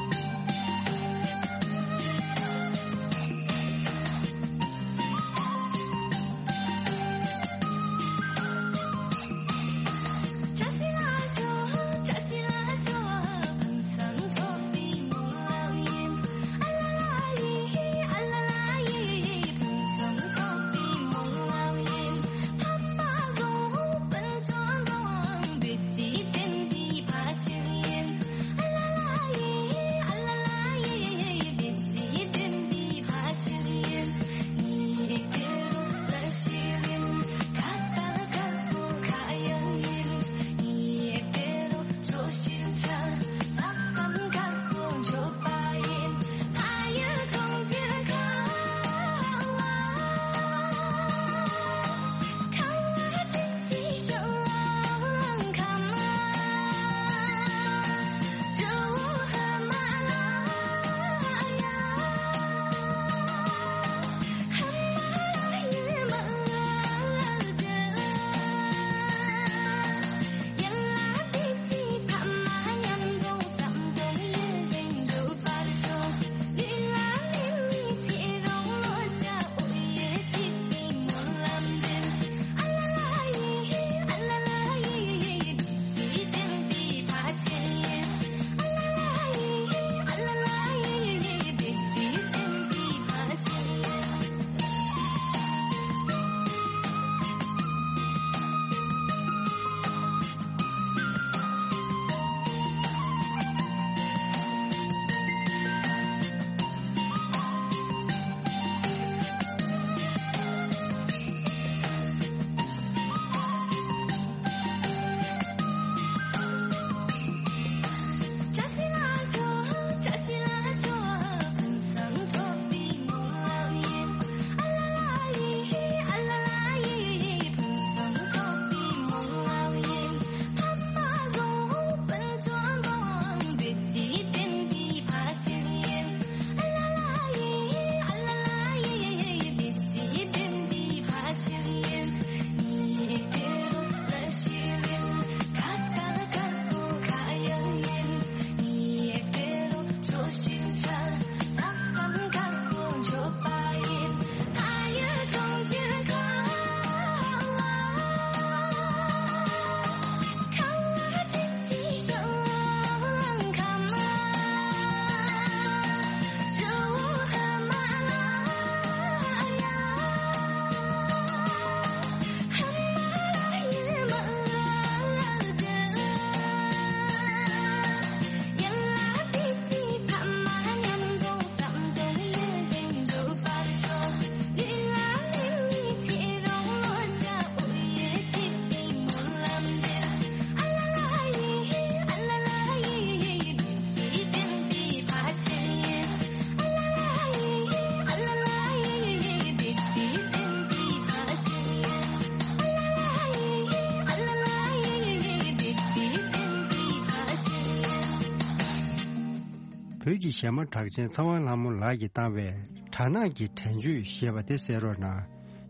བོད་ཀྱི་གཞས་མ་གྲགས་ཅན་ཚེ་དབང་ལྷ་མོ་ལགས་ཀྱིས་བཏང་བའི་སྦྲ་ནག་གི་དྲན་བརྗོད་ཞེས་པ་དེ་གསན་རོགས་གནང་།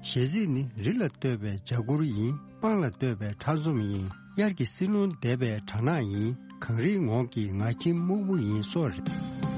གཞས་ཚིག་ནི། རི་ལ་བསྟོད་པའི་འཇའ་གུར་ཡིན། སྤང་ལ་བསྟོད་པའི་ཁྲག་འཛོམས་ཡིན། དབྱར་གྱི་བསིལ་རླུང་འདེབས་པའི་སྦྲ་ནག་ཡིན། གངས་རིའི་ངོགས་ཀྱི་ང་ཁྱིམ་སྨུག་པོ་ཡིན་སོགས་རེད།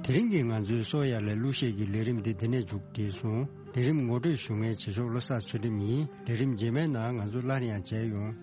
དེ་རིང་གི་ང་ཚོའི་གསོ་ཡ་ལ་གླུ་གཞས་ཀྱི་ལས་རིམ་འདི་འདི་ནས་མཇུག་བསྒྲིལ་སོང་། ལས་རིམ་ངོ་སྤྲོད་ཞུ་མཁན་བྱེད་ཕྱོགས་བློ་བཟང་ཚུལ་ཁྲིམས་ཡིན། ལས་རིམ་རྗེས་མའི་ནང་ང་ཚོ་སླར་ཡང་མཇལ་ཡོང་།